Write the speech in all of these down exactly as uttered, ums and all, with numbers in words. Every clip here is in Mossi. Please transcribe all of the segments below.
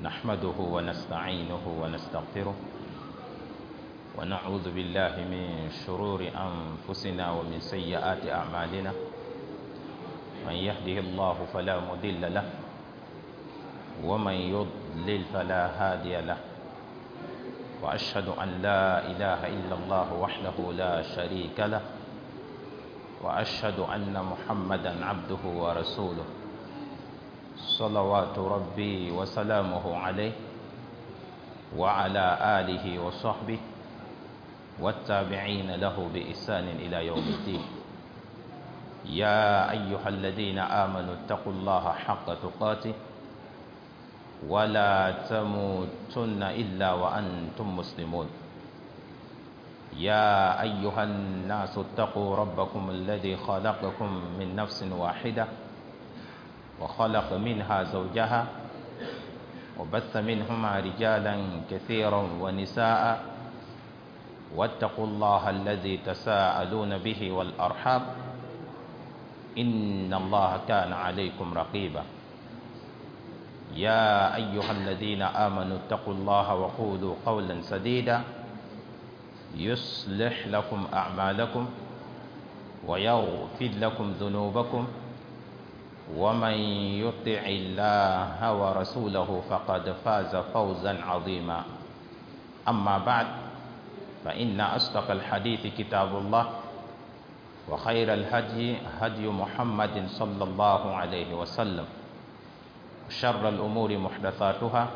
نحمده ونستعينه ونستغفره ونعوذ بالله من شرور أنفسنا ومن سيئات أعمالنا. من يهده الله فلا مضل له ومن يضلل فلا هادي له، وأشهد أن لا إله إلا الله وحده لا شريك له، وأشهد أن محمدا عبده ورسوله، صلوات ربي وسلامه عليه وعلى آله وصحبه والتابعين له بإحسان إلى يوم الدين. يا أيها الذين آمنوا اتقوا الله حق تقاته ولا تموتن إلا وأنتم مسلمون. يا أيها الناس اتقوا ربكم الذي خلقكم من نفس واحدة وخلق منها زوجها وبث منهما رجالا كثيرا ونساء، واتقوا الله الذي تساءلون به والأرحام إن الله كان عليكم رقيبا. يا أيها الذين آمنوا اتقوا الله وقولوا قولا سديدا يصلح لكم أعمالكم ويغفر لكم ذنوبكم، ومن يطع الله ورسوله فقد فاز فوزا عظيما. أما بعد، فإن أصدق الحديث كتاب الله، وخير الهدي هدي محمد صلى الله عليه وسلم، شر الأمور محدثاتها،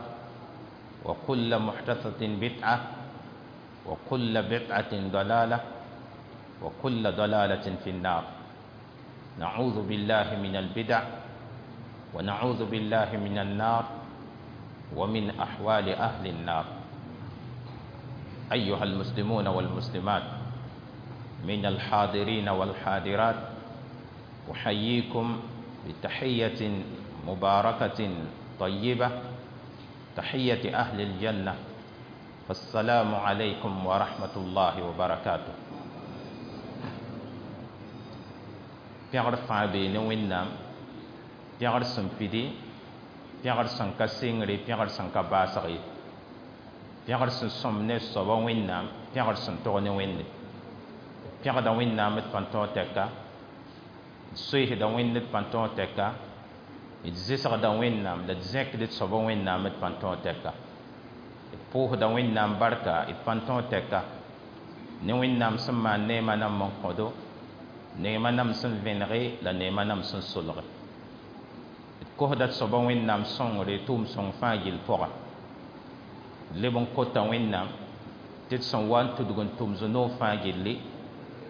وكل محدثة بدعة، وكل بدعة ضلالة، وكل ضلالة في النار. نعوذ بالله من البدع، ونعوذ بالله من النار، ومن أحوال أهل النار. أيها المسلمون والمسلمات من الحاضرين والحاضرات، أحييكم بتحية مباركة طيبة، تحية أهل الجنة، فالسلام عليكم ورحمة الله وبركاته. Pẽgr fãa bee ne Wẽnnaam, pẽgr sẽn pidi, pẽgr sẽn ka sɩngre, pẽgr sẽn ka baasg ye, pẽgr sẽn sõm ne soaba Wẽnnaam, pẽgr sẽn tog ne Wẽnde. Pẽgda Wẽnnaam d pãn-tõog tɛka, d soeesda Wẽnd d pãn-tõog tɛka, d zɩsgda Wẽnnaam la d zẽkd d soaba Wẽnnaam d pãn-tõog tɛka, d pʋʋsda Wẽnnaam barka d pãn-tõog tɛka, ne Wẽnnaam sẽn maan neemã nam n kõdo, neemã nam sẽn vẽnege la neemã nam sẽn solge. D kosda d soaba Wẽnnaam sõngre tʋʋm sõng fãa gill pʋga. D leb n kota Wẽnnaam tɩ d sẽn wa n tudg n tʋm zu-noog fãa gilli,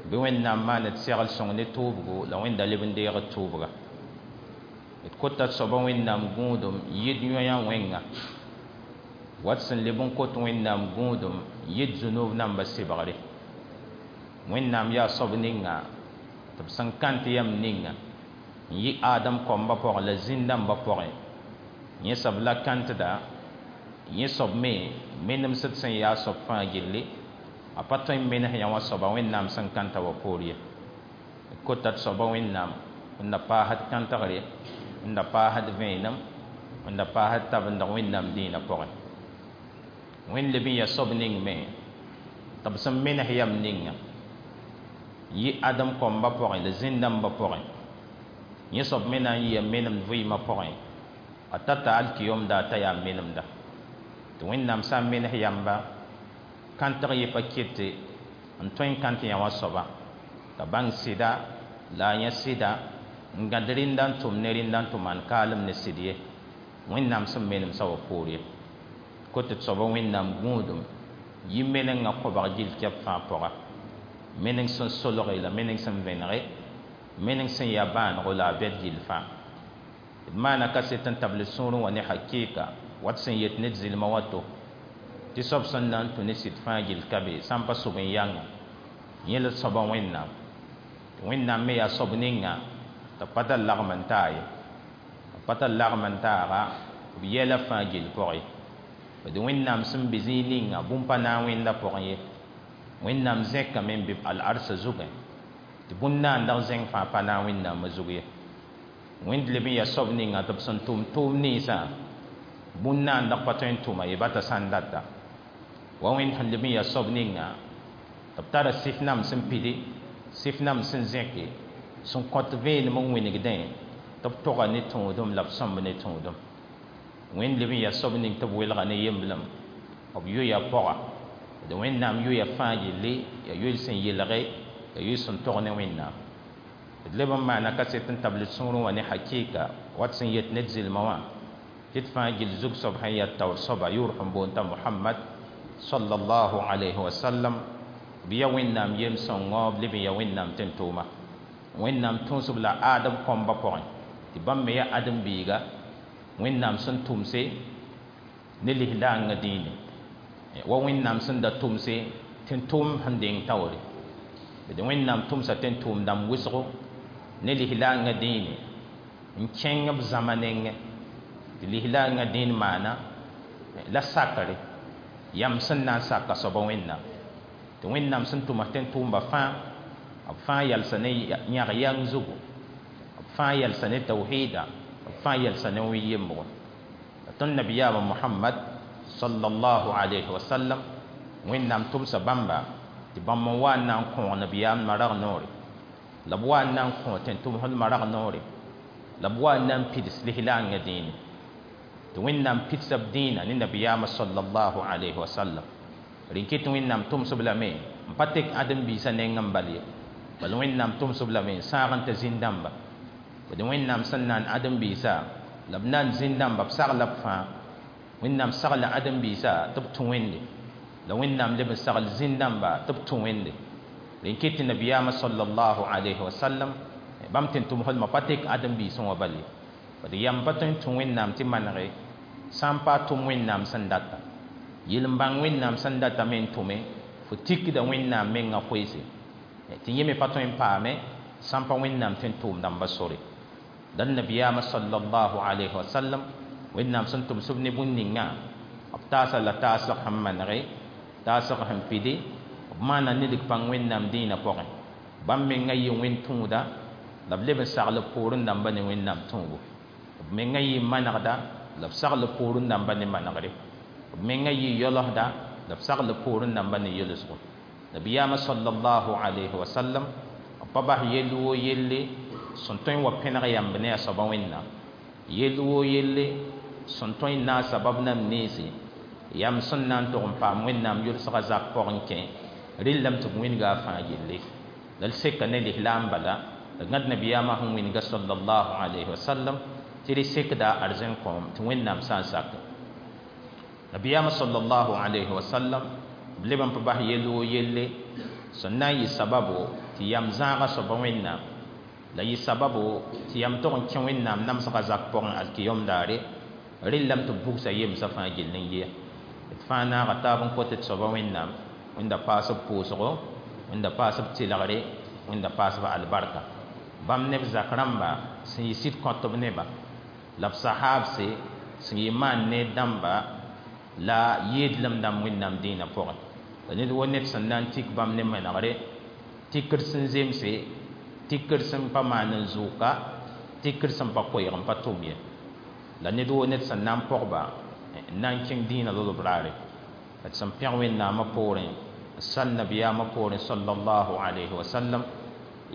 bɩ Wẽnnaam maan d segl sõng ne tʋʋbgo la Wẽnda leb n deeg d tʋʋbga. D kota d soaba Wẽnnaam gũudum yɩd yõa wẽnga, wat sẽn leb n kot Wẽnnaam gũudum yɩd zu-noog namba sɩbgre. Wẽnnaam yaa soab ninga tɩ b sẽn kãnt yam ninga n yɩ Adam kɔmbã pʋgẽ la zĩn-dãmbã pʋgẽ, yẽ soab la kãntda, yẽ soab me menemsd sẽn yaa soab fãa gilli, a pa tõe n menes yã wã soaba Wẽnnaam sẽn kãnta wa poor ye. D kota d soaba Wẽnnaam n da paasd kãntgre, n da paasd vẽenem, n da paasd tabendg Wẽnnaam dĩinã pʋgẽ. Wẽnd leb n yaa soab ning me tɩ b sẽn menes yam ninga yɩ Adam kɔmbã pʋgẽ la zĩn-dãmbã pʋgẽ, yẽ soab me na n yɩa menemd vɩɩmã pʋgẽ, a tata alkiyomda t'a yaa menemda. Tɩ Wẽnnaam sã n menes yamba, kãntg yɩ pa kete n tõe n kãnt yã wã soaba t'a bãng sɩda la a yẽ sɩda n gãd rẽnda n tʋm ne rẽnda n tʋ maan kaalem ne sɩd ye, Wẽnnaam sẽn menemsã wa poor ye. Kot d soaba Wẽnnaam gũudum yɩ menengã kobg gill kɛp fãa pʋga, meneng sẽn solge la meneng sẽn vẽnege, meneng sẽn yaa bãanego la a bɛd gill fãa. D maana kaset n tabl sũurẽ wã ne hakɩɩka wat sẽn yet ne d zɩlmã wa to tɩ soab sẽn na n tũ ne sɩd fãa gill ka be sã n pa sʋg n yãnga, yẽ la soaba Wẽnnaam. Wẽnnaam me yaa soab ninga tɩ b pa tar lagm n taa ye, b pa tar lagm n taaga b yɛla fãa gill pʋgẽ ye. D Wẽnnaam sẽn be zĩig ninga bũmb pa na n wẽnda pʋgẽ ye. Wẽnnaam zẽkame n be al-arsã zugẽ tɩ bũn-naandg zẽng fãa pa na n Wẽnnaamã zug ye. Wẽnd leb n yaa soab ninga tɩ b sẽn tʋm tʋʋm ninsã Bũn naandg pa tõe n tʋma ye ba t'a sã n data wa wẽnd sẽn leb n yaa soab ninga tɩ b tara sɩf nam sẽn pidi sɩf nam sẽn zẽke sẽn kõt vẽenem n wĩnigdẽ tɩ b toga ne tũudum la b sõmb ne tũudum wẽnd leb n yaa soab ning tɩ b welga ne yemblem b yoya pɔga d wẽnnaam yoya fãa yelle yaa yoel sẽn yelge yaa yoel sẽn tog ne wẽnnaam d leb n maana kaset n tabl d sũurẽ wã ne hakɩɩka wat sẽn yet ne d zɩlmã wã tɩ d fãa gill zug soab sẽn yaa taoor soaba yʋʋr sẽn boond t'a mohamad sallallahu alayhi wa sallam b ya wẽnnaam yem-sõngo b leb n ya wẽnnaam tẽn-tʋʋma wẽnnaam tũusb la aadb kõmba pʋgẽ tɩ bãmb me yaa ãdem-biiga wẽnnaam sẽn tʋmse ne lislaangã dĩine wa wẽnnaam sẽn da tʋmse tẽn-tʋʋm sẽn deng taoore d wẽnnaam tʋmsa tẽn-tʋʋm dãmb wʋsgo ne lislaangã dĩine n kẽng b zãma nengẽ tɩ lislaangã dĩin maana la sakre yam sẽn na n saka soaba wẽnnaam tɩ wẽnnaam sẽn tʋma tẽn-tʋʋmba fãa b fãa yalsa ne yãg yãng zugu b fãa yalsa ne tawhida b fãa yalsa ne wẽn-yembgo tõnd nabiyaamã mohamad sallallahu alayhi wa sallam wẽnnaam tʋmsa bãmba tɩ bãmb n wa n na n kõog nabiyaam marag noore la b wa n na n kõ tẽn-tʋmsd marag noore la b wa n na n pids lislaangã dĩine tɩ wẽnnaam pidsa b dĩinã ne nabiyaamã sallallahu alayhi wa sallam rẽn kɩ tɩ wẽnnaam tʋmsb lame n pa tek ãdem-biisã neng n bal ye bal wẽnnaam tʋmsb lame n sãag n t'a zĩn-dãmba d wẽnnaam sẽn naan ãdem-biisã la b naan zĩn-dãmba b sagla b fãa wẽnnaam sagla ãdem-biisã tɩ b tũ wẽnde la wẽnnaam leb n sagl zĩn-dãmba tɩ b tũ wẽnde rẽn kɩ tɩ nabiyaamã sallallahu alayhi wa sallam bãmb tẽn-tʋmsdmã pa tek ãdem-biisẽ wã bal ye d yam pa tõe n tũ wẽnnaam tɩ manege sã n pa tʋm wẽnnaam sẽn data yel n bãng wẽnnaam sẽn data me n tʋme fo tikda wẽnnaam mengã koeese tɩ yẽ me pa tõe n paame sã n pa wẽnnaam tẽn-tʋʋm dãmba sore la nabiyaamã sallallahu alayhi wa sallam wẽnnaam sẽn tʋmsb ne bũn ninga b taasa la taasg sẽn manege taasg sẽn pidi b maana nidg pãng wẽnnaam dĩinã pʋgẽ bãmb mengã yɩ wẽn-tũuda la b leb n sagl b poorẽ dãmba ne wẽnnaam tũubu b mengã yɩ manegda la b sagl b poorẽ dãmba ne manegre b mengã yɩ yolsda la b sagl b poorẽ dãmba ne yolsgo nabiyaamã sallallahu alayhi wa sallam b pa bas yell woo yelle sẽn tõe n wa pẽneg yãmb ne a soaba wẽnnaam yell woo yelle sẽn tõe n naag sabab nam nense yam sẽn na n tʋg n paam wẽnnaam yʋlsgã zak pʋgẽ kẽ rɩllame tɩ b wĩnga a fãa yelle la d seka ne lislaam bala la gãd nabiyaamã sẽn wĩnga sallallahu alayhi wa sallam tɩ d sekda arzẽn kõom tɩ wẽnnaam sã n sak nabiyaamã sallallahu alayhi wa sallam b leb n pa bas yell woo yelle sẽn na n yɩ sababo tɩ yam zãagã soaba wẽnnaam la yɩ sababo tɩ yam tog n kẽ wẽnnaam namsgã zak pʋgẽ alkiyom daare rɩllame tɩ b bugsa yemsã fãa gill n yɩa d fãa naaga taab n kot d soaba wẽnnaam wẽnda paas b pʋʋsgo wẽnda paas b tɩlgre wẽnda paas b albarka bãmb neb zak rãmba sẽn yɩ sɩd kõtb neba la b sahaabse sẽn yɩ maan ne dãmba la yeedlem dãmb wẽnnaam dĩinã pʋgẽ la ned wo ned sẽn na n tik bãmb ne manegre tikr sẽn zemse tikr sẽn pa maan n zʋʋka tikr sẽn pa koɛɛg n pa tʋm ye la ned wo ned sẽn na n pɔgba n na n kẽng dĩinã lolb raare d sẽn pẽg wẽnnaamã poorẽ n sal nabiyaamã poorẽ sallallahu alayhi wa sallam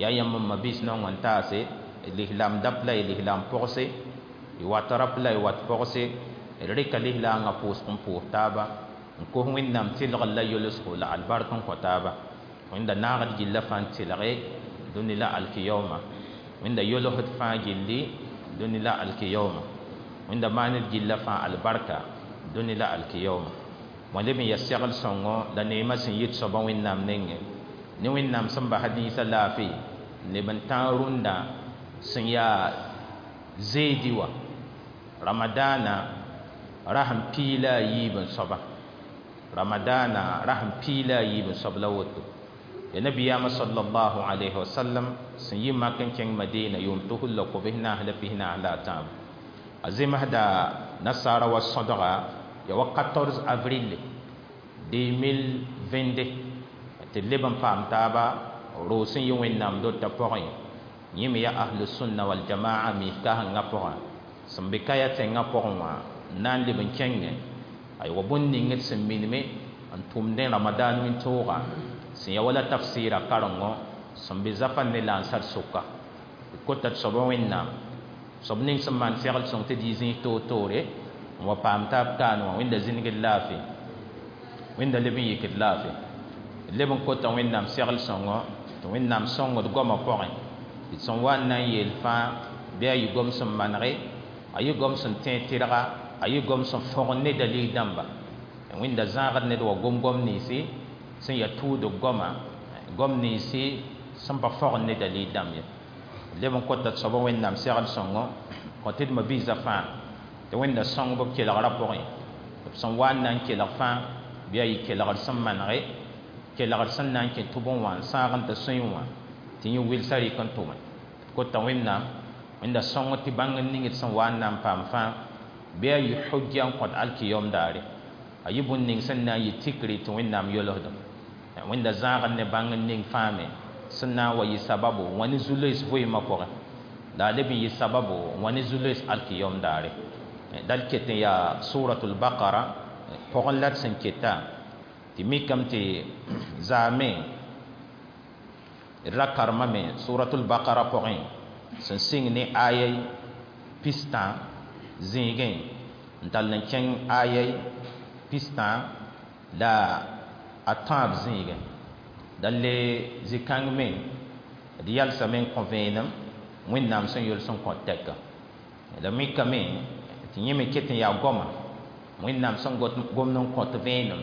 yaa yãmb n ma-biis naong n taase lislaam dap la y lislaam pɔgse y wat rap la y wat pɔgse d rɩka lislaangã pʋʋsg n pʋʋs taaba n kos wẽnnaam tɩlgr la yolsgo la albark n kõ taaba wẽnda naagd gilla fãa n tɩlge dũni la alkiyaooma wẽnda yolsd fãa gilli dũni la alkiyaooma wẽnda maand gilla fãa albarka dũni la alkiyaooma wã leb n yaa segl sõngo la neemã sẽn yit soaba wẽnnaam nengẽ ne wẽnnaam sẽn basa dĩisã laafɩ leb n tãag rũndã sẽn yaa zeedi wã ramadaana rasẽn pii la a yiib n soaba ramadaana rasẽn pii la a yiib n soab la woto ya nabiyaamã sallallahu alayhi wa sallam sẽn yi mak n kẽng madina yʋʋm tusr la kobs naas la pis naas la a tãabo a zemsda nasaara wa sõdga ya wa quatorze avril deux mille vingt-deux tɩ d leb n paam taaba roog sẽn yɩ wẽnnaam dota pʋgẽ yẽ me yaa ahlusunna waljamaa miis-kãsengã pʋgã sẽn be kaya tẽngã pʋgẽ wã Na n leb n kẽngẽ aywa bũn ning d sẽn minime n tʋmdẽ Ramadan wĩntooga sẽn ya wala tafsɩɩra karengo sẽn be zafã ne lansar sʋka d kota d soaba Wẽnnaam soab ning sẽn maan segl sõng tɩ d yɩ zĩis toor-toore n wa paam taab kaan wã Wẽnda zĩnigd laafɩ Wẽnda leb n yik d laafɩ d leb n kota Wẽnnaam segl sõngo tɩ Wẽnnaam sõng d goamã pʋgẽ tɩ sẽn wa n na n yeel fãa bɩ a yɩ gom sẽn manege a yɩ gom sẽn tẽeg tɩrga a yɩ gom sẽn fõgen ne dalil dãmba Wẽnda zãagd ned wa gom gom ninsi sẽn yaa tuudg goama gom ninsi sẽn pa fõgen ne dalil dãmb ye leb n kota d soaba Wẽnnaam segl sõngo kõ tɩ d ma-biisã fãa tɩ Wẽnda sõng b kelgrã pʋgẽ b sẽn wa n na n kelg fãa bɩ a yɩ kelgr sẽn manege kelgr sẽn na n kẽ tʋbẽ wã n sãag n tɩ sõe wã tɩ yẽ wilsã rɩk n tʋme kota Wẽnnaam Wẽnda sõng tɩ bãng n ning d sẽn wa n na n paam fãa bɩ a yɩ hujja n kõt alkiyom daare a yɩ bũn ning sẽn na n yɩ tikre tɩ Wẽnnaam yolsdem Wẽnda zãagd ne bãng n ning fãa me sẽn na n wa yɩ sababu wã ne zu-loees vɩɩmã pʋgẽ la a leb n yɩ sababu wã ne zu-loees alkiyom daare dal ket n yaa suratul Baqara pʋgẽ la d sẽn keta tɩ mikame tɩ zaame d ra karemame suratul Baqara pʋgẽ sẽn sɩng ne aya pistã zĩigẽ n tall n kẽng aya pistã la a tãab zĩigẽ dal le zĩ-kãng me d yalsame n kõ vẽenem Wẽnnaam sẽn yols n kõ tɛka la mikame tɩ yẽ me ket n yaa goama Wẽnnaam sẽn gomd n kõt vẽenem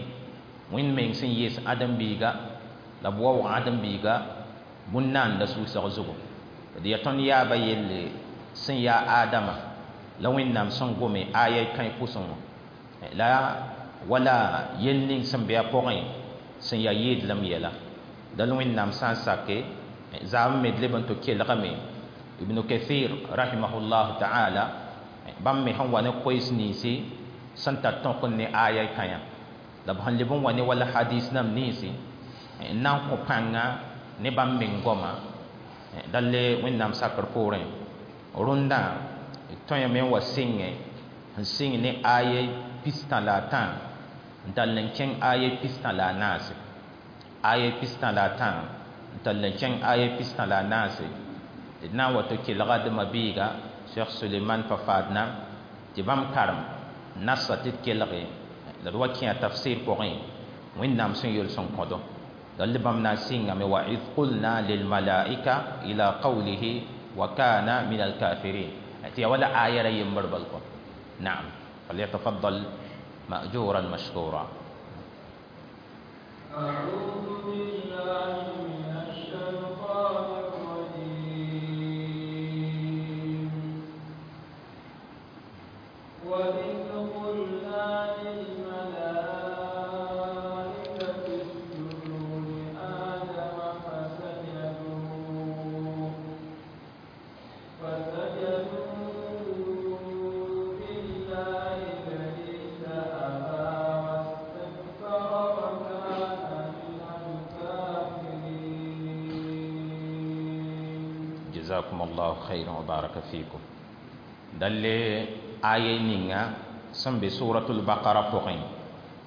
Wẽnd meng sẽn yees ãdem-biiga la b waoog ãdem-biiga bũn-naanda sʋʋsg zugu d yaa tõnd yaaba yelle sẽn yaa Adama la Wẽnnaam sẽn gome aya kãe pʋsẽ wã la wala yel ning sẽn be a pʋgẽ sẽn yaa yeedlem yɛla dal Wẽnnaam sã n sake zaam me d leb n tɩ kelgame Ibn Kathir rahimahullah ta'ala bãmb me sẽn wa ne koees ninsi sẽn tar tõk ne aya kãyã la b sẽn leb n wa ne wala hadis nam ninsi n na n kõ pãnga ne bãmb meng goama dal le Wẽnnaam sakr poorẽ rũndã tõe me n wa sɩngẽ n sɩng ne aya pistã la a tã n tall n kẽng aya pistã la a naase aya pistã la a tã n tall n kẽng aya pistã la a naase d na n wa tɩ kelga d ma-biiga Cheikh Suleiman Fafaadna tɩ bãmb karem nasa tɩ d kelge la d wa kẽ a tafsir pʋgẽ Wẽnnaam sẽn yols n kõdo dal bãmb na n sɩngame wa id qulna lilmalaika ila qawlihi wa kana min alkafirin tɩ yaa wala aya ra yembr bal kɔ naam falyatafaddal مأجورا مشكورا. أعوذ بالله من الشيطان الرجيم. وإذ قلنا للملائكة اسجدوا لآدم فسجدوا فسجدوا إلا إبليس أبى واستكبر وكان من الكافرين. جزاكم الله خيرا وبارك فيكم. دل آية نينغا سن be suratul Baqara pʋgẽ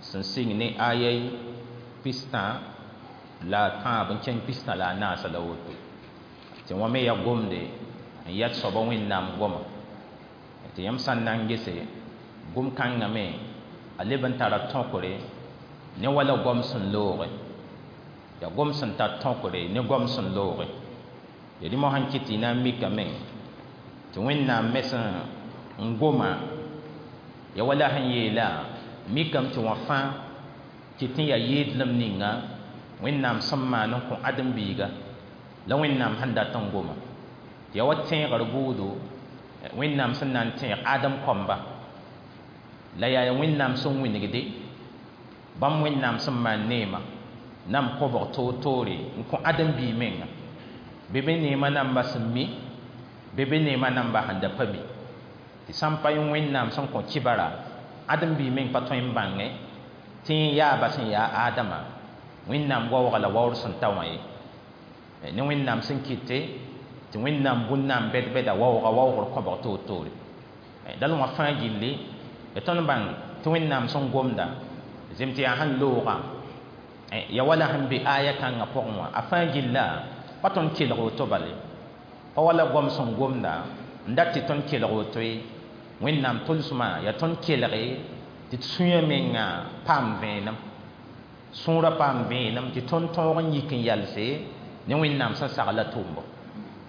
sẽn sɩng ne aya pistã la a tãab n kẽng pistã la a naasa la woto tɩ wã me yaa gomde n yat soaba Wẽnnaam goama tɩ yãmb sã n na n gese gom-kãngã me a leb n tara tõkre ne wala goam sẽn looge yaa gom sẽn tar tõkre ne goam sẽn looge ya rẽ mosã n kɩt tɩ y na n mikame tɩ Wẽnnaam me sẽn n goma ya wala sẽn yeela mikame tɩ wã fãa kɩt n yaa yeedlem ninga Wẽnnaam sẽn maan n kõ ãdem-biiga la Wẽnnaam sẽn dat n goma tɩ yaa wa tẽegr buudo Wẽnnaam sẽn na n tẽeg Adem kɔmba la yaa Wẽnnaam sẽn wĩnigde bãmb Wẽnnaam sẽn maan neema nam kobg toor-toore n kõ ãdem-biig menga bɩ be neemã namba sẽn mi bɩ be neemã namba sẽn da pa mi tɩ sã n pa yẽ Wẽnnaam sẽn kõ kibara ãdem-biig meng pa tõe n bãngẽ tɩ yẽ yaaba sẽn yaa Adama Wẽnnaam waooga la waoor sẽn ta wã ye ne Wẽnnaam sẽn kɩte tɩ Wẽnnaam bũn-naam bɛd-bɛda waooga waoogr kõbg toor-toore dal wã fãa gilli Ya tõnd bãng tɩ Wẽnnaam sẽn gomda zem tɩ yaa sẽn looga ya wala sẽn be aya kãngã pʋgẽ wã a fãa gilla pa tõnd kelg woto bale pa wala goam sẽn gomda n dat tɩ tõnd kelg woto ye Wẽnnaam tʋlsmã yaa tõnd kelge tɩ d sũyã menga paam vẽenem sũurã paam vẽenem tɩ tõnd tõog n yik n yalse ne Wẽnnaam sẽn sagla tʋʋmbo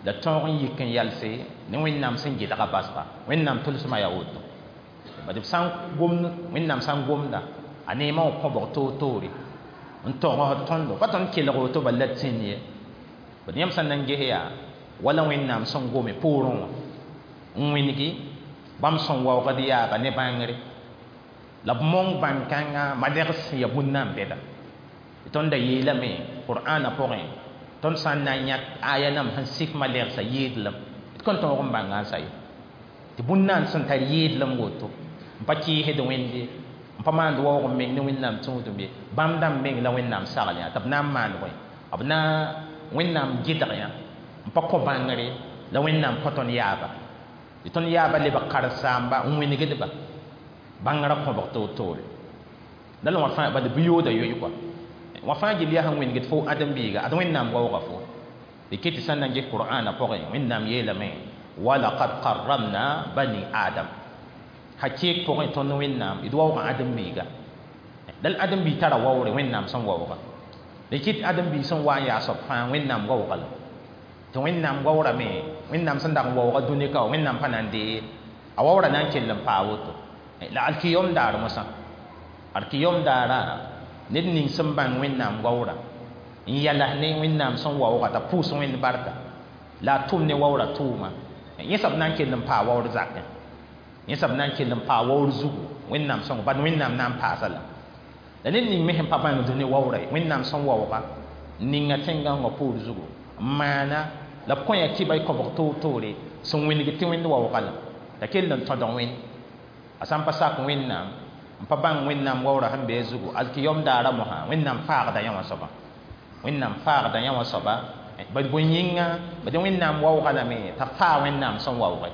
la tõog n yik n yalse ne Wẽnnaam sẽn gɩdga basga Wẽnnaam tʋlsmã yaa woto bad b sã n gomd Wẽnnaam sã n gomda a neemã wã kõbg toor-toore n togsd tõndo pa tõnd kelg woto bal la d tĩnd ye bad yãmb sã n na n ges yaa wala Wẽnnaam sẽn gome poorẽ wã n wĩngi bãmb sẽn waoogd yaaba ne bãngre la b mong bãn-kãngã malegs sẽn yaa bũmb na n bɛda tõnd da yeelame qur'ana pʋgẽ tõnd sã n na n yãk aya nam sẽn sik malegsã yɩɩdlem d kõn tõog n bãnga n sa ye tɩ bũmb na n sẽn tar yɩɩdlem woto n pa kɩɩsd Wẽnd ye n pa maand waoog n meng ne Wẽnnaam tũudum ye bãmb dãmb meng la Wẽnnaam sagl yã tɩ b na n maan bõe b na Wẽnnaam gɩdg yã n pa kõ bãngre la Wẽnnaam kõ tõnd yaaba tɩ tõnd yaaba lebg karen-saamba n wĩnigdba bãngrã kõbg toor-toore la wã fãa bad bɩ yooda yoe kɔa wã fãa gill yaa sẽn wĩnigd fo ãdem-biiga ad Wẽnnaam waooga fo d ket tɩ sã n na n ges qur'ana pʋgẽ Wẽnnaam yeelame walaqad karramna bani adam hakɩɩk pʋgẽ tõnd Wẽnnaam d waooga ãdem-biiga la ãdem-biig tara waoore Wẽnnaam sẽn waooga d kɩt ãdem-biig sẽn wa n yaa soab fãa Wẽnnaam waooga la tɩ Wẽnnaam waoorame Wẽnnaam sẽn dag n waooga dũni ka wã Wẽnnaam pa na n dee a waoora na n kell n paa woto la alkiyom daar mosã alkiyom daara ned ning sẽn bãng Wẽnnaam waoora n yals ne Wẽnnaam sẽn waooga t'a pʋʋs Wẽnd barka la a tʋm ne waoora tʋʋma yẽ soab na n kell n paa waoor zakẽ yẽ soab na n kell n paa waoor zugu Wẽnnaam sõngo bad Wẽnnaam na n paasa la la ned ning me sẽn pa bãngd ne waoora ye Wẽnnaam sẽn waooga n ninga tẽn-gãongã poor zugu n maana la b kõ ya kɩba y kõbg toor-toore sẽn wĩng tɩ Wẽnd waooga la t'a kell n tõdg Wẽnd a sã n pa sak Wẽnnaam n pa bãng Wẽnnaam waoora sẽn be a zugu alkiyom daara mosã Wẽnnaam faagda yã wã soaba Wẽnnaam faagda yã wã soaba bad bõe yĩnga bad Wẽnnaam waooga lame t'a faa Wẽnnaam sẽn waooge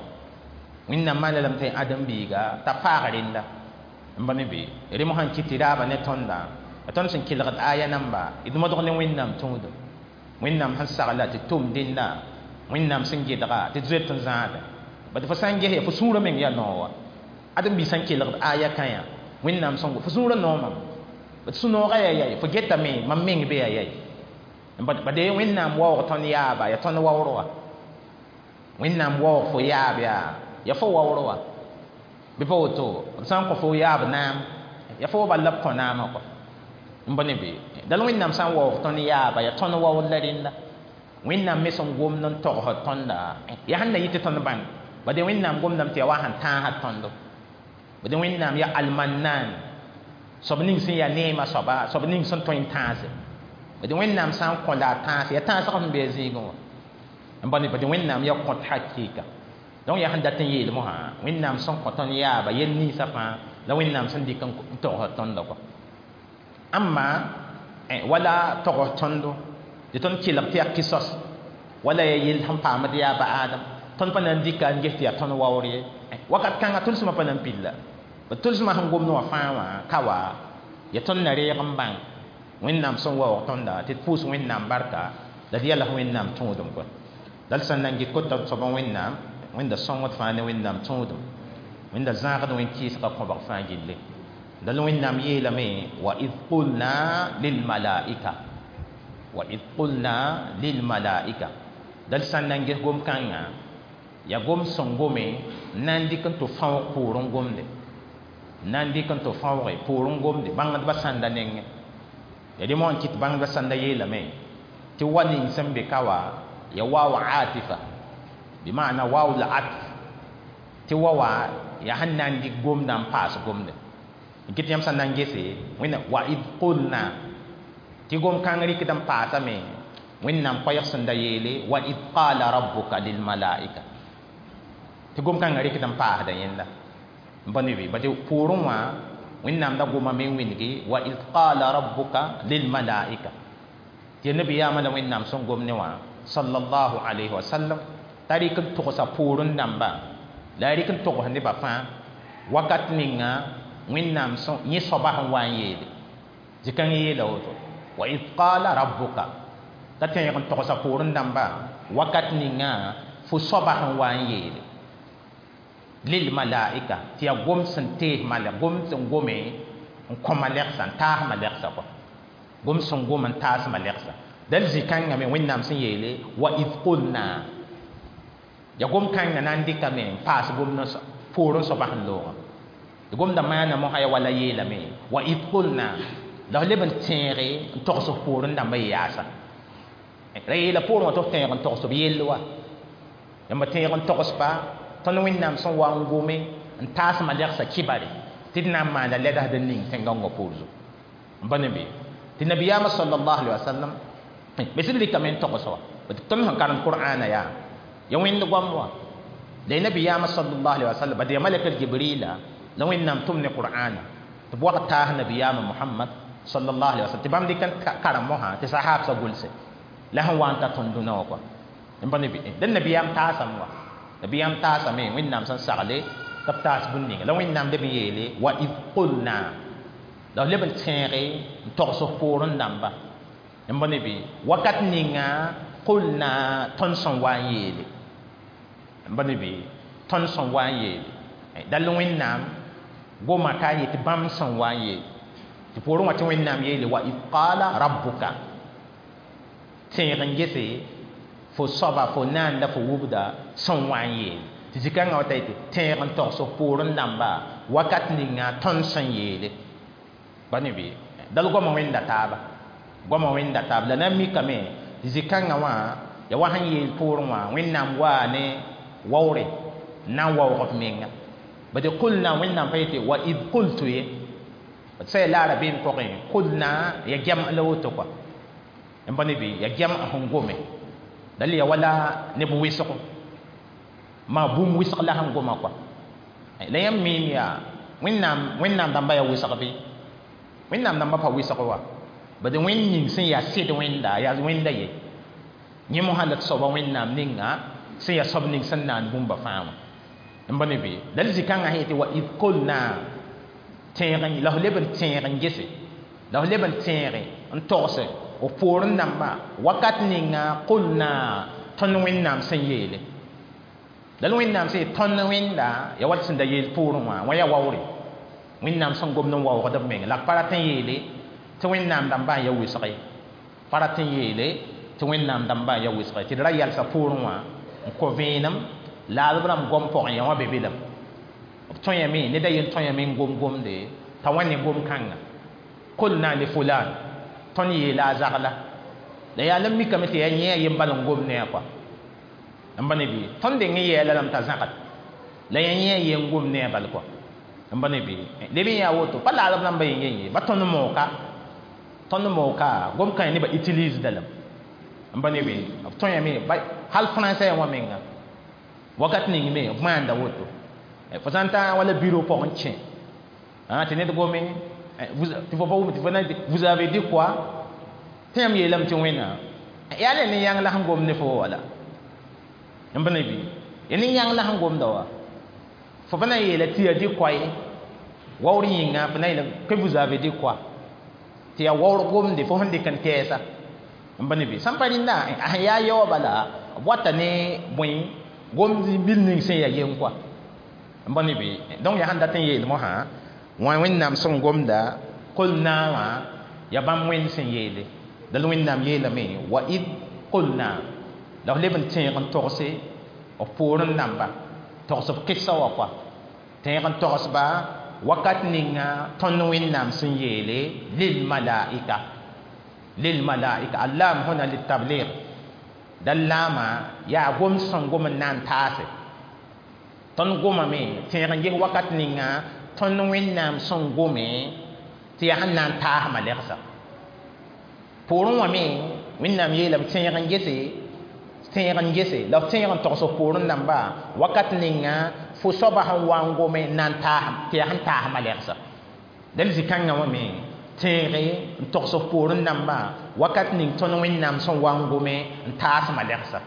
Wẽnnaam maana lame t'a ãdem-biiga t'a faag rẽnda n ba me be rẽ mosã n kɩt tɩ raaba ne tõnda tõnd sẽn kelgd aya namba d modg ne Wẽnnaam tũudum Wẽnnaam sẽn sagla tɩ tʋm dẽnda Wẽnnaam sẽn gɩdga tɩ d zoet n zãada bad fo sã n ges fo sũurã meng yaa noog wa ãdem-biig sã n kelgd aya kã yã Wẽnnaam sõngo fo sũurã noomame bad sũ-noogã yaa yaye fo getame mam meng be yaa yaye bad Wẽnnaam waoog tõnd yaaba yaa tõnd waoor wa Wẽnnaam waoog fo yaab yaa yaa fo waoor wa bɩ pa woto b sã n kõ fo yaab naam yaa fo wa bal la b kõ naamã kɔ n ba ne be dal Wẽnnaam sã n waoog tõnd yaaba yaa tõnd waoor la rẽnda Wẽnnaam me sẽn gomd n togsd tõnda yaa sẽn na yɩ tɩ tõnd bãng bad Wẽnnaam gomdame tɩ yaa wa sẽn tãasd tõndo bad Wẽnnaam yaa almannaan soab ning sẽn yaa neemã soaba soab ning sẽn tõe n tãase bad Wẽnnaam sã n kõ la a tãase yaa tãasg sẽn be a zĩigẽ wã n ba ne bad Wẽnnaam yaa kõt hakɩɩka donc yaa sẽn dat n yeel mosã Wẽnnaam sẽn kõ tõnd yaaba yel ninsã fãa la Wẽnnaam sẽn dɩk n togsd tõnda kɔ ãmba wala togs tõndo tɩ tõnd kelg tɩ yaa kɩsos wala yaa yell sẽn paamd yaaba Adam tõnd pa na n dɩka n ges tɩ yaa tõnd waoor ye wakat kãngã tʋlsmã pa na n pilla b tʋlsmã sẽn gomd wã fãa wã ka wa yaa tõnd na reeg n bãng Wẽnnaam sẽn waoog tõnda tɩ d pʋʋs Wẽnnaam barka la d yals Wẽnnaam tũudum kɔ la d sẽn na n gɩt kota soabã Wẽnnaam Wẽnda sõngd fãa ne Wẽnnaam tũudum Wẽnda zãagd wẽn-kɩɩsgã kõbg fãa gilli dal Wẽnnaam yeelame wa id qulna lilmalaika wa id qulna lilmalaika dal sã n na n ges gom-kãngã yaa gom sẽn gome n na n dɩk n tɩ fãoog poorẽ gomde n na n dɩk n tɩ fãooge poorẽ gomde bãngdbã sãnda nengẽ ya dẽ moã n kɩt bãngdbã sãnda yeelame tɩ wa ning sẽn be ka wa ya waw atifa bɩmaana waw la atf tɩ wa wa yaa sẽn na n dɩk gomdã n paas gomde n kɩt yãmb sã n na n gese wẽnna wa id qulna tɩ gom-kãng rɩkd n paasame Wẽnnaam koɛɛg sẽn da yeele wa id qala rabbuka lilmalaika tɩ gom-kãngã rɩkd n paasda yẽnda n pa ne be bad poorẽ wã Wẽnnaam da gomame n wĩngi wa id qala rabbuka lilmalaika tɩ ya nabiyaamã la Wẽnnaam sẽn gom ne wã sallallahu alayhi wa sallam t'a rɩk n togsa poorẽ dãmba la a rɩk n togs nebã fãa Wakat ninga Wẽnnaam yẽ soaba sẽn wa n yeele zĩ-kãng yeela woto wa id qala rabbuka t'a tẽeg n togsa poorẽ dãmba wakat ninga fo soaba sẽn wa n yeele lil malaika tɩ yaa gom sẽn tees malɛk gom sẽn gome n kõ malɛgsa n taas malɛgsa kɔa gom sẽn gom n taas malɛgsa dal zĩ-kãngã me Wẽnnaam sẽn yeele wa id qulna ya gom kãngã na n dɩkame n paas gomd poorẽ soaba sẽn loogã tɩ gomda maana mosã ya wala yeelame wa id qulna la f leb n tẽege n togs f poorẽ dãmbã yaasa ra yeela poorẽ wã tɩ f tẽeg n togs b yell wa yãmba tẽeg n togsba tõnd Wẽnnaam sẽn wa n gome n taas malɛgsã kibare tɩ d na n maana lɛdsd n ning tẽn-gãongã poor zugu n pa ne be tɩ nabiyaamã sallallahu alaihi wasallam me sẽd rɩkame n togs wa tõnd sẽn karem qur'ana yaa ya wẽnd goam wa la ya nabiyaamã sallallahu alaihi wasallam bad ya malaka jibrila la Wẽnnaam tʋm ne qur'ana tɩ b wag taas nabiyaamã Muhammad sallallahu alaihi wasallam tɩ bãmb dɩk n karem mosã tɩ sahabsã gʋlse la sẽn wa n ta tõnd dũnã wã kɔa n pa ne be dẽn nabiyaam taasame wa nabiyaam taasame Wẽnnaam sẽn sagle tɩ b taas bũmb ninga la Wẽnnaam leb n yeele wa id qulna la f leb n tẽege n togs f poorẽ dãmba n pa ne be wakat ninga qulna tõnd sẽn wa n yeele n pa ne be tõnd sẽn wa n yeele dall Wẽnnaam goma ka yetɩ bãmb sẽn wa n yeele tɩ poorẽ wã tɩ Wẽnnaam yeele wa id qala rabbuka tẽeg n gese fo soaba fo naanda fo wubda sẽn wa n yeele tɩ zĩ-kãngã wa ta yetɩ tẽeg n togs f poorẽ dãmba wakat ninga tõnd sẽn yeele ba ne be dal goama wẽnda taaba goama wẽnda taaba la na n mikame tɩ zĩ-kãngã wã ya wa sẽn yeel poorẽ wã Wẽnnaam waa ne waoore n na n waoog b menga bad qulna Wẽnnaam pa yetɩ wa id qultu ye d sã ya la a rabeem pʋgẽ qulna ya gɛm la woto kɔa n pa ne be ya gɛm sẽn gome dal ya wala neb wɩsgo maa bũmb wɩsg la sẽn goma kɔa la yãmb miim yaa Wẽnnaam Wẽnnaam dãmba yaa wɩsg bɩ Wẽnnaam dãmba pa wɩsg wa bad wẽnd ning sẽn yaa sɩd wẽnda yaa wẽnda ye yẽ mosã la d soaba Wẽnnaam ninga sẽn yaa soab ning sẽn naan bũmba fãa wã n pa ne be dal zĩ-kãngã sẽn yetɩ wa id qulna tẽeg la f leb n tẽeg n gese la f leb n tẽege n togse f poorẽ dãmba wakat ninga qulna tõnd Wẽnnaam sẽn yeele dal Wẽnnaam sẽn yet tõnd wẽnda ya wat sẽn da yeel poorẽ wã wã yaa waoore Wẽnnaam sẽn gomd n waoogd b menga la b pa rat n yeele tɩ Wẽnnaam dãmbã n ya wɩsg ye pa rat n yeele tɩ Wẽnnaam dãmbã n ya wɩsg ye tɩ d ra yalsa poorẽ wã n kõ vẽenem la b rãmb gom pʋgẽ yã wã be belam b tõe ned a yen tõe n gom gomde t'a wã ne gom-kãnga qulna li fulan tõnd yeela a zagla la yaa la n mikame tɩ yaa yẽ a yen bal n gom ne a kɔa n pa ne bɩ tõnd deng n yɛɛla lame t'a zãgd la yaa yẽ a yen gom ne a bal kɔa n pa ne bɩ leb n yaa woto pa laadb rãmba yen yen ye ba tõnd mooka tõnd mooka gom-kãng nebã utilise lame n pa ne bɩ b tõe hal français wã menga wakat ning me b maanda woto fo sã n ta wala bureau pʋgẽ kẽ tɩ ned gome tɩ fo pa wʋm tɩ fo na vous avez dit quoi tɩ yãmb yeelame tɩ wẽnnaam yaa la nin-yãng la sẽn gom ne fo wala n pa ne bɩ ya nin-yãng la sẽn gomda wa fo pa na n yeela tɩ ya dit quoi ye waoor yĩnga fo na yeela que vous avez dit quoi tɩ yaa waoor gomde fo sẽn dɩk n tɛɛsa n pa ne bɩ sãn pa rẽnda a sẽn yaa yaoã bala b wata ne bõe gomd bil ning sẽn yaa yen kɔa n pa ne bɩ donc yaa sẽn dat n yeel mosã wã Wẽnnaam sẽn gomda qulna wã yaa bãmb wẽnd sẽn yeele dal Wẽnnaam yeelame wa id qulna la f leb n tẽeg n togse f poorẽ dãmba togs b kɩsa wã kɔa tẽeg n togsba wakat ninga tõnd Wẽnnaam sẽn yeele lil malaika lil malaika allam huna litabligh dal laama yaa gom sẽn gom n na n taase tõnd gomame tẽeg n ges wakat ninga tõnd Wẽnnaam sẽn gome tɩ yaa sẽn na n taas malɛgsa poorẽ wã me Wẽnnaam yeelame tẽeg n gese tẽeg n gese la f tẽeg n togs f poorẽ dãmba wakat ninga fo soaba sẽn wa n gome n na n taas tɩ yaa sẽn taas malɛgsa dal zĩ-kãngã wã me tẽege n togs f poorẽ dãmba wakat ning tõnd Wẽnnaam sẽn wa n gome n taas malɛgsa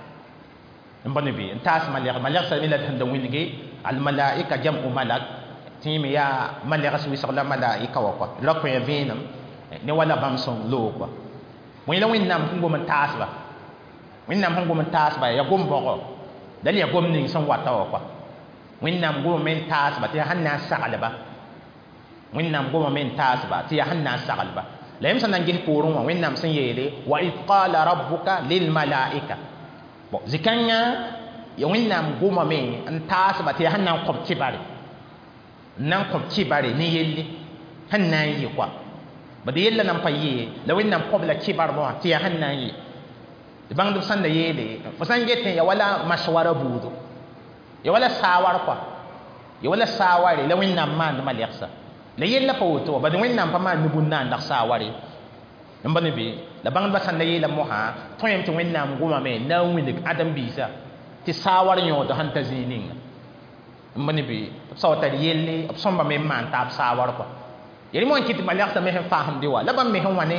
n pa ne bɩ n taas malɛg malɛgsa me la d sẽn da wĩnge almalaika jam'u malak tɩ Tɩ me yaa malegs wɩsg la malaika wã kɔa ra kõ vẽenem ne wala bãmb sẽn loog kɔa bõe la Wẽnnaam sẽn gom n taasba Wẽnnaam sẽn gom n taasba yaa gom-bõgo dal yaa gom ning sẽn wata wã kɔa Wẽnnaam gomame n taasba tɩ yaa sẽn na n saglba Wẽnnaam gomame n taasba tɩ yaa sẽn na n saglba la yãmb sẽn na n ges poorẽ wã Wẽnnaam sẽn yeele wa id qala rabbuka lilmalaika bon zĩ-kãngã ya Wẽnnaam gomame n taasba tɩ yaa sẽn na n kõb kibare n na n kõb kibare ne yelle sẽn na n yɩ kɔa bad yella nan pa yɩ la Wẽnnaam kõb la kibar wã tɩ yaa sẽn na n yɩ tɩ bãngdb sẽn da yeele fo sã n getẽ ya wala maswara buudo ya wala saawar kɔa ya wala saaware la Wẽnnaam maand malɛgsa la yella pa woto wa bad Wẽnnaam pa maan ne bũn-naandg saaware n ba ne be la bãngdbã sẽn da yeela mosã tõe tɩ Wẽnnaam gomame na n wilg ãdem-biisã tɩ saawar yõod sẽn ta zĩig ninga n ba ne be b sao tar yelle b sõmbame n maan taab saawar kɔa yel mo n kɩt malɛgsã me sẽn faasẽmde wa la bãmb me sẽn wã ne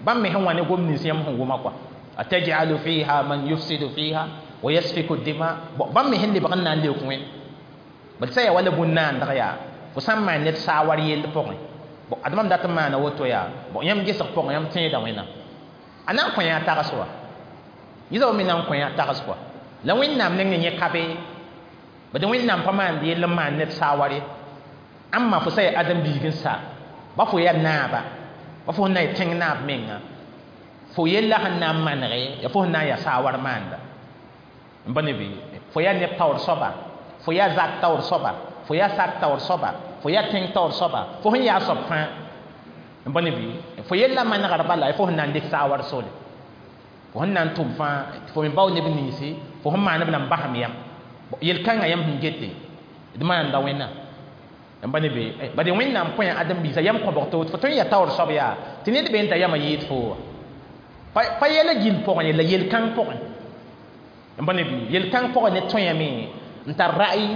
bãmb me sẽn wã ne gom nins yãmb sẽn wʋma kɔa atajalu fiha man yufsidu fiha wa yasfiku dima bon bãmb me sẽn lebg n na n leok wẽn bad sã yaa wala bũn-naandg yaa fo sã n maan ned saawar yell pʋgẽ bon ad mam dat n maana woto yaa bon yãmb gesg pʋgẽ yãmb tẽeda wẽnnaam a na n kõ yã tags wa yẽ me na n kõ yã tags kɔa la Wẽnnaam nengẽ yẽ ka be bad Wẽnnaam pa maand yell n maan ned saawar ye ãmba fo sã yaa ãdem-biig n sa ba fo yaa naaba ba fo sẽn na n tẽng naab menga fo yella sẽn na n manege ya fo sẽn na n yaa saawar maanda n pa ne bɩ fo yaa neb taoor soaba fo yaa zak taoor soaba fo yaa sak taoor soaba fo yaa tẽng taoor soaba fo sẽn yaa soab fãa n pa ne bɩ fo yella manegr bala fo sẽn na n dɩk saawar sore fo sẽn na n tʋm fãa fo me bao neb ninsi fo sẽn maan b na n basem yam yel-kãngã yãmb sẽn gete d maanda Wẽnnaam n pa ne be bad Wẽnnaam kõ yã ãdem-biisã yam kõbg to fo tõe n yaa taoor soab yaa tɩ ned be n ta yamã yɩɩd fo wa pa yɛla gill pʋgẽ ye la yel-kãng pʋgẽ n pa ne bɩ yel-kãng pʋgẽ ne tõe n tar ra'yi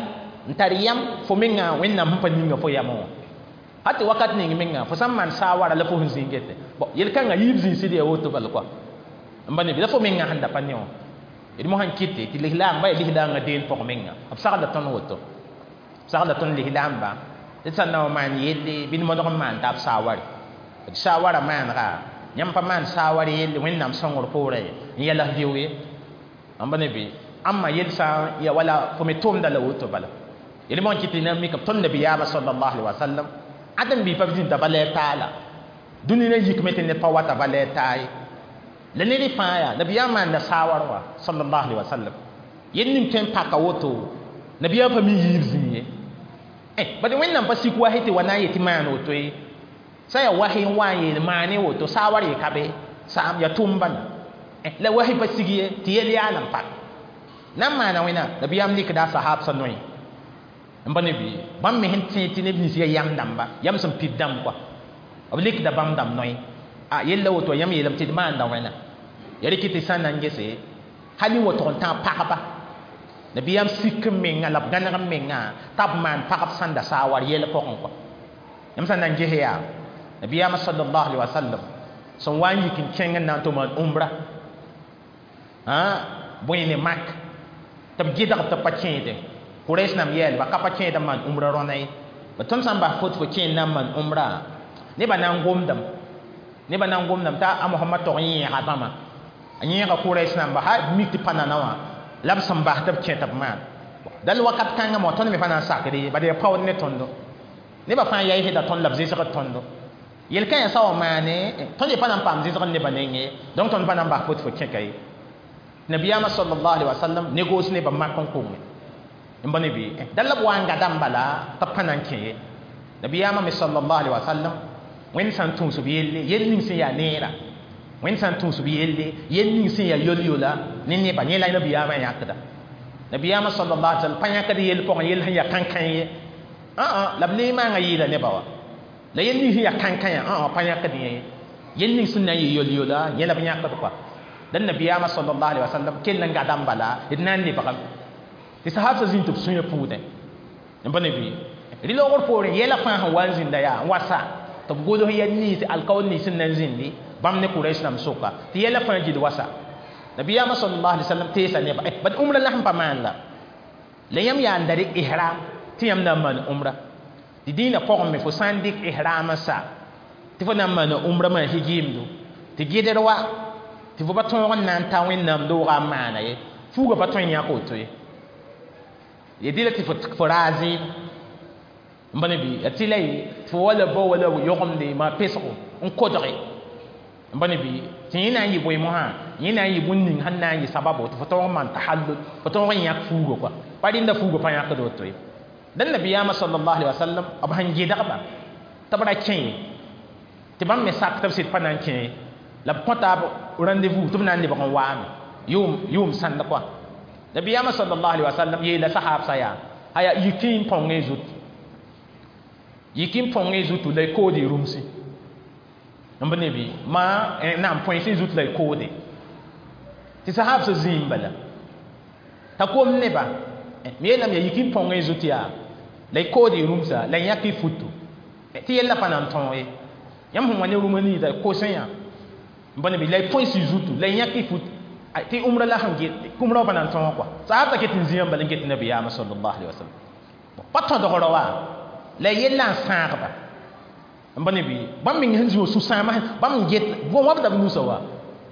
n tar yam fo menga Wẽnnaam sẽn pa ninga fo yamã wã hal tɩ wakat ning menga fo sã n maan saawara la fo sẽn zĩig gete bon yel-kãngã yiib zĩnsd yaa woto bal kɔa n pa ne bɩ la fo menga sẽn da pa ne wã d mosã n kɩte tɩ lislaambã yaa lislaangã deen pʋg menga b sagla tõnd woto b sagla tõnd lislaamba tɩ sã n na wa maan yelle bɩ d modg n maan taab saaware d saawara maanega yãmb pa maan saawar yelle Wẽnnaam sõngr poorẽ n yɛls bɩo ye n pa ne bɩ ãmba yel sã n ya wala fo me tʋʋmda la woto bala yel mo n kɩ tɩ na n mika tõnd nabiyaamã sallallahu alaihi wasallam ãdem-biig pa zĩnda valɛɛr taala dũni na yikme tɩ ned pa wata valɛɛr taa ye la ned fãa yaa nabiyaam maanda saawar wã sallallahu alaihi wasallam yel ning tõe n paka woto nabiyaam pa mi yiib zĩig ye bad Wẽnnaam pa sik wahi tɩ wa na n yetɩ maan woto ye sã yaa wahi n wa n yeel maane woto saawar yɩ ka be saam yaa tʋʋm bala la wahi pa sig ye tɩ yel yaal n pak na n maana wẽnnaam nabiyaam likda a sahaab sã noe n pa ne bɩ bãmb me sẽn tẽ tɩ neb nins yaa yam dãmba yam sẽn pid dãmb kɔa b likda bãmb dãmb noe a yella woto yãmb yeelame tɩ d maanda wẽnnaam ya rɩkɩ tɩ sã n na n gese hal n wa tʋg n tãag pagba nabiyaam sik n menga la b gãneg n menga t'a b maan pagb sãn da saawar yɛl pʋgẽ kɔa yãmb sã n na n ges yaa nabiyaamã sallallahu alaihi wasallam sẽn wa n yik n kẽng n na n tʋ maan umra bõe ne mak tɩ b gɩdg tɩ b pa kẽede Quraysh nam yɛɛlba ka pa kẽed n maan umra rõna ye ba tõnd sã n bas fot fo kẽend na n maan umra nebã na n gomdame nebã na n gomdame t'a a Mohamad tog n yẽega bãmba a yẽega Quraysh namba ha mik tɩ pa nana wã la b sẽn bas tɩ b kẽ tɩ b maan dal wakat kãngã mo tõnd me pa na n sakd ye bad yaa paood ne tõndo nebã fãa yaɩsda tõnd la b zɩsgd tõndo yel-kãyã sã wa maane tõnd ye pa na n paam zɩsgd nebã neng ye donc tõnd pa na n bas fot fo kẽka ye nabiyaamã sallallahu alaihi wasallam négos nebã mak n konge n pa ne bɩ dal la b wa n gadame bala tɩ b pa na n kẽ ye nabiyaamã me sallallahu alaihi wasallam Wẽnd sã n tũus b yelle yel ning sẽn yaa neera Wẽnd sã n tũus b yelle yel ning sẽn yaa yol-yola ne nebã yẽ la nabiyaamã yãkda nabiyaamã sallallahu alaihi wasallam pa yãkd yell pʋgẽ yell sẽn yaa kãnkã ye ã la b le maanga yɩɩda nebã wa la yel ning sẽn yaa kãnkã ã pa yãkd yẽ yel ning sẽn na n yɩ yol-yola yẽ la b yãkd kɔa la nabiyaamã sallallahu alaihi wasallam kell n gadame bala d na n lebgame tɩ sahaab sã zĩnd tɩ b sũyã puudẽ n pa ne bɩ rɩ loogr poorẽ yɛla fãa sẽn wa n zĩnda yaa n wa sa tɩ b gols yɛl nins alkaool nins sẽn na n zĩndi bãmb ne Quraysh nam sʋka tɩ yɛla fãa gil wasa nabiyaamã sallallahu alaihi wasallam teesa nebã bad umra la sẽn pa maan la la yãmb yaa n da rɩ ihram tɩ yãmb na n maan umra Tɩ dĩinã pʋgẽ me fo sã n dɩk ihraamã sa tɩ fo na n maana umra maa higimdo tɩ gɩdr wa tɩ fo pa tõog n na n ta Wẽnnaam doogã n maana ye fuugã pa tõe n yãk woto ye ya dɩla tɩ fo raa zɩɩm n ba ne bɩ ya tɩ la ye tɩ fo wala bao wala yogemde maa pesgo n kodge n ba ne bɩ tɩ yẽ na n yɩ bõe mosã yẽ na n yɩ bũn ning sẽn na n yɩ sababo tɩ fo tõog n maan tahallul fo tõog n yãk fuugã kɔa pa rẽnda fuugã pa yãkd woto ye dãn nabiyaamã sallallahu alaihi wasallam b sẽn gɩdgba tɩ b ra kẽ ye tɩ bãmb me sak tɩ b sɩd pa na n kẽ ye la b kõta b rendez-vous tɩ b na n lebg n waame yʋʋm sãnd kɔa nabiyaamã sallallahu alaihi wasallam yeela sahaabsã yaa aya yiki n põngẽ zut yiki n põngẽ zutu la y kood y rũmsi n b ne bɩ maa naam põensẽ zut la y koode tɩ sahaabsã zĩim bala t'a kom neba m yeelame yaa yiki n põngẽ zut yaa la y kood y rũmsa la y yãk y futu tɩ yella pa na n tõog ye yãmb sẽn wa ne rũmã niida kosẽ yã n ba ne bɩ la y põens y zutu la y yãk y fut tɩ umra la sẽn get umra wã pa na n tõog kɔa sahabsã ket n zĩam bala n get nabiyaamã sallallahu alaihi wasallam pa tõdgrã wa la yella n sãagba n ba ne bɩ bãmb meng sẽn zĩ wã sũ-sãamã bãmb n get wãbda b nusa wa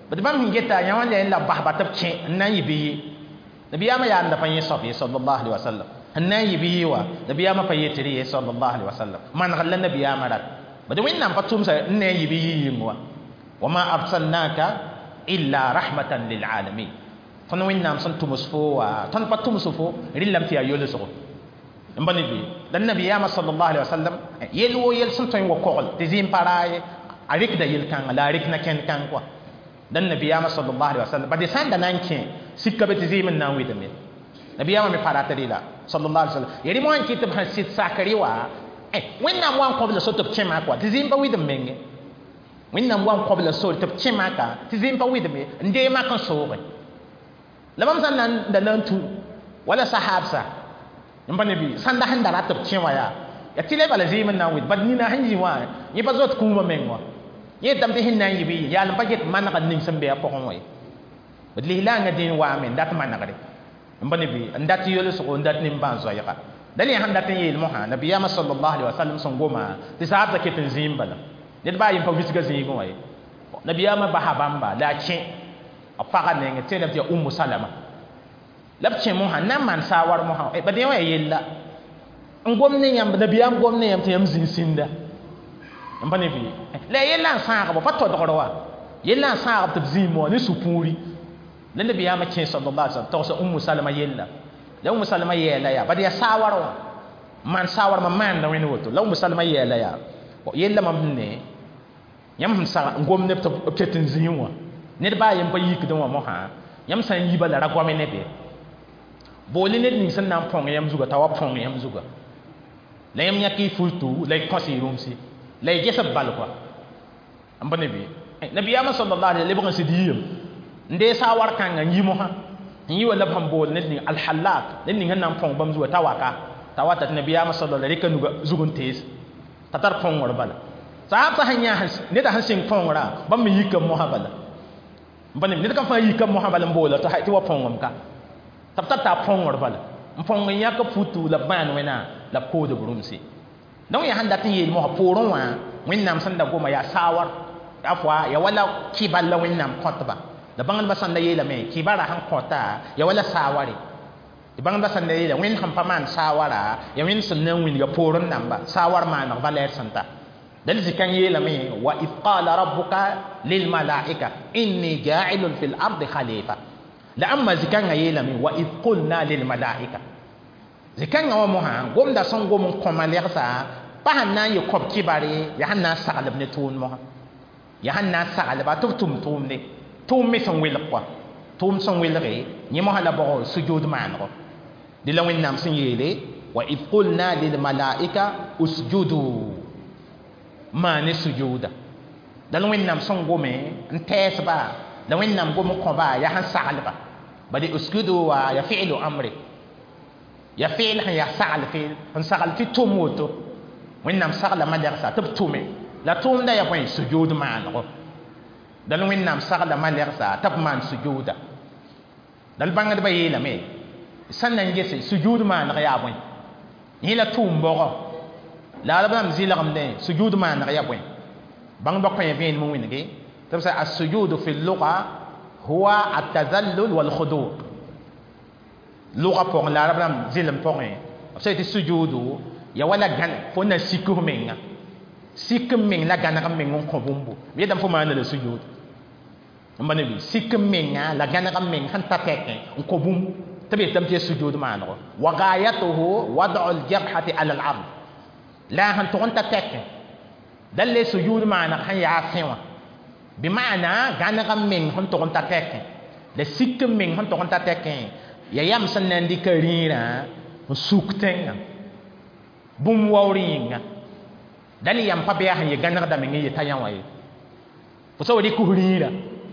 bad bãmb sẽn geta yã wã la la basba tɩ b kẽ n na n yɩ bɩ ye nabiyaamã yaanda pa yẽ soab ye sallallahu alaihi wasallam n na n yɩ bɩ ye wa nabiyaamã pa yetr ye sallallahu alaihi wasallam manegr la nabiyaamã rat bad Wẽnnaam pa tʋmsa n na n yɩ bɩ yɩ yĩng wa wama arsalnaka illa rahmatan lil alamin tõnd Wẽnnaam sẽn tʋms fo wa tõnd pa tʋms fo rẽllame tɩ yaa yolsgo n ba ne bɩ la nabiyaamã sallallahu alaihi wasallam yel wo yel sẽn tõe n wa kogl tɩ zĩim pa raa ye a rɩkda yel-kãngã la a rɩk na-kẽnd kãng kɔa dan nabiyaamã sallallahu alaihi wasallam bad sã n da na n kẽ sika be tɩ zɩɩm n na n wɩdme nabiyaamã me pa rat rɩla sallallahu alaihi wasallam ya rɩ moã n kɩ tɩ b sẽn sɩd sakre wa Wẽnnaam wa n kõb la so tɩ b kẽ maa kɔa tɩ zĩim pa wɩdm menge Wẽnnaam wa n kõb la sore tɩ b kẽ maaka tɩ zĩim pa wɩdme n dee mak n sooge la bãmb sã n na n da na n tu wala sahaabsa n pa ne bɩ sãnda sẽn da rat tɩ b kẽ wã yaa ya tɩ la bala zɩɩm n na n wɩd bad nina sẽn yɩ wã yẽ pa zoet kũumã meng wã yẽ yetame tɩ sẽn na n yɩ bɩ yɩ yaal n pa get manegr ning sẽn be a pʋgẽ wã ye b lislaangã dĩin waame n dat manegre n pa ne bɩ n dat yolsgo n dat nimbãan-zoɛɛga da yẽ sẽn dat n yeel mosã nabiyaamã sallallahu alaihi wasallam sẽn goma tɩ sahabsã ket n zĩim bala ned baa yem pa wilsga zĩigẽ wã ye nabiyaamã basa bãmba la a kẽ b pagã nengẽ tɩ tɩ yaa Ummu Salama la b kẽ mosã n na n maan saawar mosã bad yẽ wã yaa yella n gom ne yãmb nabiyaam gom ne yãmb tɩ yãmb zĩig sĩnda n pa ne bɩ la yella n sãagba pa todgr wa yella n sãagb tɩ b zĩig wã ne sũ-pũuri la nabiyaamã kẽ sallallahu alaihi wasallam togsa Ummu Salama yella la Ummu Salama yeela yaa bad yaa saawar wã maan saawar ma maanda wẽnd woto la Ummu Salama yeela yaa yella mam ne yãmb sẽn sag n gom neb tɩ b ket n zĩig wã ned baa yem pa yikdẽ wã mosã yãmb sã n yi bala ra goame ne be boole ned ning sẽn na n põng yãmb zuga t'a wa põng yãmb zuga la yãmb yãk y fultu la y kõs y rũmsi la y ges b bal kɔa n pa ne bɩ nabiyaamã sallallahu alaihi lebg n sɩd yiyem n dee saawar kãngã n yi mosã n yi wa la b sẽn bool ned ning alhalak ned ning sẽn na n põng bãmb zuga t'a waka t'a wata tɩ nabiyaamã sallallahu alaihi rɩka nuga zug n tees t'a tar põngr bala sahabsã sẽn yã neda sẽn sɩng põngrã bãmb me yika mosã bala n pa ne ned kam fãa yika mosã bala n boola tɩ wa põngem ka tɩ b tar t'a põngr bala n põng n yãk futu la b bãan wẽna la b kood b rũmsi donc yaa sẽn dat n yeel mosã poorẽ wã Wẽnnaam sẽn da goma yaa saawar a fʋa ya wala kɩbal la Wẽnnaam kõtba la bãngdbã sãn da yeelame kibara sẽn kõta ya wala saaware tɩ bãngdbã sãn da yeela Wẽnd sẽn pa maan saawara ya Wẽnd sẽn na n wilga poorẽ namba saawar maaneg valɛɛr sẽn ta dal zikãng yeelame wa id qala rabbuka lilmalaika inni ja'ilun fil ardi khalifa la ãmba zikãngã yeelame wa id qulna lilmalaika zikãngã wã mosã gomda sẽn gom n kõ malɛgsa pa sẽn na n yɩ kõb kibare yaa sẽn na n saglb ne tʋʋm mosã yaa sẽn na n saglba tɩ b tʋm tʋʋmde tʋʋm me sẽn welg kɔa tʋʋm sẽn welge yẽ mosã la bʋg sujud maanego dɩ la Wẽnnaam sẽn yeele wa id qulna lilmalaika usjudu maane sujuda la Wẽnnaam sẽn gome n tɛɛsba la Wẽnnaam gom n kõba yaa sẽn saglba bad usjudu wa ya fi'lu amri ya fi'l sẽn yaa sagl feel n sagl tɩ tʋm woto Wẽnnaam sagla malɛgsa tɩ b tʋme la tʋʋmda yaa bõe sujud maanego dal Wẽnnaam sagla malɛgsa tɩ b maan sujuda dal bãngdbã yeelame sãn na n gese sujud maaneg yaa bõe yẽ la tʋʋm bɔgɔ La arab rãmb zɩlgemdẽ sujud maaneg ya bõe bãngdbã kõ vẽenem n wĩnge tɩ b sã السجود في اللغة هو التذلل والخضوع. Lʋga pʋgẽ la arab rãmb zɩlem pʋgẽ b sã yetɩ sujuudu ya wala gãn fo na sik f menga sik n meng la gãneg n meng n kõ bũmbu b yetame fo maana la sujud n ba ne sik n menga la gãneg n meng sẽn ta tɛkẽ n kõ bũmb tɩ b yetame tɩ ya sujud maanego wa gayatuhu wad'u ljabhati ala al-ard la sẽn tʋg n ta tɛkẽ dal le sujud maaneg sẽn yaa fẽ wã bɩ maana gãneg n meng sẽn tʋg n ta tɛkẽ la sik n meng sẽn tʋg n ta tɛkẽ ya yam sẽn na n dɩka rĩirã n suk tẽngã bũmb waoor yĩnga dal yam pa bɩ yaa sẽn ye gãnegda meng n yeta yã wã ye fo sa wa rɩk f rĩirã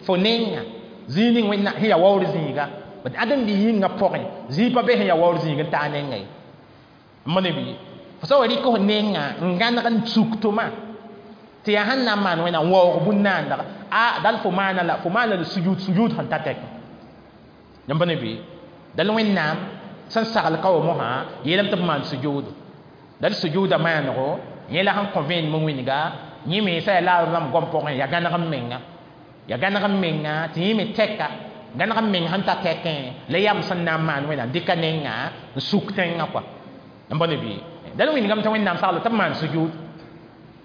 fo nenga zĩig ning wẽnna sẽn yaa waoor zĩiga b ãdem-bi yĩngã pʋgẽ zĩig pa be sẽn yaa waoor zĩig n taa nenga ye n ma ne bɩ fo sa wa rɩk f nenga n gãneg n suk tʋma tɩ yaa sẽn na n maan wẽnnaam n waoog bũn-naandg a dal fo maana la fo maana la sujud sujud sẽn ta tɛk yãmb ne bɩ dal wẽnnaam sẽn sagl ka wa mosã yeelame tɩ b maan sujuudo dal sujuuda maanego yẽ la sẽn kõ vẽenem n wĩnga yẽ me sã yaa laar rãmb goam pʋgẽ yaa gãneg n menga yaa gãneg n menga tɩ yẽ me tɛka gãneg n meng sẽn ta tɛkẽ la yam sẽn na n maan wẽnnaam dɩka nenga n suk tẽngã kɔa n bõe ne bɩ dal wĩngame tɩ wẽnnaam sagl tɩ b maan sujud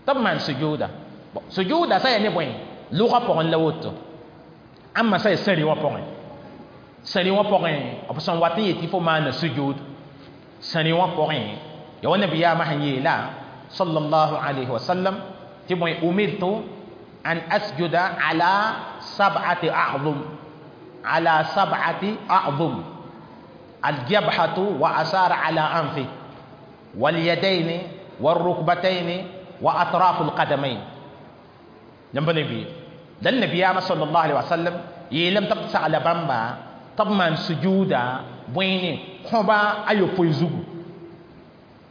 tɩ b maan sujuuda sujuuda sã yaa ne bõe lʋgã pʋgẽ la woto ãmba sã yaa sãri wã pʋgẽ sãri wã pʋgẽ b sẽn wat n yetɩ fo maana sujud sãri wã pʋgẽ ya wa nabiyaamã sẽn yeela sallallahu alayhi wa sallam tɩ bõe umirtu an asjuda ala sab'ati a'zum ala sab'ati a'zum aljabhatu wa asara ala anfi واليدين والركبتين وأطراف القدمين yãmb ne bɩ dal nabiyaamã sallallahu alaihi wasallam yeelame tɩ b sagla bãmba tɩ b maan sujuuda bõe kõba a yopoe zugu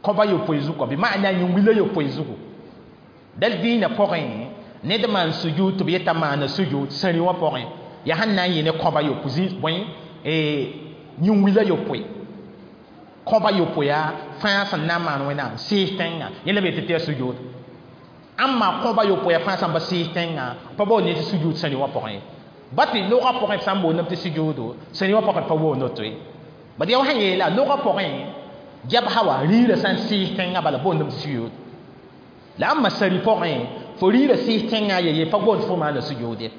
kõba yopoe zugu bɩ maana yĩngwila yopoe zugu dal dĩinã pʋgẽ ned maan sujud tɩ b yeta maana sujud sãri wã pʋgẽ yaa sẽn na n yɩ ne kõba yopoe bõe yĩngwila yopoe kõba yopoe fãa sẽn na n maan wẽnnaam sɩɩs tẽngã yẽ la b yetɩ tɩ yaa sujud ãmba kõba yopoe fãa sẽn pa sɩɩs tẽngã pa baood ne tɩ sujud sãri wã pʋgẽ ye ba tɩ logã pʋgẽ b sã n boondame tɩ sujuudo sãri wã pʋgẽ pa woond woto ye bad yaa wa sẽn yeela logã pʋgẽ jabsa wa rĩirã sã n sɩɩs tẽngã bala boondame tɩ sujud la ãmba sãri pʋgẽ fo rĩirã sɩɩs tẽngã ye ye pa boond fo maana sujud ye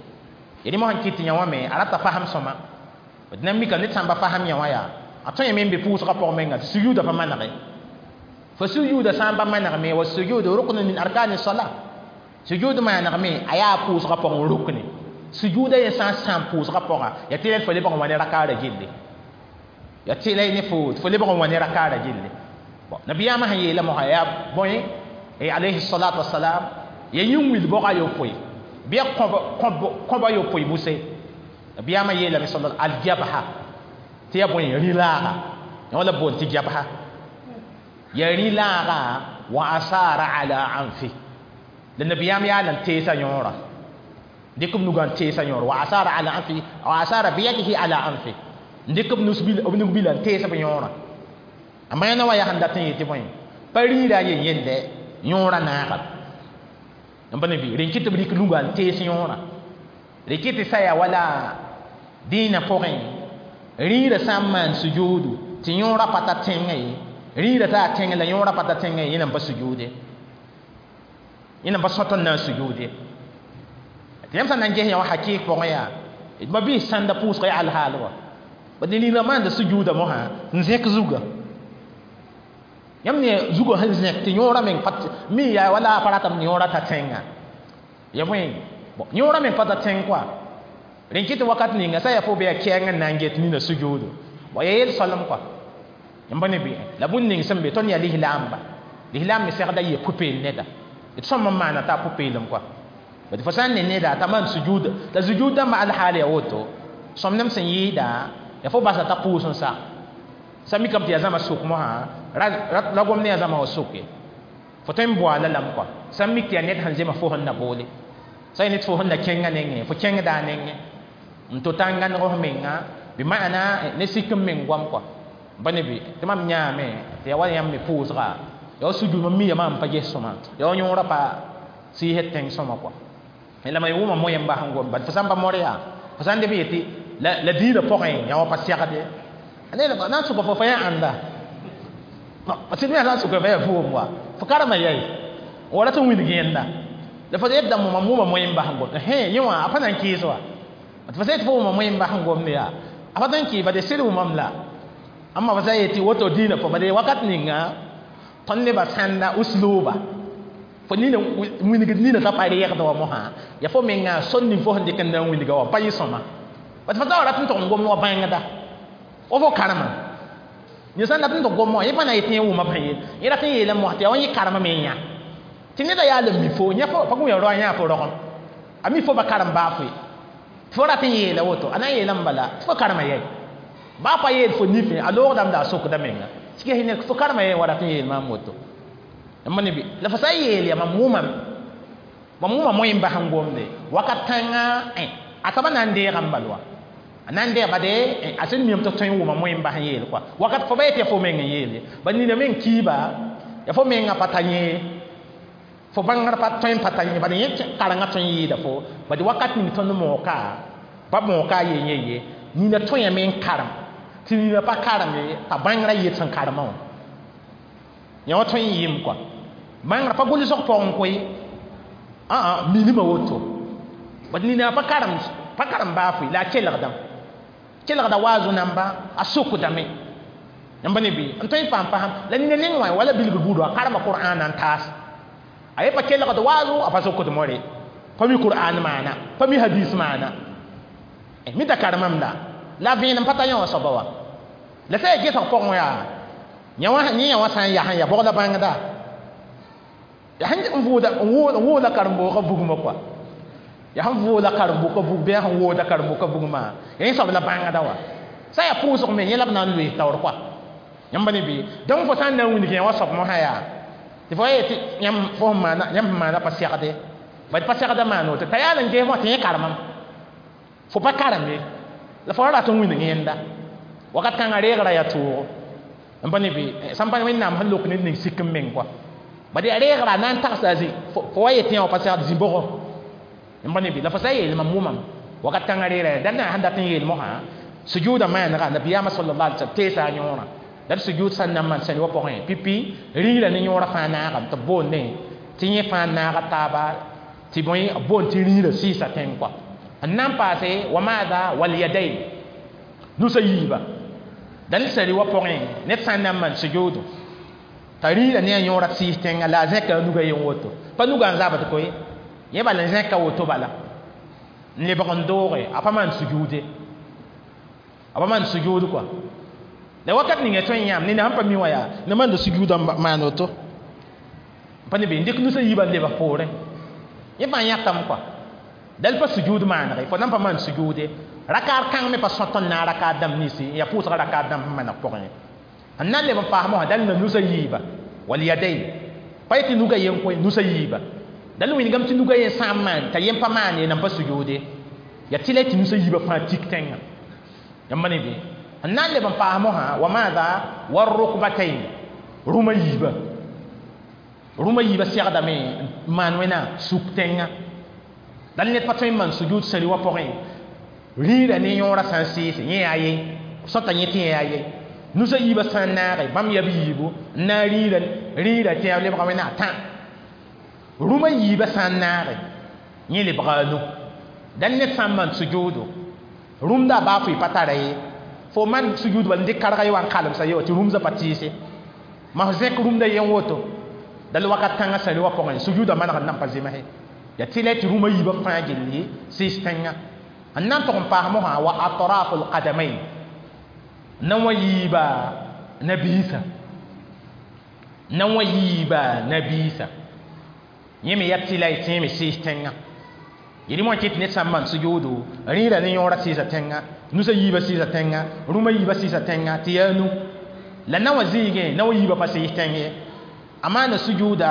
ya rẽ mosã n kɩt tɩ yã wã me a rata fasem sõma d na n mika ned sã n pa fasem yã wã yaa a tõe me n be pʋʋsgã pʋgẽ menga tɩ sujuudã pa manege fo sujuuda sã n pa manegme wa sujuudu ruknu min arkani sala sujud maanegme a yaa pʋʋsgã pʋgẽ rukne sujuuda yẽ sã n sãam pʋʋsgã pʋga yaa tɩ la fo lebg n wa ne rakaara gilli yaa tɩ la ne fo fo lebg n wa ne rakaara gilli nabiyaamã sẽn yeela mosã yaa bõe alayhi salatu wasalam ya yĩn-wil bʋga yopoe bɩ ya kõba yopoe buse nabiyaamã yeelame sal aljabha tɩ ya bõe rĩ-laaga yã wala boond tɩ jabha ya rĩ-laaga wa asara ala anfi la nabiyaam yaa lan teesa yõora dɩk b nugã n teesa yõor wa asara ala anfi wa asara biyadihi ala anfi n dɩk b nug-bila n tees b yõorã a maana wã yaa sẽn dat n yetɩ bõe pa rĩirã a yen yende yõorã naagam n pa ne bɩ rẽn kɩ tɩ b rɩk nugã n tees yõorã rẽ kɩ tɩ sa yaa wala dĩinã pʋgẽ rĩirã sã n maan sujuudu tɩ yõorã pa ta tẽngã ye rĩirã taa tẽng la yõorã pa ta tẽngã ye yẽ nan pa sujuud ye yẽ nan pa sõt n na n sujuud ye tɩ yãmb sã n na n ges yã wã hakɩɩk pʋgẽ yaa d ma-biis sãnda pʋʋsga yaa alhaal wa bad ne rĩirã maanda sujuuda mosã n zẽk zugã yãmb ne zugã sẽn zẽk tɩ yõorã meng pa mi yaa wala a pa ratame tɩ yõorã ta tẽnga ya bõe yõorã meng pa ta tẽng kɔa rẽn kɩ tɩ wakat ninga sã yaa fo bɩ yaa kɛɛng n na n get nina sujuudo ya yel soalem kɔa yãmb ne bɩ la bũmb ning sẽn be tõnd yaa lislaamba lislaam me segda yɩ pʋ-peel neda d sõm n maana t'a pʋ-peelem kɔa bad fo sã n ne neda t'a maan sujuud la sujuud dãmbã alhaal yaa woto sõmnem sẽn yɩɩda ya fo basa t'a pʋʋs n sa sã mikame tɩ yaa zãma sʋk mosã ra gom ne yaa zãma wã soke fo tõe n boaala lame kɔa sã n mik tɩ yaa ned sẽn zema fo sẽn na boole sã yaa ned fo sẽn na kẽngã nengẽ fo kẽngda a nengẽ n to-ta n gãneg f menga bɩ maana ne sik n meng goam kɔa ba ne bɩ tɩ mam yãame tɩ yaa wa yãmb me pʋʋsga Ya sujud mam mi ya mam pa ges sõma ya wa yõora pa sɩɩsd tẽng sõma kɔa la ma wʋma moyen bas n gom bad fo sãn pa mor yaa fo sãn deb yetɩ la la diinã pʋgẽ yã wa pa segde ne na n sʋka fo fa yaa ãnda sɩd me sã n sʋka fa yaa vʋʋm wa fo karema yɛi wa rat n wilg yẽnda la fo yet dãmb mam wʋma moyen bas n gom hẽ yẽ wã a pa na n kɩɩs wa tɩ fo sã yetɩ fo wʋma moyen bas n gomde yaa a pa tõe n kɩɩ bade sɩd wʋmam la amma fa sã n yetɩ woto diinã pʋgẽ bade wakat ninga tõnd nebã sãnda usluba fo nina wilgd nina t'a pa reegd wa mosã ya fo menga sor ning fo sẽn dɩk n na n wilga wa pa yɩ sõma bat fo t'a wa rat n tʋg n gom wa bãngda wa fo karema yẽ sãn dat n tʋg gom wã yẽ pa na yetɩ yẽ wʋma pã yel yẽ rat n yeelame mosã tɩ yaa wa yẽ karema me n yã tɩ neda yaa la mi fo yã fo pa gũ ya roa yã fo rogem a mi fo ba karem baa foe tɩ fo rat n yeela woto a na n yeelame bala tɩ fo karema yɛi baa pa yeel fo nifẽ a loogdame la a sokda menga tɩ ges ne fo karema yɛi wa rat n yeel maam woto ma ne bɩ la fo sã n yeel ya mam wʋmame mam wʋma moyen bas n gomde wakat kãnga a soaba na n deegame bal wa a na n deeg bade a sẽn miame tɩ tõe n wʋma moyen bas n yeel kɔa wakat fo ba yetɩ ya fo meng n yeel ye ba nina meng kiiba ya fo mengã pa ta yẽ fo bãngr pa tõe n pa ta yẽ bad yẽ karengã tõe n yɩɩda fo bad wakat ning tõnd mooka pa mooka a yen ye nina tõeme n karem tɩ nina pa karem ye t'a bãngrã yet sẽn karemã wã yã wã tõe n yɩɩm kɔa bãngrã pa gʋlsg pʋgẽ koe aa milima woto bad nina pa karem pa karem baa foe la a kelgdame kelgda waazo namba a sokdame yãmb ne bɩ n tõe n paam pasam la nina neng wã wala bilgr buudo a karema qur'an n taas a ye pa kelgd waazo a pa sokd more pa mi qur'an maana pa mi hadis maana mi da karemame la la vẽenem pa ta yã wã soaba wa la sã yaa gesg pʋgẽ yaa yã wã yẽ yã wã sã n yaa ya bʋgda bãngda ya sẽn n vʋʋda n wooda karen-boogã bugmã kɔa ya sẽn vʋʋda karen-bʋka bug bɩ a sẽn wooda karen-bʋka bugmã ya yẽ soab la bãngda wa sã yaa pʋʋsg me yẽ la b na n loees taoor kɔa yãmb ne bɩ donc fo sã n na n wilg yã wã soab mosã yaa tɩ fo yetɩ yãmb fo sẽn maana yãmb sẽn maana pa segde bad pa segda maan woto t'a yaa n ges mosã tɩ yẽ karemame fo pa karem ye la fo ra rat n wilg yẽnda wakat kãngã reegrã yaa toogo n pa ne bɩ sãn pa wẽnnaam sẽn lok ned ning sik n meng kɔa bad yaa reegrã na n tagsa zĩ fo wa yetɩ yã wa pa segd zĩ-bʋgo n pa ne bɩ la fo sã n yeel mam wʋmame wakat kãngã reegrã dal na sẽn dat n yeel mosã sujuuda maanega nabiyaamã sallallahu alaihi wasallam teesa a yõorã la d sujud sã n na n maan sẽn wa pʋgẽ pipi rĩirã ne yõorã fãa naagame tɩ b boonde tɩ yẽ fãa naaga taaba tɩ bõe b boond tɩ rĩirã sɩɩsa tẽng kɔa n na n paase wa maada walyadain nusa yiiba dal sari wa pʋgẽ ned sã n na n maan sujuudu t'a rĩirã ne a yõorã sɩɩs tẽnga la a zẽka a nuga yen woto pa nuga n zabd koe yẽ bala n zẽka woto bala n lebg n dooge a pa maan sujuude a pa maan sujuud kɔa la wakat ninga tõe n yãam ned sãn pa mi wã yaa na maanda sujuudã maan woto pa ne be n dɩk nusa yiibã n lebg poorẽ yẽ fãa yãkame kɔa dal pa sujuud maanege fo nan pa maan sujuude rakaar kãng me pa sõt n naag rakaar dãmb ninsi n yaa pʋʋsga rakaar dãmb sẽn maneg pʋgẽ n na n leb n paas mosã dal na nusa yiiba walyadain pa yetɩ nuga yen koe nusa yiiba dal wilgame tɩ nuga yen sã n maan t'a yen pa maan ye nan pa sujuude yaa tɩ la tɩ nusa yiibã fãa tik tẽngã yãmb ne bɩ n na n leb n paas mosã wa maada warukbatain rũmã yiiba rũmã yiibã segdame n maan wẽna suk tẽngã dal ned pa tõe n maan sujuud sari wã pʋgẽ rĩirã ne yõorã sã n sɩɩse yẽ yaa ye sõta yẽ tɩ yẽ yaa ye nusa yiibã sã n naage bãmb yaa b yiibu n na n rĩirã rĩirã tɩ yaa lebga wẽna tã rũmã yiibã sã n naage yẽ lebga a nu dal ned sã n maan sujuudu rũmda baa foe pa tara ye fo man sujuud bal n dɩk karga ye wa n kalemsa ye wa tɩ rũmsã pa tɩɩse mas zẽk rũmda yen woto dal wakat kãngã sari wã pʋgẽ sujuudã maneg n nan pa zems ya tɩ la tɩ rũmã yiibã fãa gilli sɩɩs tẽngã n na n tʋg n paas mosã wa atrafu lqadamain na wã yiiba nabiisã na wã yiiba nabiisã yẽ me yaa tɩ la y tɩ yẽ me sɩɩs tẽngã yẽl wã kɩt ned sã n maan sujuudu rĩirã ne yõorã sɩɩsa tẽngã nusa yiibã sɩɩsa tẽngã rũmã yiibã sɩɩsa tẽngã tɩ yaa nu la na wã zĩigẽ na wã yiibã pa sɩɩs tẽng ye a maana sujuuda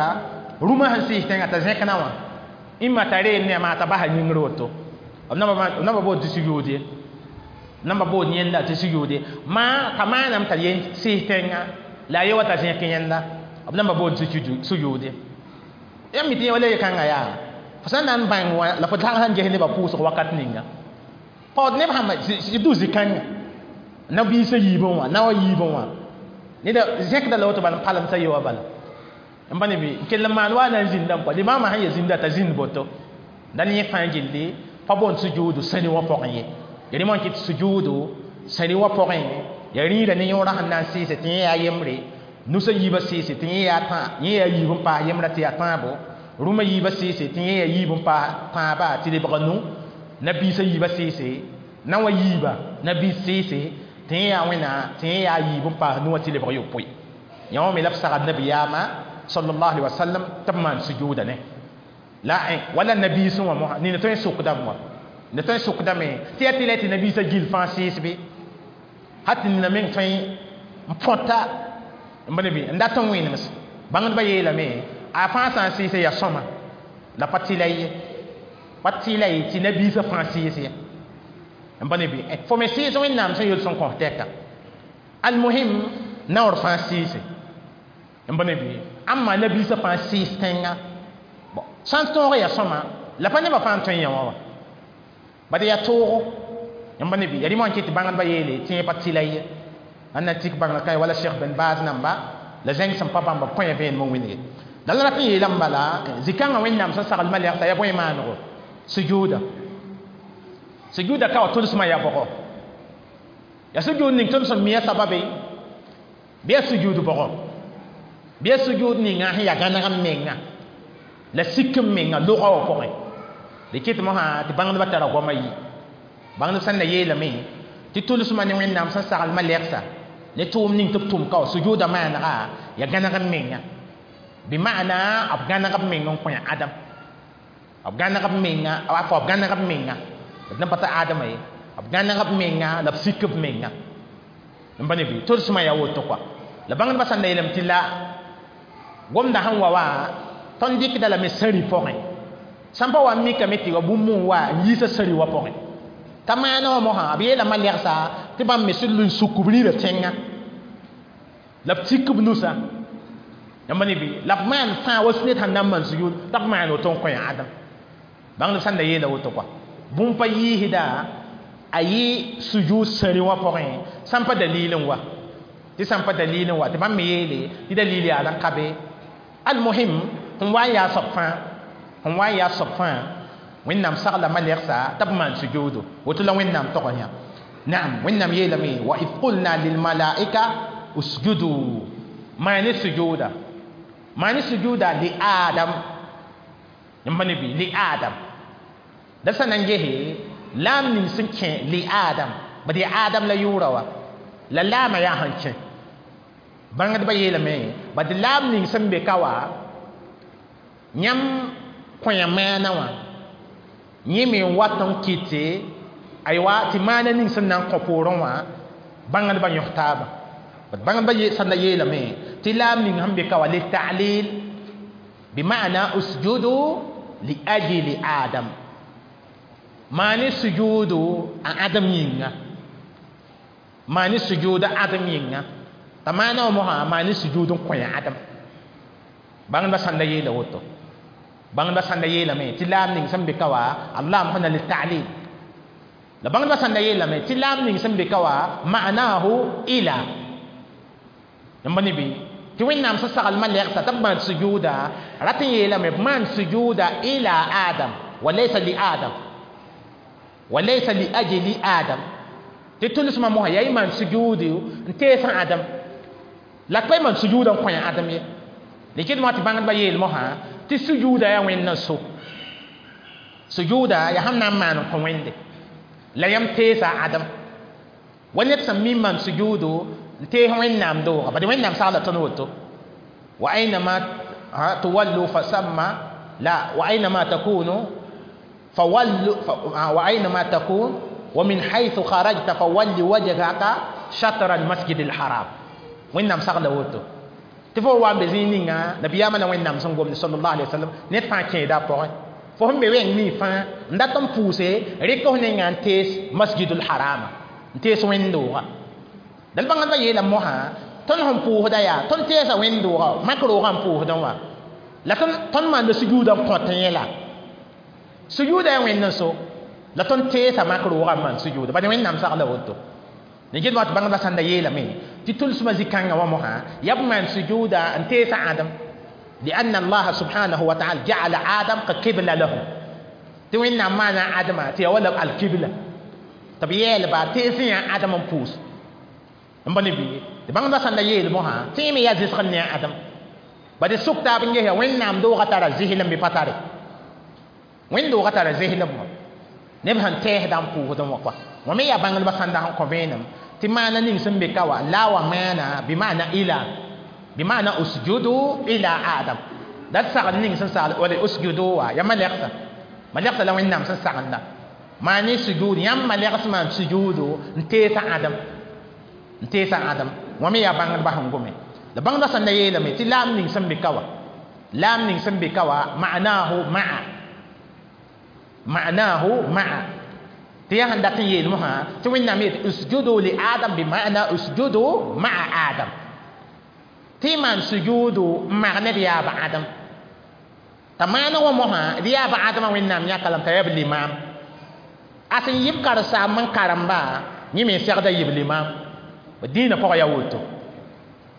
rũmã sẽn sɩɩs tẽngã t'a zẽk na wã ĩmma t'a reel ne a maa t'a basa yĩngr woto b namba bood tɩ sujuud ye namba bood yẽnda tɩ sujuud ye maa t'a maaname t'a yen sɩɩs tẽngã la a ye wa t'a zẽk yẽnda B namba boond sujud ye. Yãmb mi tɩ yẽ wala ye-kãngã yaa fo sã n na n bãng wã la fo tag sãn ges nebã pʋʋsg wakat ninga paood neb sãmba du zĩ-kãnga na-biisã yiibẽ wã naowã yiibẽ wã neda zẽkda la woto bala n palemsa ye wã bala n pa ne bɩ n kell n maan wa na n zĩndame kɔa limaamã sẽn ya zĩnda t'a zĩnd boto la yẽ fãa gilli pa boond sujuudu sẽni wã pʋgẽ ye. Ya rẽ wã kɩt sujuudu sẽni wã pʋgẽ ya rĩirã ne yõorã sẽn na n sɩɩse tɩ yẽ yaa yembre nusã yiibã sɩɩse tɩ yẽ yaa yẽ yaa yiib n paas yembrã tɩ yaa tãabo rũmã yiibã sɩɩse tɩ yẽ yaa yiib n paas tãaba tɩ lebga nu nabiisã yiibã sɩɩse na wã yiiba nabiis sɩɩse tɩ yẽ yaa wẽna tɩ yẽ yaa yiib n paas nu wã tɩ lebg yopoe yã wã me la b sagd nabiyaamã sallallahu alaihi wasallam tɩ b maan sujuuda ne la wala nabiisẽ wã mosã nina tõe n sʋkdame wã nina tõe n sʋkdame tɩ yaa tɩ la tɩ nabiisã gill fãa sɩɩs bɩ hat tɩ nina meng tõe n põta n bõe bɩ n dat n wẽnems bãngdbã yeelame a fãa sã n sɩɩse yaa sõma la pa tɩla ye pa tɩla ye tɩ nabiisã fãa sɩɩs ye n bõe bɩ fo me sɩɩs wẽnnaam sẽn yol sẽn kõs tɛka almuhim naoor fãa sɩɩse n bõe bɩ ãmma nabiisã fãa sɩɩs tẽnga bon sã n tõog yaa sõma la pa nebã fãa n tõe n yã wã wa bad yaa toogo n bõe bɩ yaa rɩ wã n kɩt tɩ bãngdbã yeele tɩ yẽ pa tɩla ye ãn na tik bãnga ka wala Cheikh Ben Baz namba la zẽng sẽn pa bãmba b kõe vẽenem n wĩnge la la rat n yeelame bala zĩ-kãngã wẽnnaam sẽn sagl malɛgsa yaa bõe maanego sujuuda sujuuda ka wa tʋlsmã yaa bʋgɔ yaa sujuud ning tõnd sẽn mi a sababe bɩ yaa sujuud bʋgɔ bɩ yaa sujuud ninga sẽn yaa gãneg n menga la sik n menga logã wã pʋgẽ d kɩt mosã tɩ bãngdbã tara goamã yi bãngdb sẽn na yeelame tɩ tʋlsmã ne wẽnnaam sẽn sagl malɛgsa ne tʋʋm ning tɩ b tʋm ka wa sujuuda maanega yaa gãneg n menga bɩ maana b gãneg b meng n kõ adam b gãneg b menga a fo b gãneg b menga d na pa t'a adama ye b gãneg b menga la b sik b menga n pa ne bɩ tʋlsmã yaa woto kɔa la bãngdbã sãn da yeelame tɩ la gomda sẽn wa wa tõnd dɩkda lame sãri pʋgẽ sãn pa wa n mikame tɩ wa bũmb n wa n yiisa sãri wã pʋgẽ t'a maana wã mosã b yeelame lɛgsa tɩ bãmb me sẽn lʋɩ n suk b rĩirã tẽnga la b tik b nusa yãmb ne bɩ la b maan fãa wa ned sẽn na n maan sujud t'a b maan woto n kõ adam bãngdb sẽn da yeela woto kɔa bũmb pa yiisda a yɩ sujud sãri wã pʋgẽ sãn pa dalil n wa tɩ sãn pa dalil n wa tɩ bãmb me yeele tɩ dalil yaa n ka be almuhim sẽn wa n yaa soab fãa sẽn wa n yaa soab fãa wẽnnaam sagla malɛgsa t'a b maan sujuudo woto la wẽnnaam tog yã naam wẽnnaam yeelame wa id qulna lilmalaika usjudu maane sujuuda maane sujuuda li adam yãmb pa ne bɩ li adam da sã na n gese laam ning sẽn kẽ li adam bad yaa adam la yʋʋra wa la laamã yaa sẽn kẽ bãngdbã yeelame bad laam ning sẽn be ka wa yãmb kõya maana wã yẽ me n wat n kɩte aywa tɩ maana ning sẽn na n kõ poorẽ wã bãngdbã yõs taaba bad bãngdbã sẽn da yeelame tɩ laam ning sẽn be ka wa litalil bima'na usjudu li ajli adam maani sujudu a adam yĩnga maani sujudu adam yĩnga t'a maana wã mosã maani sujuud n kõ adam bãngdbã sãn da yeela woto bãngdbã sãn da yeelame tɩ laam ning sẽn be ka wa allah sẽn na litalil la bãngdbã sãn da yeelame tɩ laam ning sẽn be ka wa ma'nahu ila yãmb ne bɩ tɩ wẽnnaam sẽn sagl malɛgsa t'a b maan sujuuda rat n yeelame b maan sujuuda ila adam wa laysa li adam wa laysa li ajli adam tɩ tʋlsmã mosã yaa y maan sujuudi n tees adam la pa y maan sujuuda n kõ adam ye likɩd mosã tɩ bãngdbã yeel mosã tɩ sujuuda yaa wẽnd n so sujuuda yaa sẽn na n maan n kõ wẽnde la yãmb teesa adam wa ned sẽn mi maan sujuudo n tees wẽnnaam dooga bad wẽnnaam sagla tõnd woto wa aynama tuwallu fasamma la wa aynama takunu فول وأينما تكون ومن حيث خرجت فول وجهك شطر المسجد الحرام وين سغلا وتو تفو وان بزينينغا نبي ياما وين نام سنغوم صلى الله عليه وسلم نت فان كيدا بوين fo sẽn be wẽng ni fãa n dat n pʋʋse rɩk f nenga n tees masjidul harama n tees wẽnd-dooga dal bãngdbã yeela mosã tɩ Tõnd sẽn pʋʋsda yaa tõnd teesa wẽnd-doogã mak roogã n pʋʋsdẽ wã la tõnd maanda sujuudã n kõt yẽ la sujuuda yaa wẽnd n so la tõnd teesa mak roogã n maan sujuuda bad wẽnnaam sagla woto ne get wa tɩ bãngdbã sãn da yeelame tɩ tʋlsmã zĩ-kãngã wã mosã yaa b maan sujuuda n teesa Adem لأن الله سبحانه وتعالى جعل آدم كقبلة له tɩ wẽnnaam maana Adama tɩ yaa wala alkibla tɩ b yeelba tees yã Adem n pʋʋs n ba ne bɩ tɩ bãngdbã sãn da yeel mosã tɩ me yaa zɩsg ne a Adem ba dɩ sʋk taab n ges wẽnnaam doogã tara zɩslem bɩ pa tare wẽnd-doogã tara zɩslem wã neb sẽn tɛɛsdã n pʋʋsdẽ wã kɔa wã me yaa bãngdbã sãn da sẽn kõ vẽenem tɩ maana ning sẽn be ka wa la wa maana bɩ maana ila bɩ maana usjudu ila Adam la d sagl ning sẽn sagl wala usjudu wa ya malɛgsa malɛgsa la wẽnnaam sẽn sagenda maan sujud yãmb malɛgs maan sujuudu n teesa Adam n teesa Adam wã me yaa bãngdbã sẽn gome la bãngdbã sẽn da yeelame tɩ laam ning sẽn be ka wa laam ning sẽn be ka wa ma'nahu ma'a ma'nahu ma'a tɩ yaa sẽn dat n yeel mosã tɩ wẽnnaam yet usjudu li Adam bi ma'na usjudu ma'a Adam tɩ maan sujuudu n mag ne d yaaba Adam t'a maana wã mosã d yaaba Adamã wẽnnaam yãka lame t'a yaa b limaam a sẽn yɩ b karen-saamb n karemba yẽ me segda yɩ b limaam dĩinã pʋgã yaa woto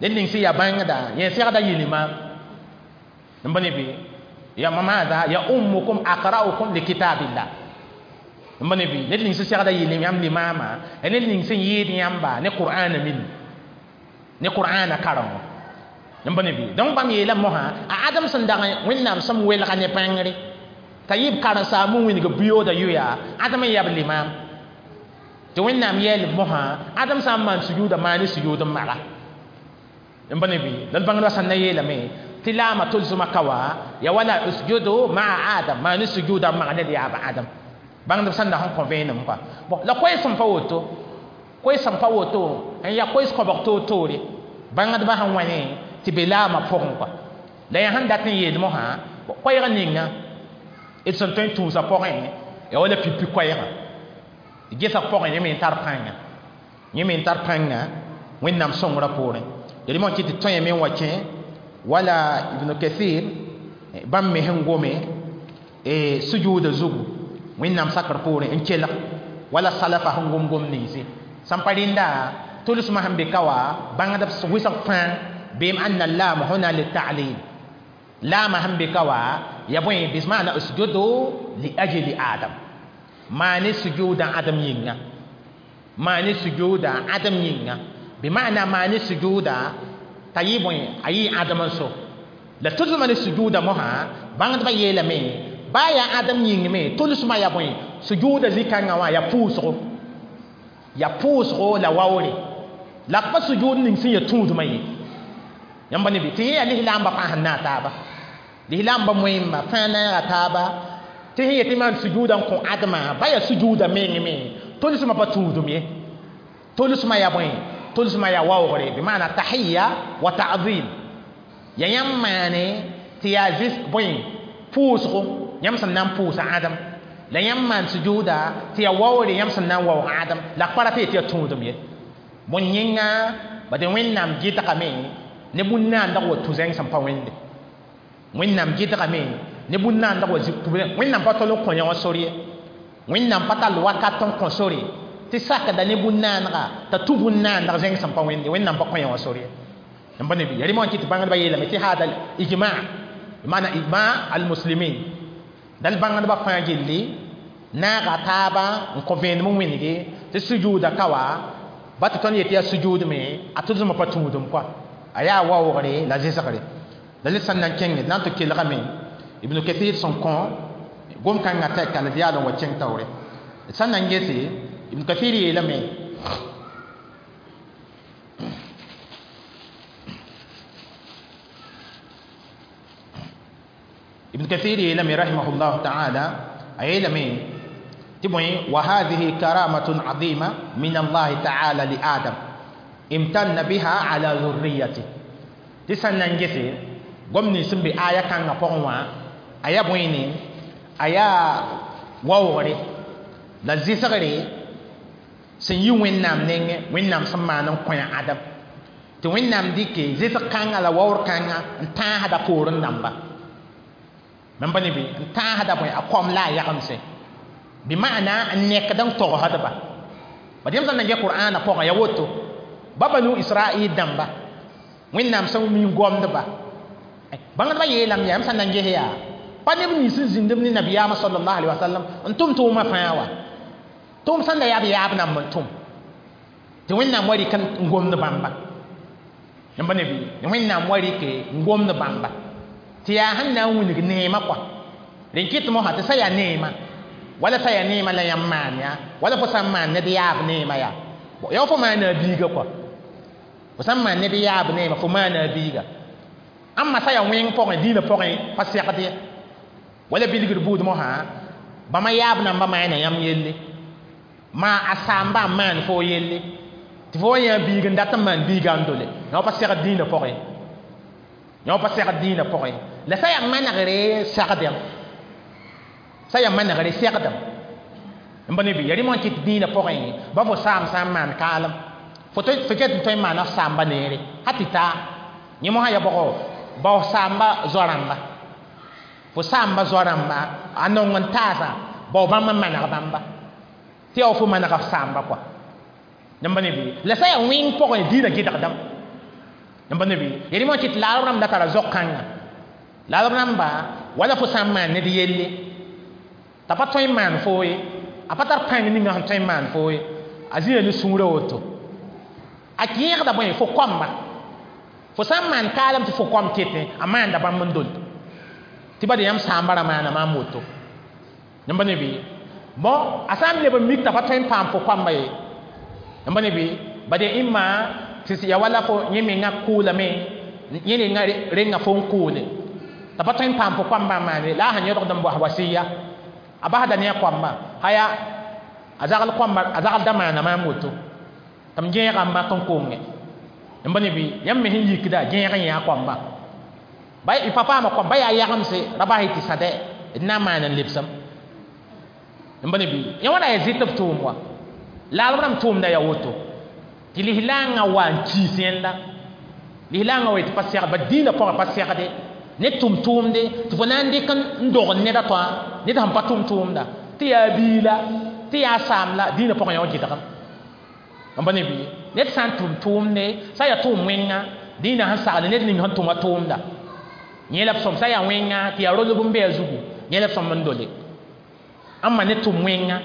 ned ning sẽn yaa bãngda yẽ segda yɩ limaam n ba ne bɩ ya maada ya ummukum aqra'ukum li kitabillah n ba ne bɩ ned ning sẽn segda yɩ yãmb limaamã ya ned ning sẽn yɩɩd yãmba ne Qur'ana min ne Qur'ana karengo n ba ne bɩ donc bãmb yeelame mosã a Adem sẽn dag wẽnnaam sẽn welga ne bãngre t'a yɩ b karen-saam n wilg biyooda yʋya Adem n yaa b limaam tɩ wẽnnaam yɛɛl b mosã Adem sã n maan sujuuda maan sujuud n maga n ba ne bɩ la d bãngdbã sãn na yeelame tɩ laamã tʋlsmã ka wa ya wala usjudu maa Adam maan sujuuda n mag ne d yaaba Adem bãngdb sãn da sẽn kõ vẽenem kɔa bon la koɛɛs sẽn pa woto koɛɛs sẽn pa woto n yaa koɛɛs koabg toor-toore bãngdbã sẽn wa ne tɩ be laamã pʋgẽ kɔa la yaa sẽn dat n yeel mosã koɛɛg ninga d sẽn tõe n tũusã pʋgẽ ya wala pipi koɛɛgã gesg pʋgẽ yẽ me n tar pãnga yẽ me n tar pãnga wẽnnaam sõngrã poorẽ ya rɩ tɩ tɩ tõe me n wa kẽ wala Ibn Kathir bãmb me sẽn gome sujuuda zugu wẽnnaam sakr poorẽ n kelg wala salafa sẽn gom gom ninsi sãn pa rẽnda tʋlsmã sẽn be ka wa bãngdb wɩsg fãa beem anna laam huna litalil laamã sẽn be ka wa ya bõe bismaana usjudu li ajli Adam maane sujuuda Adam yĩnga maane sujuuda Adam yĩnga bima'na maane sujuuda t'a yɩ bõe a yɩ Adem n so la tʋlsmã ne sujuuda mosã bãngdbã yeelame baa yaa Adem yĩng me tʋlsmã yaa bõe sujuuda zĩ-kãngã wã yaa pʋʋsgo yaa pʋʋsgo la waoore la b pa sujuud ning sẽn yaa tũudmã ye yãmb ne bɩ tɩ yẽ yaa lislaambã fãa sẽn naag taaba lislaambã moẽmba fãa naaga taaba tɩ sẽn yetɩ maan sujuuda n kõ Ademã ba yaa sujuuda meng me tʋlsmã pa tũudum ye tʋlsmã yaa bõe tʋlsmã yaa waoogre bɩ maana tahiya wa ta'zim ya yãmb maane tɩ yaa zɩs bõe pʋʋsgo yãmb sẽn na n pʋʋsa Adem la yãmb maan sujuuda tɩ yaa waoore yãmb sẽn na n waoog Adem la b pa ra tɩ yetɩ yaa tũudum ye bõe yẽnga bad wẽnnaam gɩdgame ne bũn-naandg wa tũ zẽng sẽn pa wẽnde wẽnnaam gɩdgame ne bũn-naandg wa zĩ wẽnnaam pa tol n kõ yã wã sor ye wẽnnaam pa tall wakat n kõ sore tɩ sakda ne bũn-naanega t'a tũ bũn-naandg zẽng sẽn pa wẽnde wẽnnaam pa kõ yã wã sor ye n pa ne bɩ ya rɩ tɩ tɩ bãngdbã yeelame tɩ haada ijma maana ijma almuslimin dal bãngdbã fãa gilli naaga taaba n kõ vẽenem n wĩnge tɩ sujuuda ka wa ba tɩ tõnd yetɩ yaa sujuud me a tʋlsmã pa tũudum kɔa a yaa waoogre la zɩsgre la le sẽn na n kẽngd na n tɩ kelgame Ibn Kathir sẽn kõ gom-kãngã tɛka la d yaal n wa kẽng taoore d sẽn na n gese Ibn Kathir yeelame Ibn Kathir yeelame rahimahullahu taala a yeelame tɩ bõe wa hadihi karamatun azima min allahi taala li Adam imtanna biha ala zurriyati tɩ sẽn na n gese gom nins sẽn be aya kãngã pʋgẽ wã a yaa bõe a yaa waoogre la zɩsgre sẽn yi wẽnnaam nengẽ wẽnnaam sẽn maan n kõ Adem Tɩ Wẽnnaam dɩke zɩsg kãngã la waoor kãngã n tãasda poorẽ dãmba mam pa ne bɩ n tãasda bõe a kom la a yagemse bɩ maana n nekd n togsdba bad yãmb sã n na n qur'aanã pʋgẽ ya woto ba banu israil dãmba Wẽnnaam sẽn mi n gomdba bãngdbã yeelame yaa yãmb sã n na n ges yaa pa neb nins n zĩnd b ne nabiyaamã sallallahu alaihi wasallam n tʋm tʋʋmã fãa wa tʋʋm sẽn da yaa b yaab namba n tʋm tɩ Wẽnnaam wa rɩk n gomd bãmba yãmb ne bɩ Wẽnnaam wa rɩke n gomd bãmba tɩ yaa sẽn na n wilg neemã kɔa rẽn kɩt mosã tɩ sã yaa neemã wala sã yaa neemã la yãmb maan yaa wala fo sã n maan ned yaab neemã yaa yaa fo maana a biiga kɔa fo sã n maan ned yaab neemã fo maana a biiga ãmba sã yaa wẽng pʋgẽ dĩinã pʋgẽ pa segd ye wala bilgd buud mosã bãmba yaab namba maana yãmb yelle maa a saamba n maan fo yelle tɩ fo wa yã biig n dat n maan biiga n dole yã pa segd dĩinã pʋgẽ yã pa segd dĩinã pʋgẽ la sã yaa manegre segdem sã yaa manegre segdem n pa ne bɩ ya rẽ kɩt dĩinã pʋgẽ ba fo saam sã n maan kaalem fo fo ket n tõe n maana f saamba neere ha tɩ taa yẽ mosã ya bʋgo bao saamba zoa-rãmba fo saamba zoa-rãmba a nong n taasa bao bãmb n maneg bãmba tɩ yaa fo manega f saamba kɔa yãmb ne bɩ la sã yaa wẽng pʋgẽ dĩinã gɩdgdame yãmb ne bɩ ya rẽ kɩt laarb rãmb da tara zog-kãnga laarb rãmba wala fo sã n maan ned yelle t'a pa tõe n maan foo ye a pa tar pãng ninga sẽn tõe n maan foo ye a zĩna ne sũurã woto a kẽegda bõe fo koamba fo sã n maan kaalem tɩ fo koam ketẽ a maanda bãmb n dol tɩ ba de yãmb saamba ra maana maam woto yãmb ne bɩ bon a sã n leb n mik t'a pa tõe n paam fo koamba ye yãmb ne bɩ ba de ĩmma tɩ ya wala fo yẽ menga kʋʋlame yẽ renga renga fo n kʋʋle t'a pa tõe n paam fo koambã n maane la a sẽn yõdgd n bos wasiya a basda ne a koamba haya a zagl koamba a zagl da maana maam woto tɩ m gẽega n mak n konge yãmb ne bɩ yãmb me sẽn yikda gẽeg n yã a koamba ba y pa paama koamba yaa yagemse ra bas y tɩ sã dɛ d na n maan n lebsem yãmb ne bɩ yã wã ra yaa zɩt b tʋʋm wa laarb rãmb tʋʋmda yaa woto tɩ lislaangã wa n kiis yẽnda lislaangã wa tɩ pa segd ba dĩinã pʋgẽ pa segde ne tʋm tʋʋmde tɩ fo na n dɩk n dogl ned a tõa ned sẽn pa tʋm tʋʋmda tɩ yaa biila tɩ yaa saam la dĩinã pʋgẽ yã wa gɩdgem n pa ne bɩ ned sã n tʋm tʋʋmde sã yaa tʋʋm wẽnga dĩinã sẽn sagl ned ning sẽn tʋma tʋʋmda yẽ la b sõm sã yaa wẽnga tɩ yaa rolb n be a zugu yẽ la b sõm n dole ãmba ne tʋm wẽnga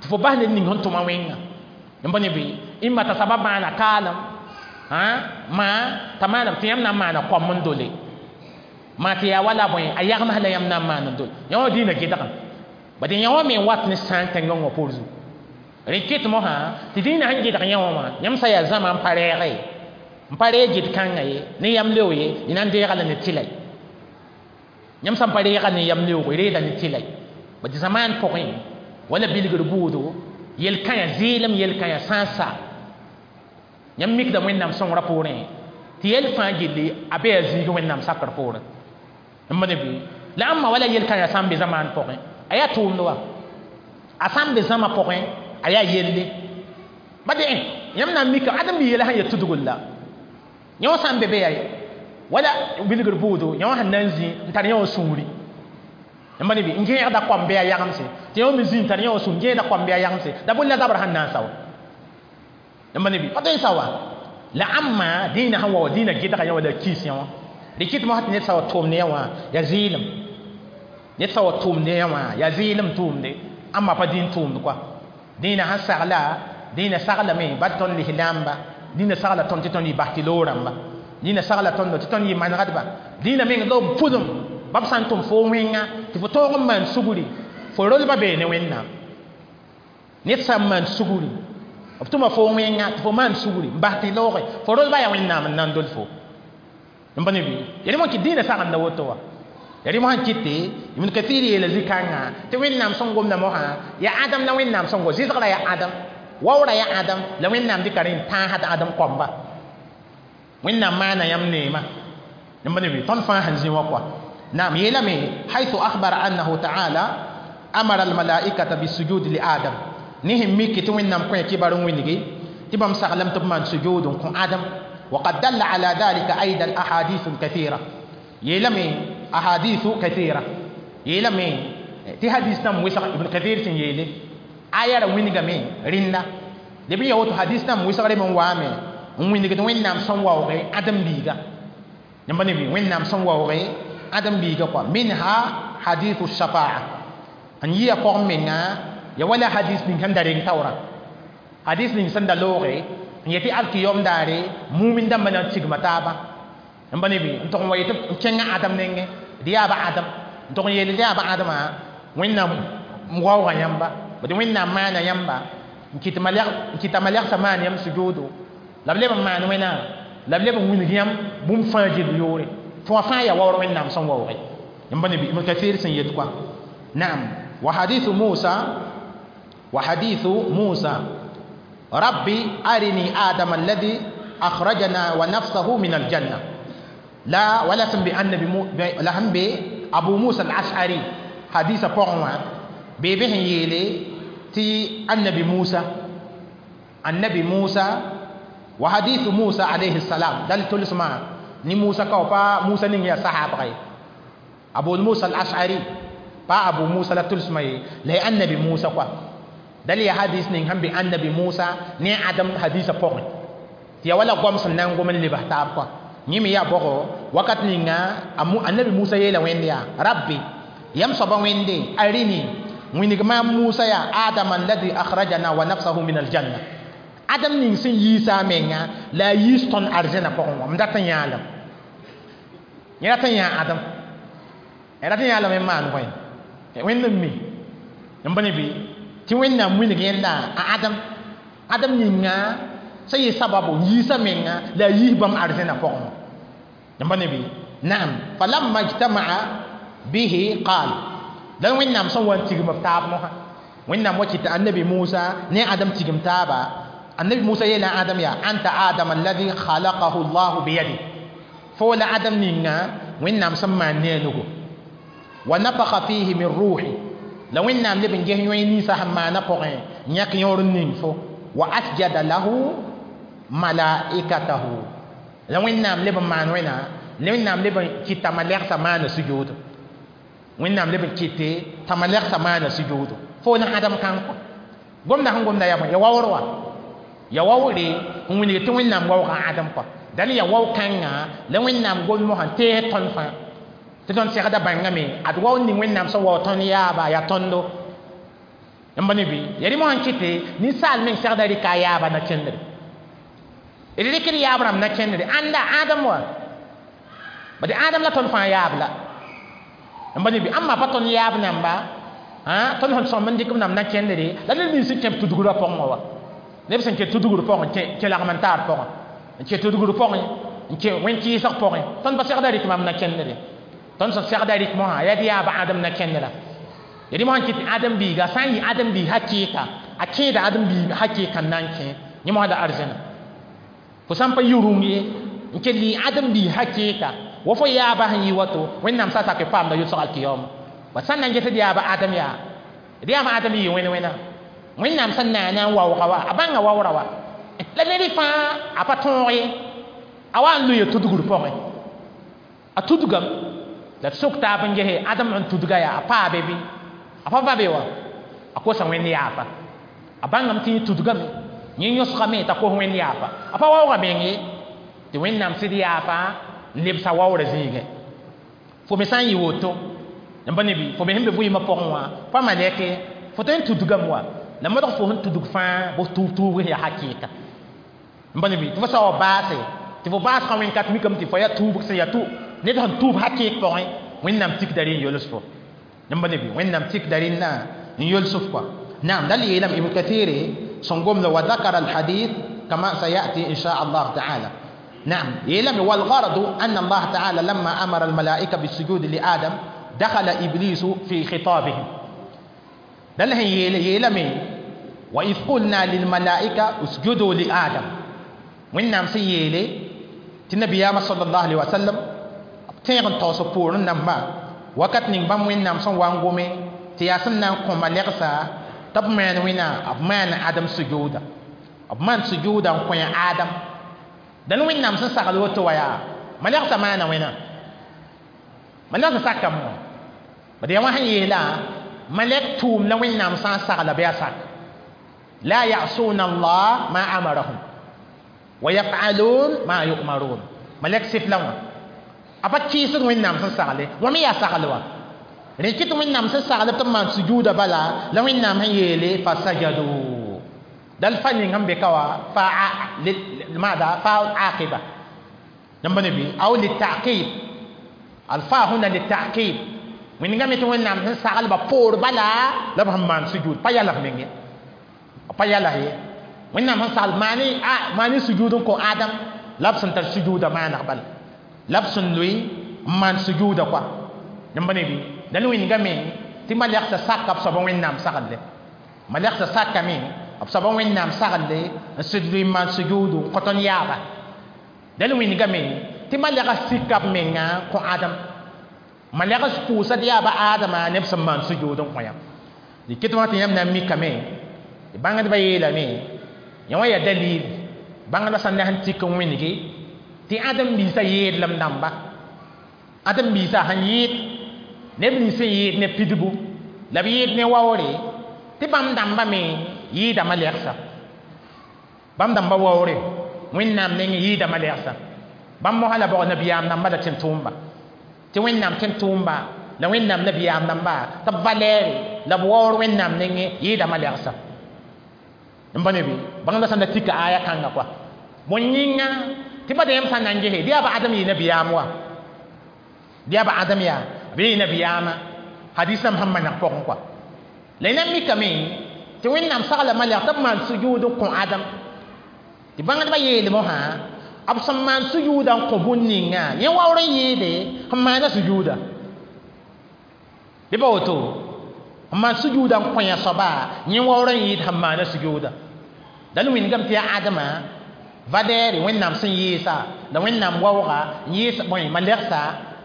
tɩ fo bas ned ning sẽn tʋma wẽnga n pa ne bɩ ĩmma t'a sabab maana kaalem maa t'a maana tɩ yãmb na n maana koam n dole maa tɩ yaa wala bõe a yagms la yãmb na n maan n dole yã wã dĩinã gɩdgem bad yã wã me n wat ne sãn tẽngã wã poor zugu rẽ kɩt mosã tɩ dĩinã sẽn gɩdg yã wã wã yãmb sã yaa zãma n pa rɛɛge ye n pa reeg gɩd-kãngã ye ne yam leo ye y na n deega la ne tɩla yãmb sã n pa reega ne yam leoogo y reeda ne tɩla bad zamaan pʋgẽ wala bilgr buudo yel-kãyã zɩɩlem yel-kãyã sã n sa yãmb mikda Wẽnnaam sõngrã poorẽ tɩ yɛl fãa gilli a be a zĩig Wẽnnaam sakr poorẽ n ne bɩ la ãmba wala yel-kãyã sã n be zamaan pʋgẽ a yaa tʋʋmd wa a sã n be zãma pʋgẽ a yaa yelle ba de yãmb na n mika ãdem bi yɛla sẽn ya tudgl la yã wã sã n be be yaa wala bilgr buudo yã wã sẽn na n zĩ n tar yã wã sũuri yãmb ne bɩ n gẽegda koam bɩ a yagemse tɩ yã wã me zĩ n tar yã wã sũur n gẽegda koam bɩ a yagemse la bõe la zabr sẽn na n sa wa yãmb ne bɩ pa tõe n sa wa la ãmba dĩinã sẽn wa wa dĩinã gɩdga yã wã la kiis yã wã rɩ kɩt mosã tɩ ned sa wa tʋʋmd yã wã yaa zɩɩlem ned sa wa tʋʋmd yã wã yaa zɩɩlem tʋʋmde ãmba pa dĩin tʋʋmd kɔa dĩinã sẽn sagla dĩinã saglame ba tõnd lislaamba dĩinã sagla tõnd tɩ tõnd yɩ bas tɩ loog-rãmba dĩinã sagla tõndo tɩ tõnd yɩ manegdba dĩinã meng la b pʋdem ba b sã n tʋm fo wẽnga tɩ fo tõog n maan sugri fo rolba bee ne Wẽnnaam ned sã n maan sugri b tʋma fo wẽnga tɩ fo maan sugri n bas tɩ looge fo rolba yaa Wẽnnaam n na n dol fo n pa ne bɩ ya rẽ kɩ dĩinã sagenda woto wa ya rẽ mosã kɩte Ibn Kathir yeela zĩ-kãngã tɩ Wẽnnaam sẽn gomda mosã yaa Adam la Wẽnnaam sẽn go zɩsgra yaa Adam waoora yaa Adam la Wẽnnaam dɩka rẽ n tãasd Adam koamba Wẽnnaam maana yãmb neema yãmb ne bɩ tõnd fãa sẽn zĩ wã kɔa naam yeelame haythu akhbara annahu ta'ala amara almalaikata bisujud li Adam ne sẽn miki tɩ Wẽnnaam kõ kibar n wilgi tɩ bãmb saglame tɩ b maan sujud n kõ Adam وقد دل على ذلك أيضا أحاديث كثيرة يلمي أحاديث كثيرة يلمي تي حديث نم وسق ابن كثير سن يلي آية وينغمي ريندا لبي يوتو حديث نم وسق من وامي وينغ وين نام سن واوغي آدم بيغا يمبني بي وين نام سن واوغي آدم بيغا كوا منها حديث الشفاعة أن يقوم منا يا ولا حديث من كان دارين تورا حديث من سن دلوغي yeti alkiyom daare mumin dãmba na n tigma taaba n ba ne bɩ n tʋg n wa yetɩ n kẽngã Adam nengẽ dɩ yaa ba Adam n tʋg n yeele dɩ yaa ba Adama Wẽnnaam waooga yãmba d Wẽnnaam maana yãmba n kɩt malegsã maan yãmb sujoodo la b leb n maan wẽna la b leb n wilg yãmb bũmb fãa gill yoore tɩ wã fãa yaa waoor Wẽnnaam sẽn waooge n ba ne bɩ Ibn Kathir sẽn yet kɔa naam wa hadithu Musa wa hadithu Musa ربي أرني آدم الذي أخرجنا ونفسه من الجنة لا ولا سن بأن لهم أبو موسى الأشعري حديث بقوا بيبه يلي تي النبي موسى النبي موسى وحديث موسى عليه السلام دل تلسما ني موسى كوبا موسى نين يا صحابه أبو موسى الأشعري با أبو موسى لا تلسما لا النبي موسى كوا دل يا حديث نين هم النبي موسى ني آدم حديث بقوا تي ولا قوم سنان قوم اللي بحتاب كوا نيمي يا بقوا وقت نينا النبي موسى يلا وين يا ربي يم صبا وين دي أريني وين ما موسى يا آدم الذي أخرجنا ونفسه من الجنة آدم نين سن يسا menga la yiston arzena pɔgẽ m dat n yãalem yẽ rat n yã Adam rat n yãalem n maan bõe Wẽnd n mi n bõe bɩ tɩ Wẽnnaam wilg yẽnda a Adam Adam ninga sã yɩ sababu yiisa menga la a yiis bãmb arzẽna pʋgẽ n bõe bɩ naam falamma ijtama'a bihi qaal la Wẽnnaam sẽn wa n tigm b taab mosã Wẽnnaam wa kɩta annabi Musa ne Adam tigm taaba النبي موسى يلا آدم يا أنت آدم الذي خلقه الله بيده فولا آدم نينا وين نام سما نينوغو ونفخ فيه من روحي لو وين نام لبن جه يوين نيسا ما نفخ نيك يور نينفو وأسجد له ملائكته لو وين نام لبن مان وينا لو وين نام لبن كي تملك سما سجود وين نام لبن كي تملك سما سجود فولا آدم كان قمنا هم قمنا يا يا واوروا ya wawre n wilg tɩ Wẽnnaam waooga Adam kɔa dal ya wao kãnga la Wẽnnaam gom mosã tees tõnd fãa tɩ tõnd segda bãngame ad wao ning Wẽnnaam sẽn wao tõnd yaaba yaa tõndo n ba ne bɩ ya rẽ mosã n kɩte ninsaal meng segda rɩka a yaaba na kẽndre d rɩkd yaab rãmb na kẽndre ãnda Adam wa bad Adam la tõnd fãa yaab la n ba ne bɩ ãmba pa tõnd yaab namba tõnd sẽn sõmb n dɩk b namba na kẽndre la ned nins sẽn kẽ b tudgrã pʋgẽ wã wa neb sẽn kẽ tudgr pʋgẽ kẽ lagm n taar pʋgẽ n kẽ tudgr pʋgẽ n kẽ wẽn-kɩɩsg pʋgẽ tõnd pa segda rɩk mam na kẽndre tõnd sẽn segda rɩk mosã yaa tɩ yaa ba Adam na kẽndra ya rẽ mosã n kɩt Adam biiga sã n yɩ Adam biig hakɩɩka a kẽeda Adam biig hakɩɩka n na n kẽ yẽ mosã la arzẽna fo sã n pa yɩ rũng ye n kell yɩ Adam biig hakɩɩka wa fo yaaba sẽn yɩ wato Wẽnnaam sa sak paamda yʋlsg alkiyoma wa sã n na n ges d yaaba Adam yaa d yaaba Adam yɩ wẽn wẽna Wẽnnaam sẽn naana n waooga wa a bãnga waoora wa la ned fãa a pa tõog ye a wa n loe tudgr pʋgẽ a tudgame la d sok taab n gese Adam n tudga yaa a paabe bɩ a pa va be wa a kosa Wẽnd yaafa a bãngame tɩ yẽ tudgame yẽ yõsgame t'a kos Wẽnd yaafa a pa waooga meng ye tɩ Wẽnnaam sɩd yaafa n lebsa waoorã zĩigẽ fo me sã n yɩ woto n pa ne bɩ fo me sẽn be vɩɩmã pʋgẽ wã pa malɛke fo tõe n tudgame wa la modg fo sẽn tudg fãa bos tuub tuubg yaa hakɩɩka n pa ne bɩ tɩ fo sa wa baase tɩ fo baasgã wẽn-kat mikame tɩ fo yaa tuubg sẽn yaa tu ned sẽn tuub hakɩɩk pʋgẽ Wẽnnaam tikda rẽ n yols fo n pa ne bɩ Wẽnnaam tikda rẽnda n yols f kɔa naam dal yeelame Ibn Kathir sẽn gomda wa ذكر الحديث كما سيأتي إن شاء الله تعالى نعم يلم والغرض أن الله تعالى لما أمر الملائكة بالسجود لآدم دخل إبليس في خطابهم دل يلم وإذ قلنا للملائكة اسجدوا لآدم وإنام سيلي تنبي يا صلى الله عليه وسلم تيغن توصفور نما وقت نبام وإنام سن وانغومي تياسن نان كوما لغسا تب مان وينا أب مان آدم سجودا أب مان سجودا كوين آدم Dãn Wẽnnaam sẽn sagl woto wa yaa malɛgsa maana wẽna malɛgsa sakame wã bad yaa wã sẽn yeela malɛk tʋʋm la Wẽnnaam sã n sagla bɩ a sak la yasuna Allah ma amarahum wa yafalun ma yu'marun malɛk sɩf la wã a pa kɩɩsd Wẽnnaam sẽn sagle wã me yaa sagl wa rẽ kɩ tɩ Wẽnnaam sẽn sagl tɩ b maan sujuuda bala la Wẽnnaam sẽn yeele fasajadu dal fa ning sẽn be ka wa fa ماذا فاء عاقبة نبني أو للتعقيب الفاء هنا للتعقيب من ngame tɩ Wẽnnaam sẽn saglba poor bala la b sẽn maan sujud pa yalg meng ye pa yalg ye Wẽnnaam sẽn sagl maani maani sujud n kõ Adam la b sẽn tar sujuuda maaneg bala la b sẽn loe n maan sujuuda koa yãmb ne bɩ la wĩngame tɩ malɛgsa saka b soaba Wẽnnaam sagle malɛgsa sakame b soaba Wẽnnaam sagle n sɩd loe n maan sujuudu n kõ tõnd yaaba dal wĩngame tɩ malɛga sika b menga kõ Adam malɛgs pʋʋsd yaaba Adama neb sẽn maan sujuud n kõ yã d ket wã tɩ yãmb na n mikame tɩ bãngdbã yeelame yã wã yaa dalil bãngdbã sã n na sẽn tik n wĩnge tɩ ãdem biisã yeedlem dãmba ãdem biisã sẽn yɩɩd neb nins sẽn yɩɩd ne pidbu la b yɩɩd ne waoore tɩ bãmb dãmba me yɩɩda malɛgsa bãmb dãmba waoore Wẽnnaam neng yɩɩda malɛgsa bãmb mosã la bog nabiyaam dãmba la tẽn-tʋʋmba tɩ Wẽnnaam tẽn-tʋʋmba la Wẽnnaam nabiyaam dãmba tɩ b valɛɛre la b waoor Wẽnnaam nengẽ yɩɩda malɛgsa n pa ne bɩ bãngda sã n da tika aya kãnga koa bõe yĩnga tɩ ba yãmb sã n na n gese bɩ yaa ba Adam yɩ nabiyaam wa bɩ yaa ba Adam yaa b yɩ nabiyaama hadis rãmb sẽn maneg pʋgẽ koa la y na n mikame tɩ Wẽnnaam sagla malɛg tɩ b maan sujuud n kõ Adam tɩ bãngdbã yeel mosã b sẽn maan sujuuda n kõ bũn ninga yẽ waoor n yɩɩde sẽn maana sujuuda bɩ pa woto sẽn maan sujuuda n kõ yã soaba yẽ waoor n yɩɩd sẽn maana sujuuda dal wĩngame tɩ yaa Adama valɛɛre Wẽnnaam sẽn yɩɩsa la Wẽnnaam waooga n yɩɩs bõe malɛgsa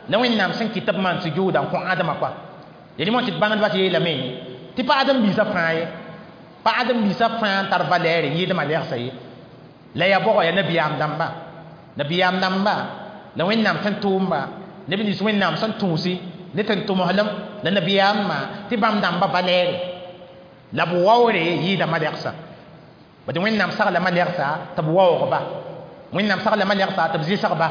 la Wẽnnaam sẽn kɩt tɩ b maan sujuuda n kõ Adama koa yel mo tɩ bãngdbã tɩ yeelame tɩ pa Adem biisã fãa ye pa Adem biisã fãa n tar valɛɛre n yɩɩd malɛgsa ye la yaa bʋgɔ yaa nabiyaam dãmba nabiyaam dãmba la Wẽnnaam tẽn-tʋʋmba neb nins Wẽnnaam sẽn tũusi ne tẽn-tʋmslem la nabiyaamã tɩ bãmb dãmba valɛɛre la b waoore yɩɩda malɛgsa bad Wẽnnaam sagla malɛgsa tɩ b waoogba Wẽnnaam sagla malɛgsa tɩ b zɩsgba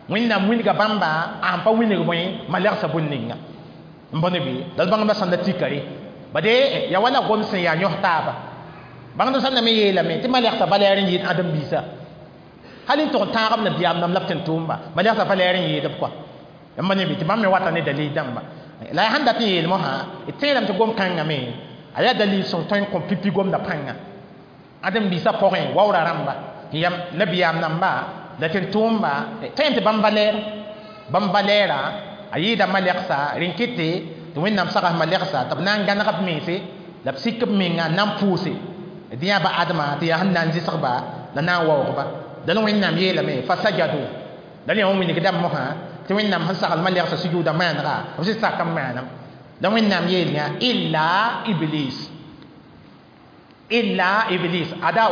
Wẽnnaam wilga bãmba a sẽn pa wilg bõe malɛgsa bũn ninga n bõe bɩ la d bãngdbã sẽn da tikare bade ya wala gom sẽn yaa yõs taaba bãngdb sẽn na me yeelame tɩ malɛgsa valɛɛr n yɩɩd ãdem biisã hal n tʋg n tãagb nabiyaam dãmb la b tẽn-tʋʋmba malɛgsa valɛɛr n yɩɩd b koa yãmb ne bɩ tɩ bãmb me wata ne dalil dãmba la ya sãn dat n yeel mosã d tẽedame tɩ gom kãngame a yaa dalil sõng tõe n kõ pipi gomda pãnga ãdem biisã pʋgẽ waoora rãmba yam nabiyaam dãmba la tẽn-tʋʋmba tõe tɩ bãmb valɛɛr bãmb valɛɛra a yɩɩda malɛgsa rẽn kɩte tɩ Wẽnnaam sagas malɛgsa tɩ b na n gãneg b mense la b sik b menga n na n pʋʋse d yã ba Adama tɩ yaa sẽn na n zɩsgba la na n waoogba dal Wẽnnaam yeelame fasajadu dal yã wã wĩnigdame mosã tɩ Wẽnnaam sẽn sagl malɛgsa sujuuda maanega b sẽn sak n maanam la Wẽnnaam yeel yã illa Iblis illa Iblis ada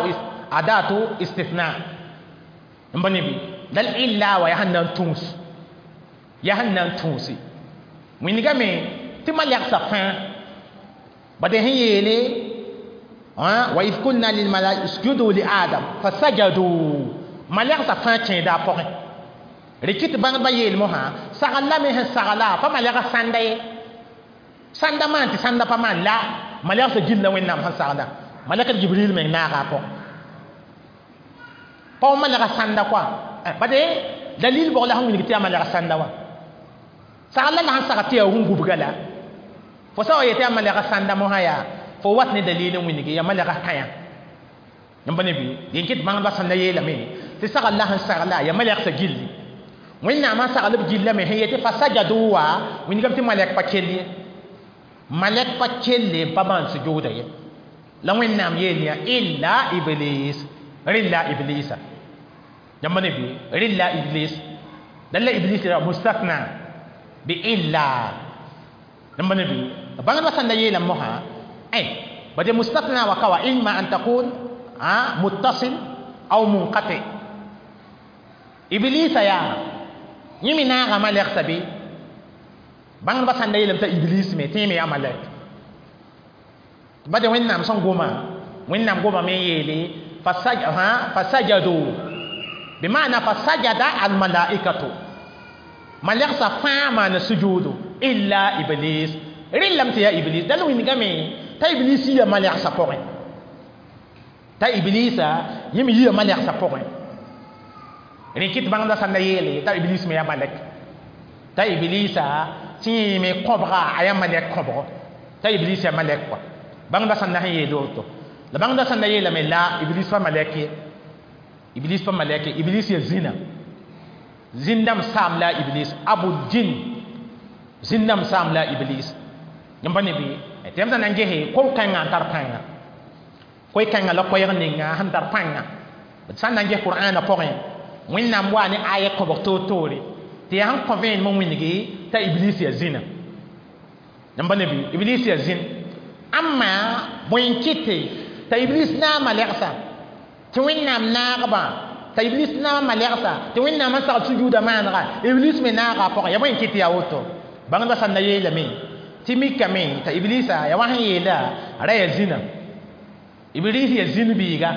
adatu istithna n pa ne bɩ dal illa wa yaa sẽn na n tũus yaa sẽn na n tũusi wĩnigame tɩ malɛgsa fãa bade sẽn yeele wa id kulna lilmalaika usjudu li Adam fasajadu malɛgsa fãa kẽeda a pʋgẽ rɩ tɩ bãngdbã yeel mosã sagl lame sẽn sagla pa malɛga sãnda ye sãnda maan tɩ sãnda pa maan la malɛgsa gilla Wẽnnaam sẽn sagla malɛk Jibril meng naaga a pʋgẽ pa wa malɛga sãnda koa bade dalil bʋg la sẽn wilg tɩ yaa malɛga sãnda wã sagl la la sẽn sagd tɩ yaa rũn-gubga la fo sã wa yetɩ yaa malɛga sãnda mosã yaa fo wat ne dalil n wilgi yaa malɛga kãyã yãmb ne bɩ yen kɩt bãngdbã sẽn na yeelame tɩ sagl la sẽn sagla yaa malɛgsa gilli Wẽnnaamã sagl b gillame sẽn yetɩ fasajadu wa wĩnigame tɩ malɛk pa kell ye malɛk pa kelle n pa maan sujuuda ye la Wẽnnaam yeel yã illa Iblis rɩlla Iblisa yãmb ne bɩ rɩlla Iblis dal la Iblis ra mustathna bi illa yãmb ne bɩ bãngdbã sẽn da yeelame mosã ay bade mustathna wa kawa imma an takun muttasil aw munqati Iblisa yaa yẽ me naaga malɛgsa bɩ bãngdbã sãn da yeelame t'a iblis me tɩ yẽ me yaa malɛk bade wẽnnaam sẽn goma wẽnnaam gomame n yeele fasajadu bima'na fasajada almalaikatu malɛgsa fãa maana sujuudu illa iblis rɩllame tɩ yaa iblis dal wĩndgame t'a iblis yia malɛgsã pʋgẽ t'a iblisa yẽ me yia malɛgsã pʋgẽ rẽ kɩt bãngdã sãn da yeele t'a iblis me yaa malɛk t'a iblisa tɩ yẽ me kõbga a yaa malɛk kõbgo t'a iblis yaa malɛk kɔa bãngdã sãn da sẽn yeel woto la bãngdã sãn da yeelame la iblis pa malɛk ye iblis pa malɛk ye iblis ya zĩna zĩndãmb saam la iblis abul jin zĩndãmb saam la iblis yẽmb pa ne bɩ tɩ yãmb sã na n gese ko-kãngã n tar pãnga koe-kãngã la koɛɛg ninga sẽn tar pãnga d sã n na n ges qur'aanã pʋgẽ wẽnnaam waa ne aya kõbg toor-toore tɩ yaa sẽn kõ vẽenem n wĩngi t'a iblis ya zĩna yãmb pa ne bɩ iblis ya zĩn amma bõe n kɩte t'a iblis naag malɛgsa tɩ wẽnnaam naagbã t'a iblis naag malɛgsa tɩ wẽnnaam n sagl sujuuda maanega iblis me naaga a pʋgẽ ya bõe n kɩt yaa woto bãngdã sãn da yeelame tɩ mikame t'a iblisa ya wa sẽn yeela ra ya zĩna iblis ya zĩn biiga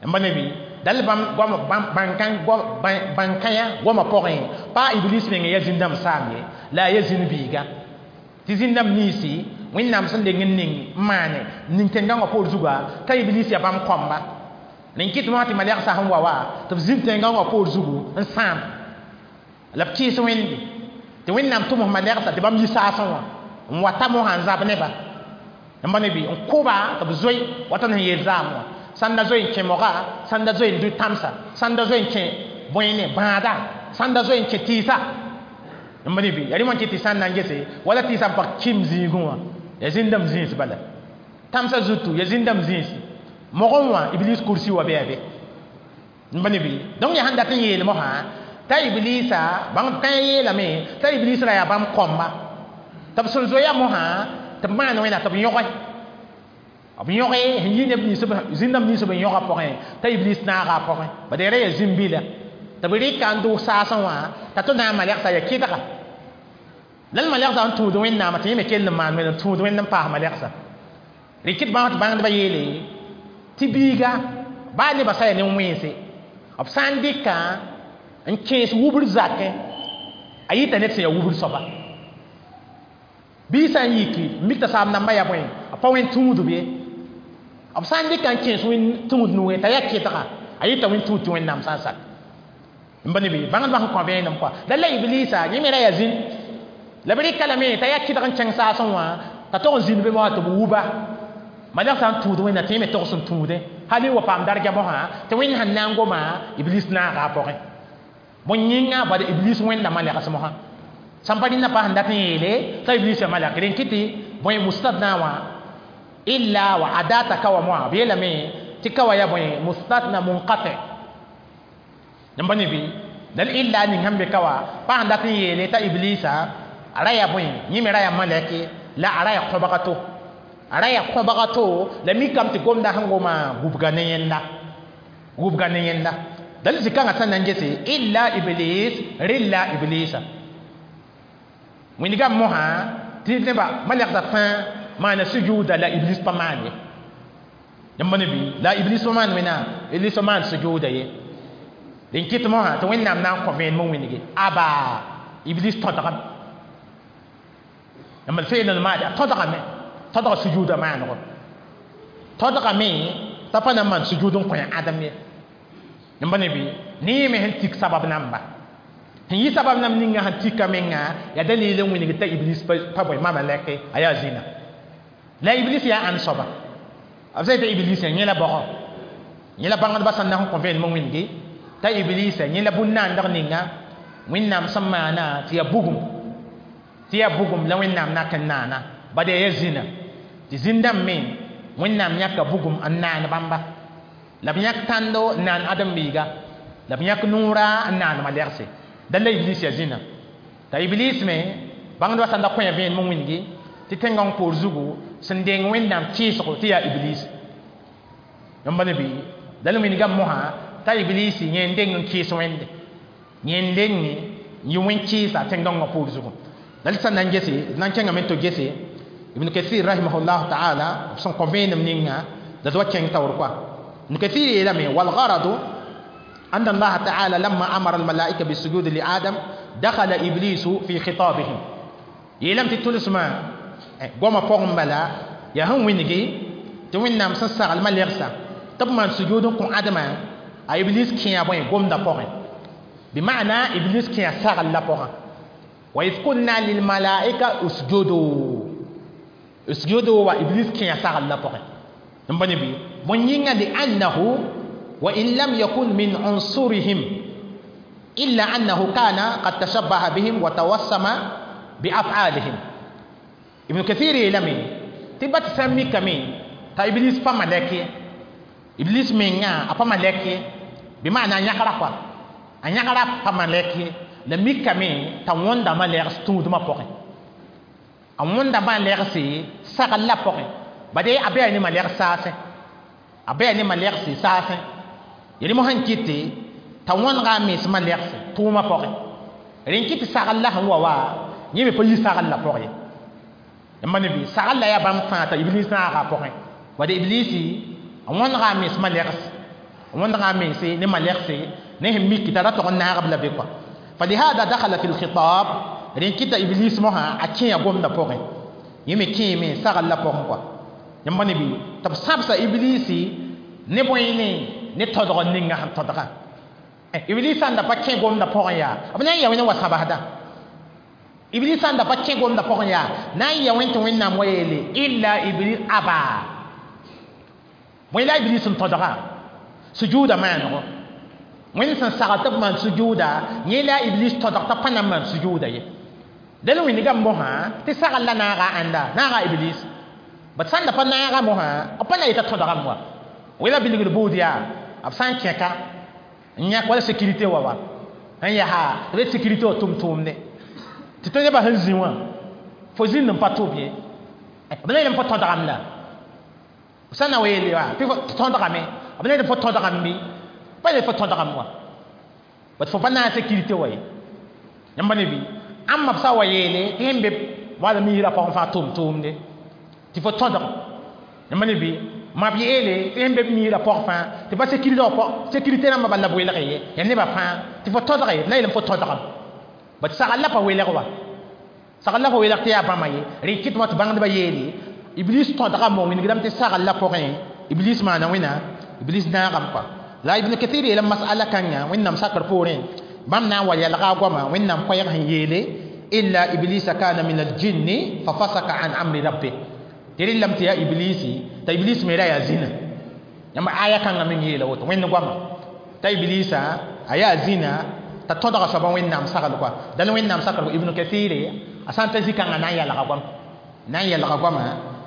n pa ne bɩ dal bãmb goam bãn-kãyã goamã pʋgẽ pa iblis meng ya zĩn-dãmb saam ye la a ya zĩn biiga tɩ zĩn-dãmb ninsi wẽnnaam sẽn deng n ning n maane ning tẽn-gãngã poor zuga t'a iblis ya bãmb kõmba rẽn kɩt mosã tɩ malɛgsã sẽn wa wa tɩ b zĩnd tẽn-gãngã poor zugu n sãam la b kɩɩs wẽnde tɩ wẽnnaam tʋms malɛgsa tɩ bãmb yi saasẽ wã n wa ta mosã n zab neba n pa ne bɩ n kʋba tɩ b zoe wata sẽn yeel zaam wã sãn da zoe n kẽ moga sãn da zoe n dʋ tãmsa sãn da zoe n kẽ bõe bãada sãn da zoe n kẽ tɩɩsa n pa ne bɩ yaa rẽ wã kɩ tɩ sãn na n gese wala tɩɩsã n pag kim zĩigẽ wã ya zĩndame zĩis bala tãmsã zutu ya zĩndame zĩisi mogẽ wã iblis kursi wa bɩ a be n pa ne bɩ donc yaa sẽn dat n yeel mosã t'a iblisa bãng kãe yeelame t'a iblis ra yaa bãmb kõmba tɩ b sẽn zoeya mosã tɩ b maan wẽna tɩ b yõge b yõge sẽn yi neb nins zĩndãmb nins b yõga pʋgẽ t'a iblis naaga a pʋgẽ bad ra yaa zĩm-bila tɩ b rɩka n dʋʋs saasẽ wã t'a tɩ na n malɛgsa ya kɩdga la l malɛgsã sẽn tũud wẽnnaamã tɩ yẽ me kell n maan wẽnd n tũud wẽnd n paas malɛgsa rɩkɩd bãng tɩ bãngdbã yeele tɩ biiga baa nebã sã yaa nin-wẽnse b sã n dɩka n kẽes wubr zakẽ a yita ned sẽn yaa wubr soaba bii sã n yiki n mik t'a saam nambã yaa bõe b pa wẽn tũudb ye b sã n dɩka n kẽes wẽn tũud nugẽ t'a yaa kɩdga a yita wẽn tũud tɩ wẽnnaam sã n sak n pa ne bɩ bãngdbã sẽn kõ vẽenem kɔa la la iblisa yẽ me ra yaa zĩn la b rɩka lame t'a yaa kɩdg n kẽng saasẽ wã t'a tog n zĩnd be mosã tɩ b wuba malɛg sã n tũud wẽnna tɩ yẽ me togs n tũudẽ hal n wa paam darga mosã tɩ wẽnd sẽn na n goma iblis naaga a pʋgẽ bõe yĩnga bad iblis wẽnda malɛgs mosã sãn pa rẽnda pa sẽn dat n yeele t'a iblis ya malɛk rẽn kɩ tɩ bõe mustatna wã illa wa adata ka wa moa b yeelame tɩ ka wa yaa bõe mustatna munqati n pa ne bɩ dal illa ning sẽn be ka wa pa sẽn dat n yeele t'a iblisa a ra yaa bõe yẽ me ra yaa malɛke la a ra yaa kõbga to a ra yaa kõbga to la mikame tɩ gomda sẽn goma gubga ne yẽnda gubga ne yẽnda dal zikãngã sẽn na n gese illa iblis rɩlla iblisa wĩndgame mosã tɩ nebã malɛgda fãa maana sujuuda la iblis pa maan ye yãmb pa ne bɩ la iblis pa maan wẽnnaam iblis pa maan sujuuda ye rẽn kɩt mosã tɩ wẽnnaam na n kõ vẽenem n wĩnge aba iblis tõdgame yãmb d feel n maade a tõdgame tõdga sujuuda maanego tõdgame t'a pa na n maan sujuud n kõ ãdem ye yãmb pa ne bɩ ne yẽ me sẽn tik sabab namba sẽn yɩ sabab nam ninga sẽn tika menga yaa dalil n wĩng t'a iblis pa bõe mama lɛke a yaa zĩna la iblis yaa ãn soaba b sã t'a iblis yẽ la bɔgɔ yẽ la bãngdbã sẽn na n kõ vẽenem n wĩnge t'a iblis yẽ la bũn-naandg ninga wẽnnaam sẽn maana tɩ yaa bugum tɩ yaa bugum la wẽnnaam nak n naana bad yaa ya zĩna tɩ zĩn-dãmb me wẽnnaam yãka bugum n naan bãmba la b yãk tãndo n naan ãdem-biiga la b yãk noora n naan malɛgse dal la iblis ya zĩna t'a iblis me bãngdbã sãn da kõ ya vẽenem n wĩnge tɩ tẽngãng poor zugu sẽn deng wẽnnaam kɩɩsgo tɩ yaa iblis yãmb ne bɩ dal wĩndgame mosã t'a iblisi yẽ n deng n kɩɩs wẽnde yẽ n leng n yɩ wẽn-kɩɩsa tẽn-dõngã poor zugu la d sã n na n gese d na n kẽngame tɩ gese ibn kathir rahimahullah taala b sẽn kõ vẽenem ninga la d wa kẽng taoor kɔa ibn kathir yeelame walgaradu أن الله تعالى لما أمر الملائكة بالسجود لآدم دخل إبليس في خطابهم يلم تتلس ما قوم فوق بلا يا هم وينجي توين نام سنسا المليغسا تب من سجود كون آدم إبليس كي يبوي قوم دا فوق بمعنى إبليس كي يساغل لا فوق وإذ قلنا للملائكة اسجدوا اسجدوا وإبليس كي يساغل لا فوق نبني بي من ينغ لأنه وإن لم يكن من عنصرهم إلا أنه كان قد تشبه بهم وتوسم بأفعالهم ابن كثير يلمي تبا تسمي كمي تا إبليس فما لكي إبليس منغا أفما لكي بمعنى يقرأ فا أن يقرأ فما لكي لمي كمي تا وندا ما ليرس تود ما بوغي أن وندا ما ليرسي ساغ لا بوغي بدي أبي أني ما ليرس ساسي أبي أني ما ليرسي ساسي yeli mo sẽn kɩtɩ t'a wõnega a mens malɛgse tʋʋmã pʋgẽ rẽn kɩ tɩ sagl la sẽn wa wa yẽ me pa yi sagl la pʋgẽ ye yãmba ne bɩ sagl la yaa bãmb fãa t'a iblis naaga a pʋgẽ wad iblisi a wõnega a mens malɛgs a wõnega a mense ne malɛgse ne sẽn mik t'a ra tog n naag b la be kɔa فلهذا دخل في الخطاب rẽn kɩta iblis mosã a kẽa gomdã pʋgẽ yẽ me kẽeme sagl la pʋgẽ kɔa yãmba ne bɩ tɩ b sãbsa iblisi ne bõe ne ne todg ninga sẽn todga iblis sãn da pa kẽ gomdã pʋgẽ yaa b na n ya wẽnd n wa sabsda iblis sãn da pa kẽ gomdã pʋgẽ yaa na n ya wẽnd tɩ wẽnnaam wa yeele illa iblis aba bõe la iblis n todga sujuuda maanego wẽnd sẽn sagl tɩ b maan sujuuda yẽ la iblis todg t'a pa na n maan sujuuda ye dẽn wĩnigame mosã tɩ sagl la naaga ãnda naaga iblis bat sãn da pa naaga mosã b pa na yeta todgame wa wela bilgd buud yaa b sã n kẽka n yãk wala sécurité wa wa n yaa tɩ be sécurité wa tʋm-tʋʋmde tɩ tõe nebã sẽn zĩ wã fo zĩnd n pa tʋb ye b na yeelame fo tõdgame la b sã n na wa yeele wa tɩ tõdgame b na yeelame fo tõdgame bɩ pa yeel fo tõdgame wa bat fo pa naag sécurité wa ye yãmba ne bɩ ãmba b sã wa yeele tɩ sẽn be wala misrã pʋgẽ fãa tʋm-tʋʋmde tɩ fo tõdg yãmba ne bɩ ma b yeele tɩ sẽn be b miisrã pʋg fãa tɩ pa sécurité wã sécurité rãmbã bala b welg ye yaa nebã fãa tɩ fo tõdge na yeelame fo tõdgame bat sagl la pa welg wa sagl la pa welg tɩ yaa bãmba ye rẽ kɩtmã tɩ bãngdbã yeele iblis tõdgame wa wĩnigdame tɩ sagl la pʋgẽ iblis maana wẽna iblis naagame kɔa la ibn kathir yeelame masala kãnga wẽnnaam sakr poorẽ bãmb na n wa yalga a goama wẽnnaam koɛɛg sẽn yeele illa iblisa kana min aljinni fa fasaka an amri rabbi tɩ rẽllame tɩ yaa iblisi t'a iblis me ra yaa zĩna yãmb aya kãngã meng yeela woto wẽnd goama t'a iblisa a yaa zĩna t'a tõdga soabã wẽnnaam sagl kɔa dãn wẽnnaam sakr ibnu kathire a sã n ta zĩ-kãngã na n yalga goam na n yalga goama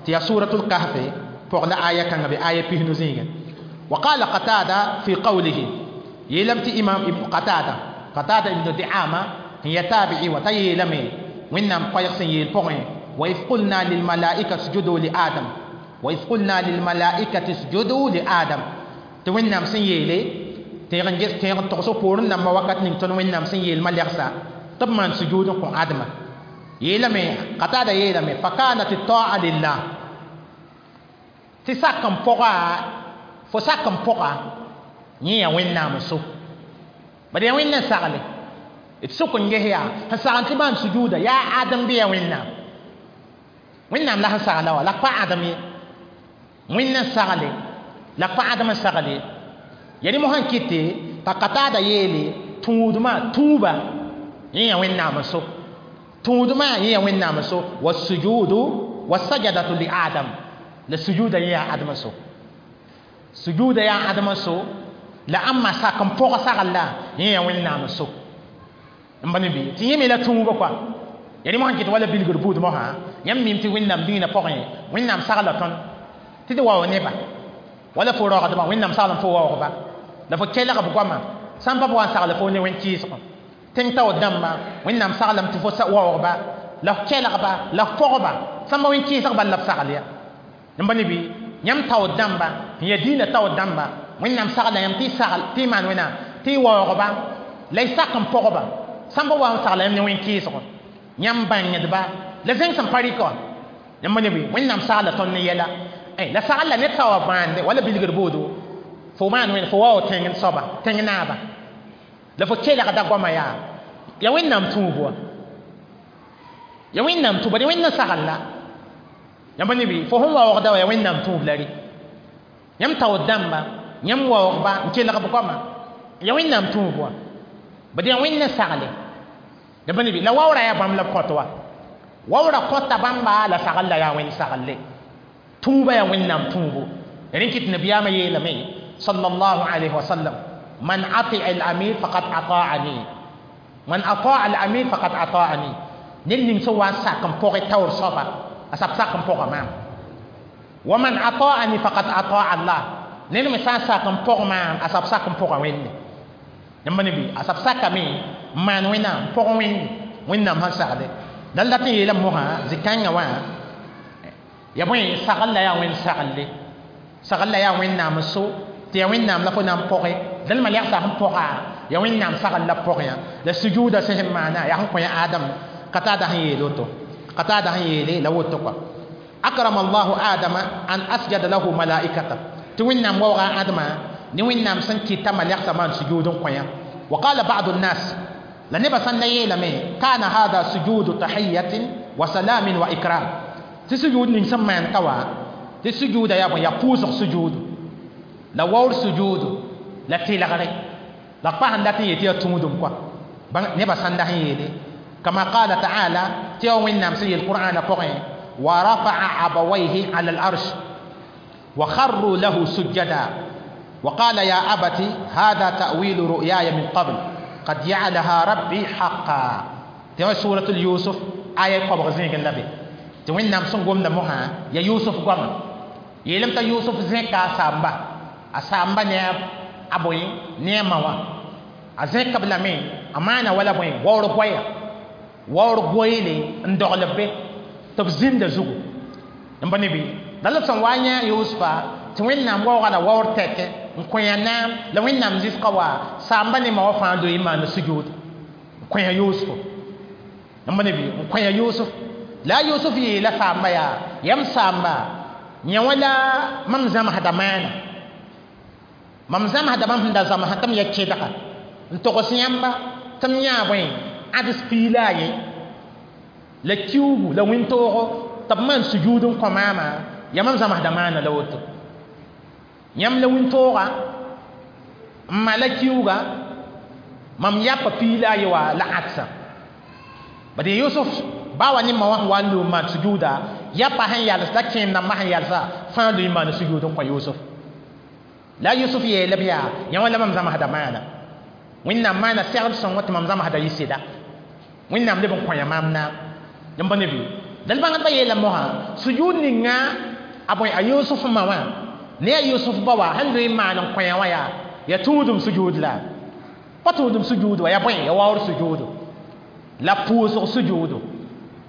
tɩ yaa suratul kahfe pʋg la aya kãngã be aya pisnu zĩigẽ وقال قتادة في قوله يلم تي إمام ابن قتادة قتادة ابن دعامة هي تابعي وتيلمي وإنم قيقسن يلفقين وإذ قلنا للملائكة اسجدوا لآدم وإذ قلنا للملائكة اسجدوا لآدم توينام سن يلي تيغن جس تيغن تقصو بورن نما وقت نين وينام سن يل مليغسا طب من سجود كون آدم يلمي قتادة يلمي فكانت الطاعة لله تساكم فوقا فساكم فوقا نيا وينام سو بدي وين ساغلي تسوكن جهيا فساغن تبان سجودا يا آدم بيا وينام wẽnnaam la sẽn sagla wa la pa adem ye wẽnd n sagle la pa adem n sagle ya rẽ mosã n kɩte t'a kataada yeele tũudmã tũuba yẽ yaa wẽnnaam n so tũudmã yẽ yaa wẽnnaam n so wasujudu wasajadatu li adam la sujuda yẽ yaa adem n so sujuda yaa adem n so la ãmba sak n pʋg sagl la yẽ yaa wẽnnaam n so n ba ne bɩ tɩ yẽ me la tũuba kɔa ya rẽ mosã n kɩt wala bilgr buud mosã yãmb mim tɩ wẽnnaam dĩinã pʋgẽ wẽnnaam sagla tõnd tɩ d wao neba wala fo raoogdbã wẽnnaam sagl n fo waoogba la fo kelg b goamã sã n pa b wa n sagl fo ne wẽn-kɩɩsgõ tẽng taoor dãmbã wẽnnaam saglame tɩ fo waoogba la f kelgba la f pɔgba sãn pa wẽn-kɩɩsg bal la b sagl ya yãmba ne bɩ yãmb taoor dãmba n yaa dĩinã taoor dãmba Wẽnnaam sagla yãmb tɩ y sagl tɩ y maan wẽnnaam tɩ y waoogba la y sak n pɔgba sãn pa wa n sagla yãmb ne wẽn-kɩɩsgo yãmb bãngdba la zẽng sẽn pa rɩka wã yãmb ne bɩ wẽnnaam sagla tõnd ne yɛla la sagl la ned sã wa bãande wala bilgr boodo fo maan wẽn fo waoog tẽng soaba tẽng naaba la fo kelgda goama yaa ya wẽnnaam tũub wa ya wẽnnaam tũub bad wẽnna sagl la yãmb ne bɩ fo sẽn waoogda wa ya wẽnnaam tũub la rɩ yãmb taood dãmba yãmb waoogba n kelg b goama ya wẽnnaam tũub wa bad yaa wẽnna sagle yãmb ne bɩ la waoora yaa bãmb la b kõt wa waoora kõta bãmba la sagl la yaa wẽnd saglle tũuba yaa wẽnnaam tũubo rẽ kɩt nabiyaamã yeelame sallallahu alayhi wa sallam man ati al-amir faqad ata'ani man ata'a al-amir faqad ata'ani ned ning sẽn wa n sak n pʋgẽ taoor soaba a sab sak n pʋga maam wa man ata'ani faqad ata'a Allah ned me sã n sak n pʋg maam a sab sak n pʋga wẽnde yãmb ne bɩ a sab sakame n maan wẽnnaam n pʋg wẽnde wẽnnaam sẽn sagde dal dat n yeelame mosã zĩ-kãngã wã ya bõe sagl la yaa wẽnd saglle sagl la yaa wẽnnaam n so tɩ yaa wẽnnaam la fo na n pʋge dal malɛgsa sẽn pʋga ya wẽnnaam sagl la pʋgẽ la sujuuda sẽn sẽn maana yaa sẽn kõ ya adam qatada sẽn yeel woto qatada sẽn yeele la woto kɔa akrama allahu adama an asjada lahu malaikata tɩ wẽnnaam waooga adama ne wẽnnaam sẽn kɩta malɛgsa maan sujuud n kõ yã wa qala ba'du nnas la nebã sãn na yeelame kana hada sujudu tahiyatin wa salamin wa ikram tɩ sujuud ning sẽn maan ka wa tɩ sujuuda yaa bõe yaa pʋʋsg sujuudu la waoor sujuudu la tɩlgre la pa sẽn dat n yetɩ yaa tũudum kɔa nebã sãn da sẽn yeele kama qala taala tɩ yaa wẽnnaam sẽn yeel qur'ana pʋgẽ wa rafa'a abawayhi ala al-arsh wa kharru lahu sujada wa qala ya abati hada ta'wilu ru'yaya min qabl qad ja'alaha rabbi haqqan tɩ wã suratul yusuf aya koabg zẽegẽ la be tɩ wẽnnaam sẽn gomda mosã ya yusuf goama yeelame t'a yusuf zẽka a saamba a saamba ne a bõe ne a ma wã a zẽka b lame a maana wala bõe waoor goɛya waoor goeele n dogl b be tɩ b zĩnda zugu n ba ne bɩ la la b sẽn wa n yã yʋsfa tɩ wẽnnaam waooga la waoor tɛkɛ n kõ yã naam la wẽnnaam zɩsga wa saamba ne ma wã fãa loe n maana sujuud n kõ yã yʋsfo n ba ne bɩ n kõ yã yʋsf la yusuf yeela saamba yaa yam saamba yã wã la mam zãmsda maana mam zãmsda mam sẽn da zãmsã tɩ m ya kẽdga n togs yãmba tɩ m yãa bõe ãds piila a ye la kiugu la wẽn-toogo tɩ b maan sujuud n kõ maama yaa mam zãmsda maana la woto yãmb la wĩntooga n ma la kiuga mam yapa piila a ye wa la ãdsa bad yusuf bawa ne ma wã wa n loom maan sujuuda yapa sẽn yals la kẽem dãmbã sẽn yalsa fãa loe n maan sujuud n kõ yusuf la yusuf yeela b yaa yã wã la mam zãmsda maana wẽnnaam maana segd sõngo tɩ mam zãmsda yɩ sɩda wẽnnaam leb n kõ yã maam naam yãmb pa ne bɩ dal bãngdbã yeela mosã sujuud ninga a bõe a yusuf ma wã ne a yusuf ba wa sẽn loe n maan n kõ yã wã yaa ya tũudum sujuud la pa tũudum sujuud wa ya bõe ya waoor sujuudu la pʋʋsg sujuudu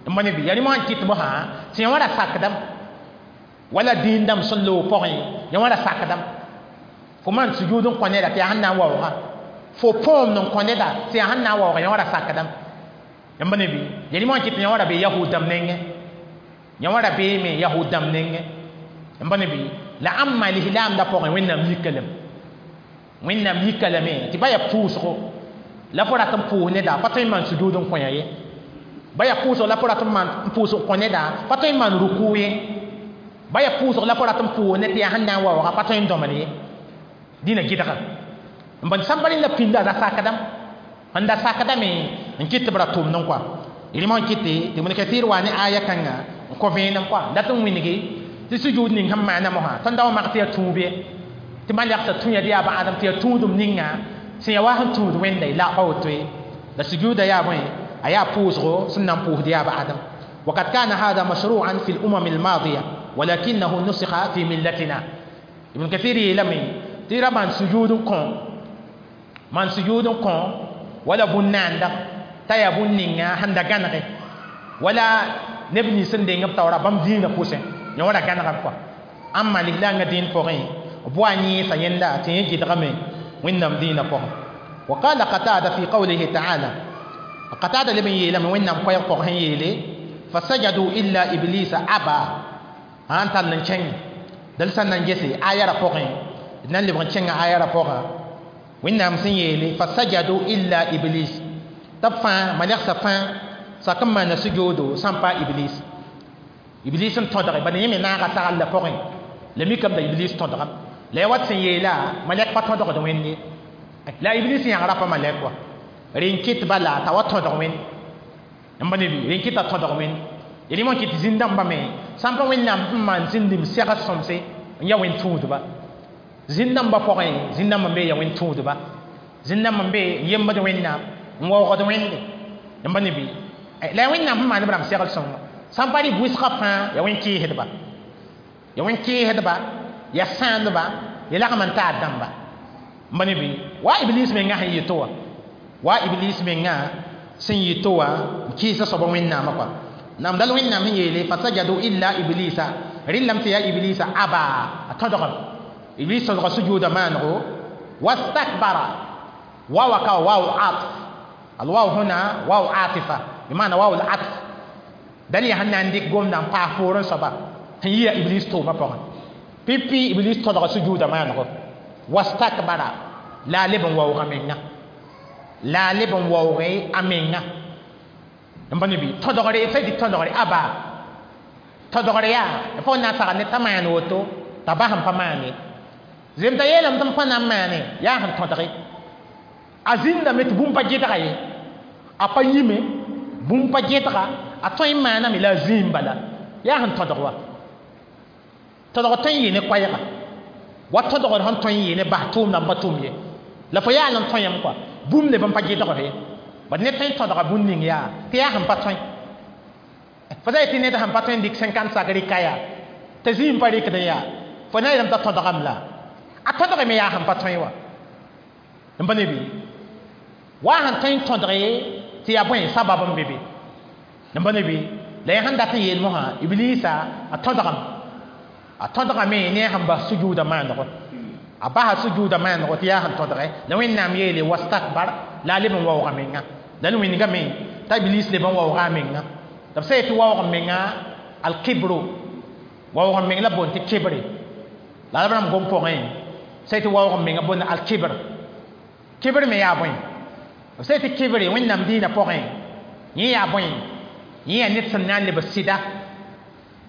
n ba ne bɩ yaa rẽ mosã n kɩt mosã tɩ yã wã ra sakdame wala dĩin dãmb sẽn loog pʋgẽ yã wã ra sakdame fo maan sujuud n kõ neda tɩ yaa sẽn na n waooga fo põom n kõ neda tɩ yaa sẽn na n waooga yã wã ra sakdame yãmb ne bɩ yaa rẽ mosã n kɩt tɩ yã wã ra bee yahud dãmb nengẽ yã wã ra beeme yahud dãmb nengẽ yãmb ne bɩ la ãmba lislaamdã pʋgẽ wẽnnaam yika lame wẽnnaam yika lame tɩ ba yaa pʋʋsgo la fo rat n pʋʋs neda pa tõe n maan sujuud n kõ yã ye ba yaa pʋʋsg la fo rat n maan n pʋʋsg kõ neda pa tõe n maan ruku ye ba yaa pʋʋsg la fo rat n pʋʋs ned tɩ yaa sẽn na n waooga pa tõe n dõmd ye dĩnã gɩdga n bõn sãn pa rẽnda pĩnda da sakdame sẽn da sakdame n kɩt tɩ b ra tʋmd n kɔa rẽmã n kɩte tɩ Ibn Kathir wa ne aya kãnga n kõ vẽenem kɔa dat n wĩngi tɩ sujuud ning sẽn maana mosã tõnd da wa mak tɩ yaa tũub ye tɩ malɛgsa tũ ya dɩ yaa ba adam tɩ yaa tũudum ninga sẽn yaa wa sẽn tũud wẽnda la pa woto ye la sujuuda yaa bõe a yaa pʋʋsgo sẽn na n pʋʋsd yaa ba adam وقد كان هذا مشروعا في الأمم الماضية ولكنه نسخ في ملتنا ابن كثير يلمي تيرا من سجود كون من سجود كون ولا بنان دا تايا بنينغا هندا غانغي ولا نبني سندين بتاورا بام دين بوسين يورا غانغا كوا أما لله دين فوغين b wa yẽesa yẽnda tɩ yẽ gɩdgame wẽnnaam dĩinã pʋgẽ. وقال قتادة في قوله تعالى قتادة لمن يلم وإنهم قيق قهن يلي فسجدوا إلا إبليس أبى أنت ننشن دل سنن جسي آية رفوقين نن لبن شن آية رفوقا وإنهم سن يلي فسجدوا إلا إبليس تفا ملك سفا سكما نسجودو سامبا إبليس إبليس تدري بني يمي ناغا سغل لفوقين لمي كم دا إبليس تدري لا وات سن يلا ملك با تدري ويني la iblis yãgra pa malɛk wa rẽn kɩt bala t'a wa tõdg wẽnd n pa ne bɩ rẽn kɩta tõdg wẽnd rẽmã kɩt zĩn-dãmbã me sãn pa wẽnnaam sẽn maan zĩndim segd sõmse n ya wẽn tũudba zĩn-dãmbã pʋgẽ zĩn-dãmb n be ya wẽn tũudba zĩn-dãmb n be n yembd wẽnnaam n waoogd wẽnde n pa ne bɩ la ya wẽnnaam sẽn maan b rãmb segl sõngo sãn pa rɩ bʋɩsgã fãa ya wẽn kɩɩsdba ya wẽn kɩɩsdba ya sãandba ya lagm n taar dãmba n pa ne bɩ wa iblis menga sẽn yɩ to wã wa iblis menga sẽn yɩ to wã n kɩɩsa soaba wẽnnaamã kɔa nam dal wẽnnaam sẽn yeele fasajadu illa iblisa rẽllame tɩ yaa iblisa aba a tõdgem iblis tõdga sujuuda maanego wastakbara wawa ka waw atf alwaw huna waw atifa bimana waw al-atf dal yaa sẽn na n dɩk gomda n paas poorẽ soaba sẽn yɩa iblis toomã pʋgẽ pipi iblis tõdga sujuuda maanego wastakbara la a leb n waoog a menga la a leb n waooge a menga n pa ne bɩ tõdgre f tɩ tõdgre aba tõdgre yaa fo na n sagl ne t'a maan woto t'a bas n pa maan ye zem t'a yeelame tɩ m pa na n maane yaa sẽn tõdge a zĩndame tɩ bũmb pa gɩdga ye a pa yĩme bũmb pa gɩdga a tõe n maaname la a zĩim bala yaa sẽn tõdg wa tõdg tõe n yɩ ne koɛɛga wa tõdgd sẽn tõe n yɩ ne bas tʋʋmdã n pa tʋm ye la fo yaa n tõe yãmb kɔa bũmb leb n pa gɩdgd ye bad ned tõe n tõdga bũn ning yaa tɩ yaa sẽn pa tõe fo sa yetɩ ned sẽn pa tõe n dɩk cinquante sak rɩka yaa t'a zĩim pa rɩkd n yaa fo na yeelame t'a tõdgame la a tõdgame yaa sẽn pa tõe wa n pa ne bɩ wa sẽn tõe n tõdge tɩ yaa bõe sabab n be be n pa ne bɩ la yẽ sẽn dat n yeel mosã iblisa a tõdgame a tõdgame ne a sẽn bas sujuuda maanego a basa sujuuda maanego tɩ yaa sẽn tõdge la wẽnnaam yeele wastakbar la a leb n waooga menga la wĩnigame t'a iblis leb n waooga a menga tɩ b sã yetɩ waoog n menga alkibro waoog n meng la boond tɩ kibre la b rãmb gom pʋgẽ sã yetɩ waoog n menga boond alkibr kibr me yaa bõe b sã yetɩ kibre wẽnnaam dĩinã pʋgẽ yẽ yaa bõe yẽ yaa ned sẽn na n lebs sɩda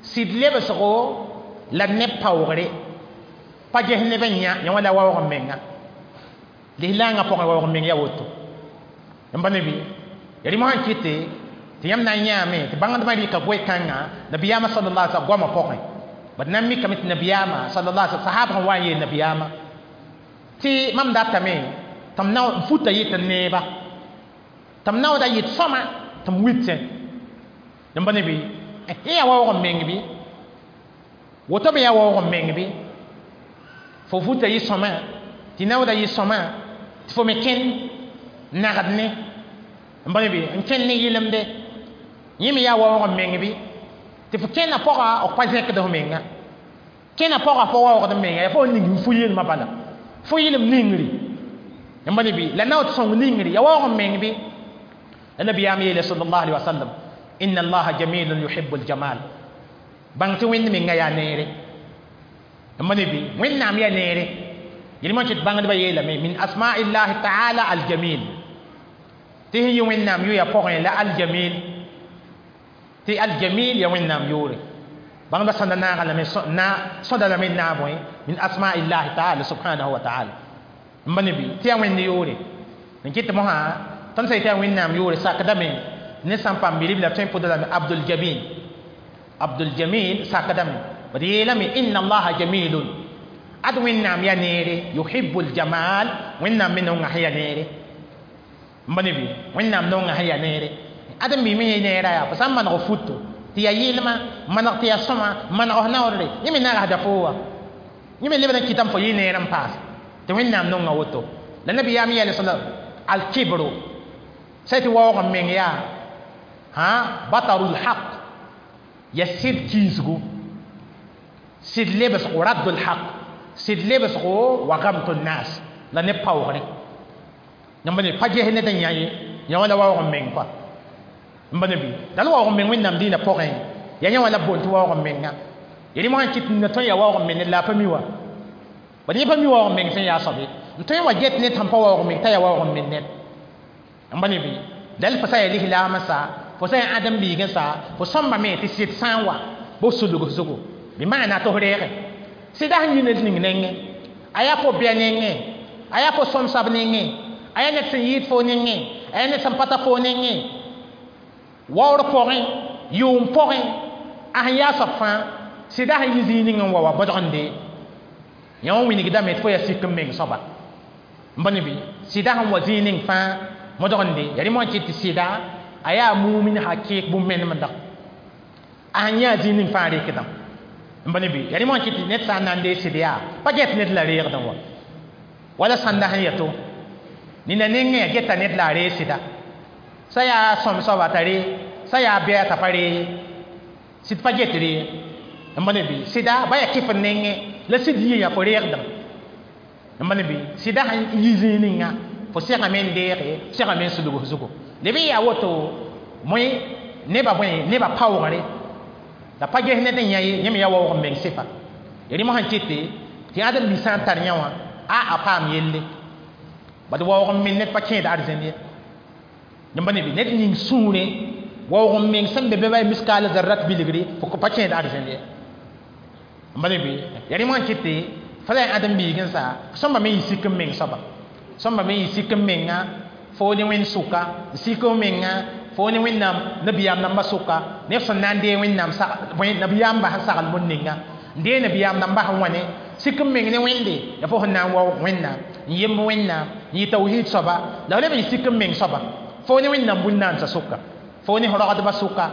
sɩd lebsgo la neb paoogre pa ges neb n yã yẽ wã la waoog n menga lislaangã pʋgẽ waoog n meng yaa woto n pa ne bɩ ya rɩ sẽn kɩte tɩ yãmb na n yãame tɩ bãngdbã rɩka goe-kãngã nabiyaamã sallallahu alaihi wasallam goamã pʋgẽ bad na n mikame tɩ nabiyaamã sallallahu alaihi wasallam sahab sẽn wa n yeel nabiyaamã tɩ mam datame tɩ m na n futa yɩt n neeba tɩ m naooda yɩt sõma tɩ m witẽ n pa ne bɩ yẽ yaa waoog n meng bɩ woto me yaa waoog n meng bɩ fo futa yɩ sõma tɩ naooda yɩ sõma tɩ fo me kẽnd nagd ne n pa ne bɩ n kẽnd ne yɩlemde yẽ me yaa waoog n meng bɩ tɩ fo kẽnda pʋga f pa zẽkd f menga kẽnda pʋga fo waoogd n menga yaa fo ning fo yɩlmã bala fo yɩlem ningri n pa ne bɩ la naood sõng ningri yaa waoog n meng bɩ la nabiyaam yeele sallallahu alaihi wasallam inna allaha jamilun yuhibbu aljamal bãng tɩ wẽnd menga yaa neere n pa ne bɩ wẽnnaam yaa neere yelmã kɩt bãngdbã yeelame min asma'illahi taala aljamil tɩ sẽn yɩ wẽnnaam yʋya pʋgẽ la aljamil tɩ aljamil ya wẽnnaam yʋʋre bãngdbã sõda naaga lame na sõda lame n naag bõe min asma'illahi taala subhanahu wa taala n pa ne bɩ tɩ yaa wẽnd yʋʋre n kɩt mosã tõnd sã yetɩ yaa wẽnnaam yʋʋre sakdame ne sãn paam bi-ribla tõe n pʋda lame abdul jamil abdul jamil sakdame d yeelame inna allaha jamilun ad wẽnnaam yaa neere yuhibbul jamal wẽnnaam me nonga sẽn yaa neere n pa ne bɩ wẽnnaam nonga sẽn yaa neere ad n mime yẽ neera yaa fo sã n maneg futo tɩ yaa yɩlma maneg tɩ yaa sõma maneg f naoodre yẽ me nagsda fo wa yẽ me lebd n kɩtame fo yɩ neer n paas tɩ wẽnnaam nonga woto la nabiyaam yeele sala alkibro sã tɩ waoog n meng yaa hã batarul haq ya sɩd kiisgu sɩd lebsgo raddul haq Sɩd lebsgo wa gamtu nas la ne paoogre yãmb ne pa ges ned n yã ye yã wã la waoog n meng kɔa n ba ne bɩ dal waoog n meng Wẽnnaam dĩinã pʋgẽ ya yã wã la b boond tɩ waoog n menga ya rẽ mosã kɩt n tõe n yaa waoog n meng ned la a pa mi wa bad yẽ pa mi waoog n meng sẽn yaa soab ye n tõe n wa get ned sẽn pa waoog n meng t'a yaa waoog n meng ned n ba ne bɩ dal fo sã yaa lislaam n sa fo sã yaa ãdem biig n sa fo sõmbame tɩ sɩd sã n wa bɩ sulg zugu bɩ maana tɩ f reege sɩda sẽn yi ned ning nengẽ a yaa fo bɩa nengẽ a yaa fo sõmsab nengẽ a yaa ned sẽn yɩɩd fo nengẽ a yaa ned sẽn pa ta fo nengẽ waoor pʋgẽ yʋʋm pʋgẽ a sẽn yaa soab fãa sɩda sẽn yi zĩig ning n wa wa bõdgende yã wã wilgdame tɩ fo yaa sik n meng soaba n ba ne bɩ sɩda sẽn wa zĩig ning fãa modgende yaa rẽ moã kɩt tɩ sɩda a yaa mumin hakɩɩk bũmb-menemda a sẽn yã zĩig ning fãa rekdã n ba ne bɩ yaa rẽ moã kɩt tɩ ned sã n na n deeg sɩd yaa pa get ned la reegdẽ wa wala sãnda sẽn yato nina nengẽ ya geta ned la a reeg sɩda sã yaa sõm soaba t'a ree sã yaa bɛa t'a pa ree sɩd pa get ree n ba ne bɩ sɩda ba yaa kɩf n nengẽ la sɩd yɩ yã fo reegdẽ n ba ne bɩ sɩda sẽn yi zĩig ninga fo segame n deege segame n sulg f zugu leb n yaa woto moe nebã bõe nebã paoogre la pa ges ned n yã ye yẽ me yaa waoog n meng sɩfa ya rẽ mosã kɩte tɩ ãdem bi sã n tar yã wã a a paam yelle bad waoog n meng ned pa kẽed arzẽn ye yãmba ne bɩ ned ning sũurẽ waoog n meng sẽn be be ba miskaal zarrat bilgre fo pa kẽed arzẽn ye n ba ne bɩ ya rẽ mosã kɩte fa la ãdem biig n sa sõmba me yɩ sik n meng soaba sõmba me yɩ sik n menga fo ne wẽnd sʋka sik n menga fo ne wẽnnaam nabiyaam nambã sʋka neb sẽn na n deeg wẽnnaam nabiyaambã sẽn sagl bũn ninga n deeg nabiyaam nambã sẽn wa ne sik n meng ne wẽnde ya fo sẽn na n waoog wẽnnaam n yemb wẽnnaam n yɩ tawhiid soaba la f leb n yɩ sik n meng soaba fo ne wẽnnaam bũn-naandsã sʋka fo ne rogdbã sʋka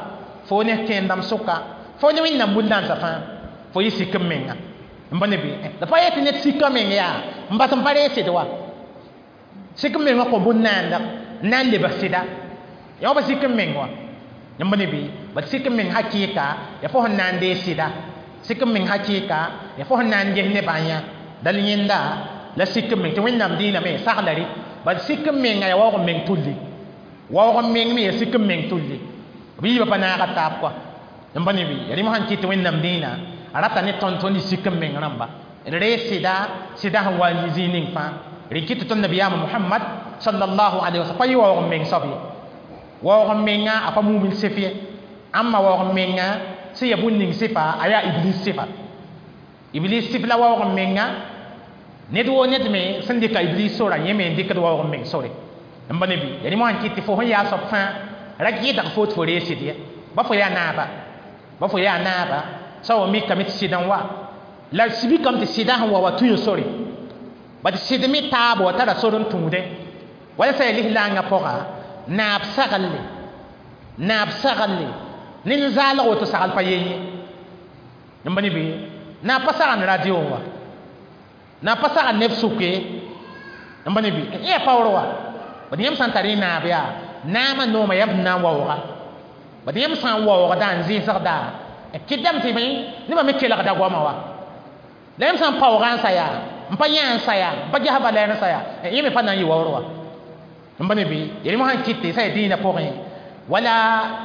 fo ne kẽendãmb sʋka fo ne wẽnnaam bũn-naandsã fãa fo yɩ sik n menga n ba ne bɩ la pa yetɩ ned sika meng yaa n bas n pa reeg sɩd wa sik n mengã kõ bũn-naandg n na n lebg sɩda yã wa pa sik n meng wa yãmb ne bɩ bad sik n meng hakɩɩka ya fo sẽn na n deeg sɩda sik n meng hakɩɩka ya fo sẽn na n ges nebã yã dal yẽnda la sik n meng tɩ wẽnnaam dĩiname sagla rɩ bad sik n menga ya waoog n meng tulli waoog n meng me ya sik n meng tulli b yiibã pa naaga taab kɔa n ba ne bɩ ya rẽ mosã n kɩt tɩ wẽnnaam dĩinã a rata ne tõnd tõnd y sik n meng rãmba d reeg sɩda sɩda sẽn wa n yi zĩig ning fãa rẽ kɩt tɩ tõnd nabiyaamã Muhammad sallallahu alaihi wasallam pa yɩ waoog n meng soab ye waoog n menga a pa mumin sɩf ye ãmba waoog n menga sẽn yaa bũn ning sɩfa a yaa iblis sɩfa iblis sɩf la waoog n menga ned woo ned me sẽn dɩka iblis sora yẽ me n dɩkd waoog n meng sore n ba ne bɩ ya rẽ mosã n kɩt tɩ fo sẽn yaa soab fãa ra gɩdg fo tɩ fo reeg sɩd ye ba fo yaa naaba ba fo yaa naaba sã wa mikame tɩ sɩd n wa la sibikame tɩ sɩda sẽn wa wa tũ sore bad sɩd me taab wa tara sor n tũudẽ wala sã yaa lislaangã pʋga naab saglle naab saglle ned zaalg woto sagl pa yen ye n ba ne bɩ naab pa sagend radio wa naab pa sagend neb sʋke n ba ne bɩ yaa paoor wa bad yãmb sã n tar y naab yaa naamã noomã yãmb sẽn na n waooga bad yãmb sã n waoogda n zɩɩsgda kɩdame tɩ nebã me kelgda goamã wa la yãmb sã n paoogã n sa yaa n pa yã n sa yaa n pa ges valɛɛr n sa yaa yẽ me pa na n yɩ waoor wa n ba ne bɩ ya rẽ mosã n kɩte sã yaa dĩinã pʋgẽ wala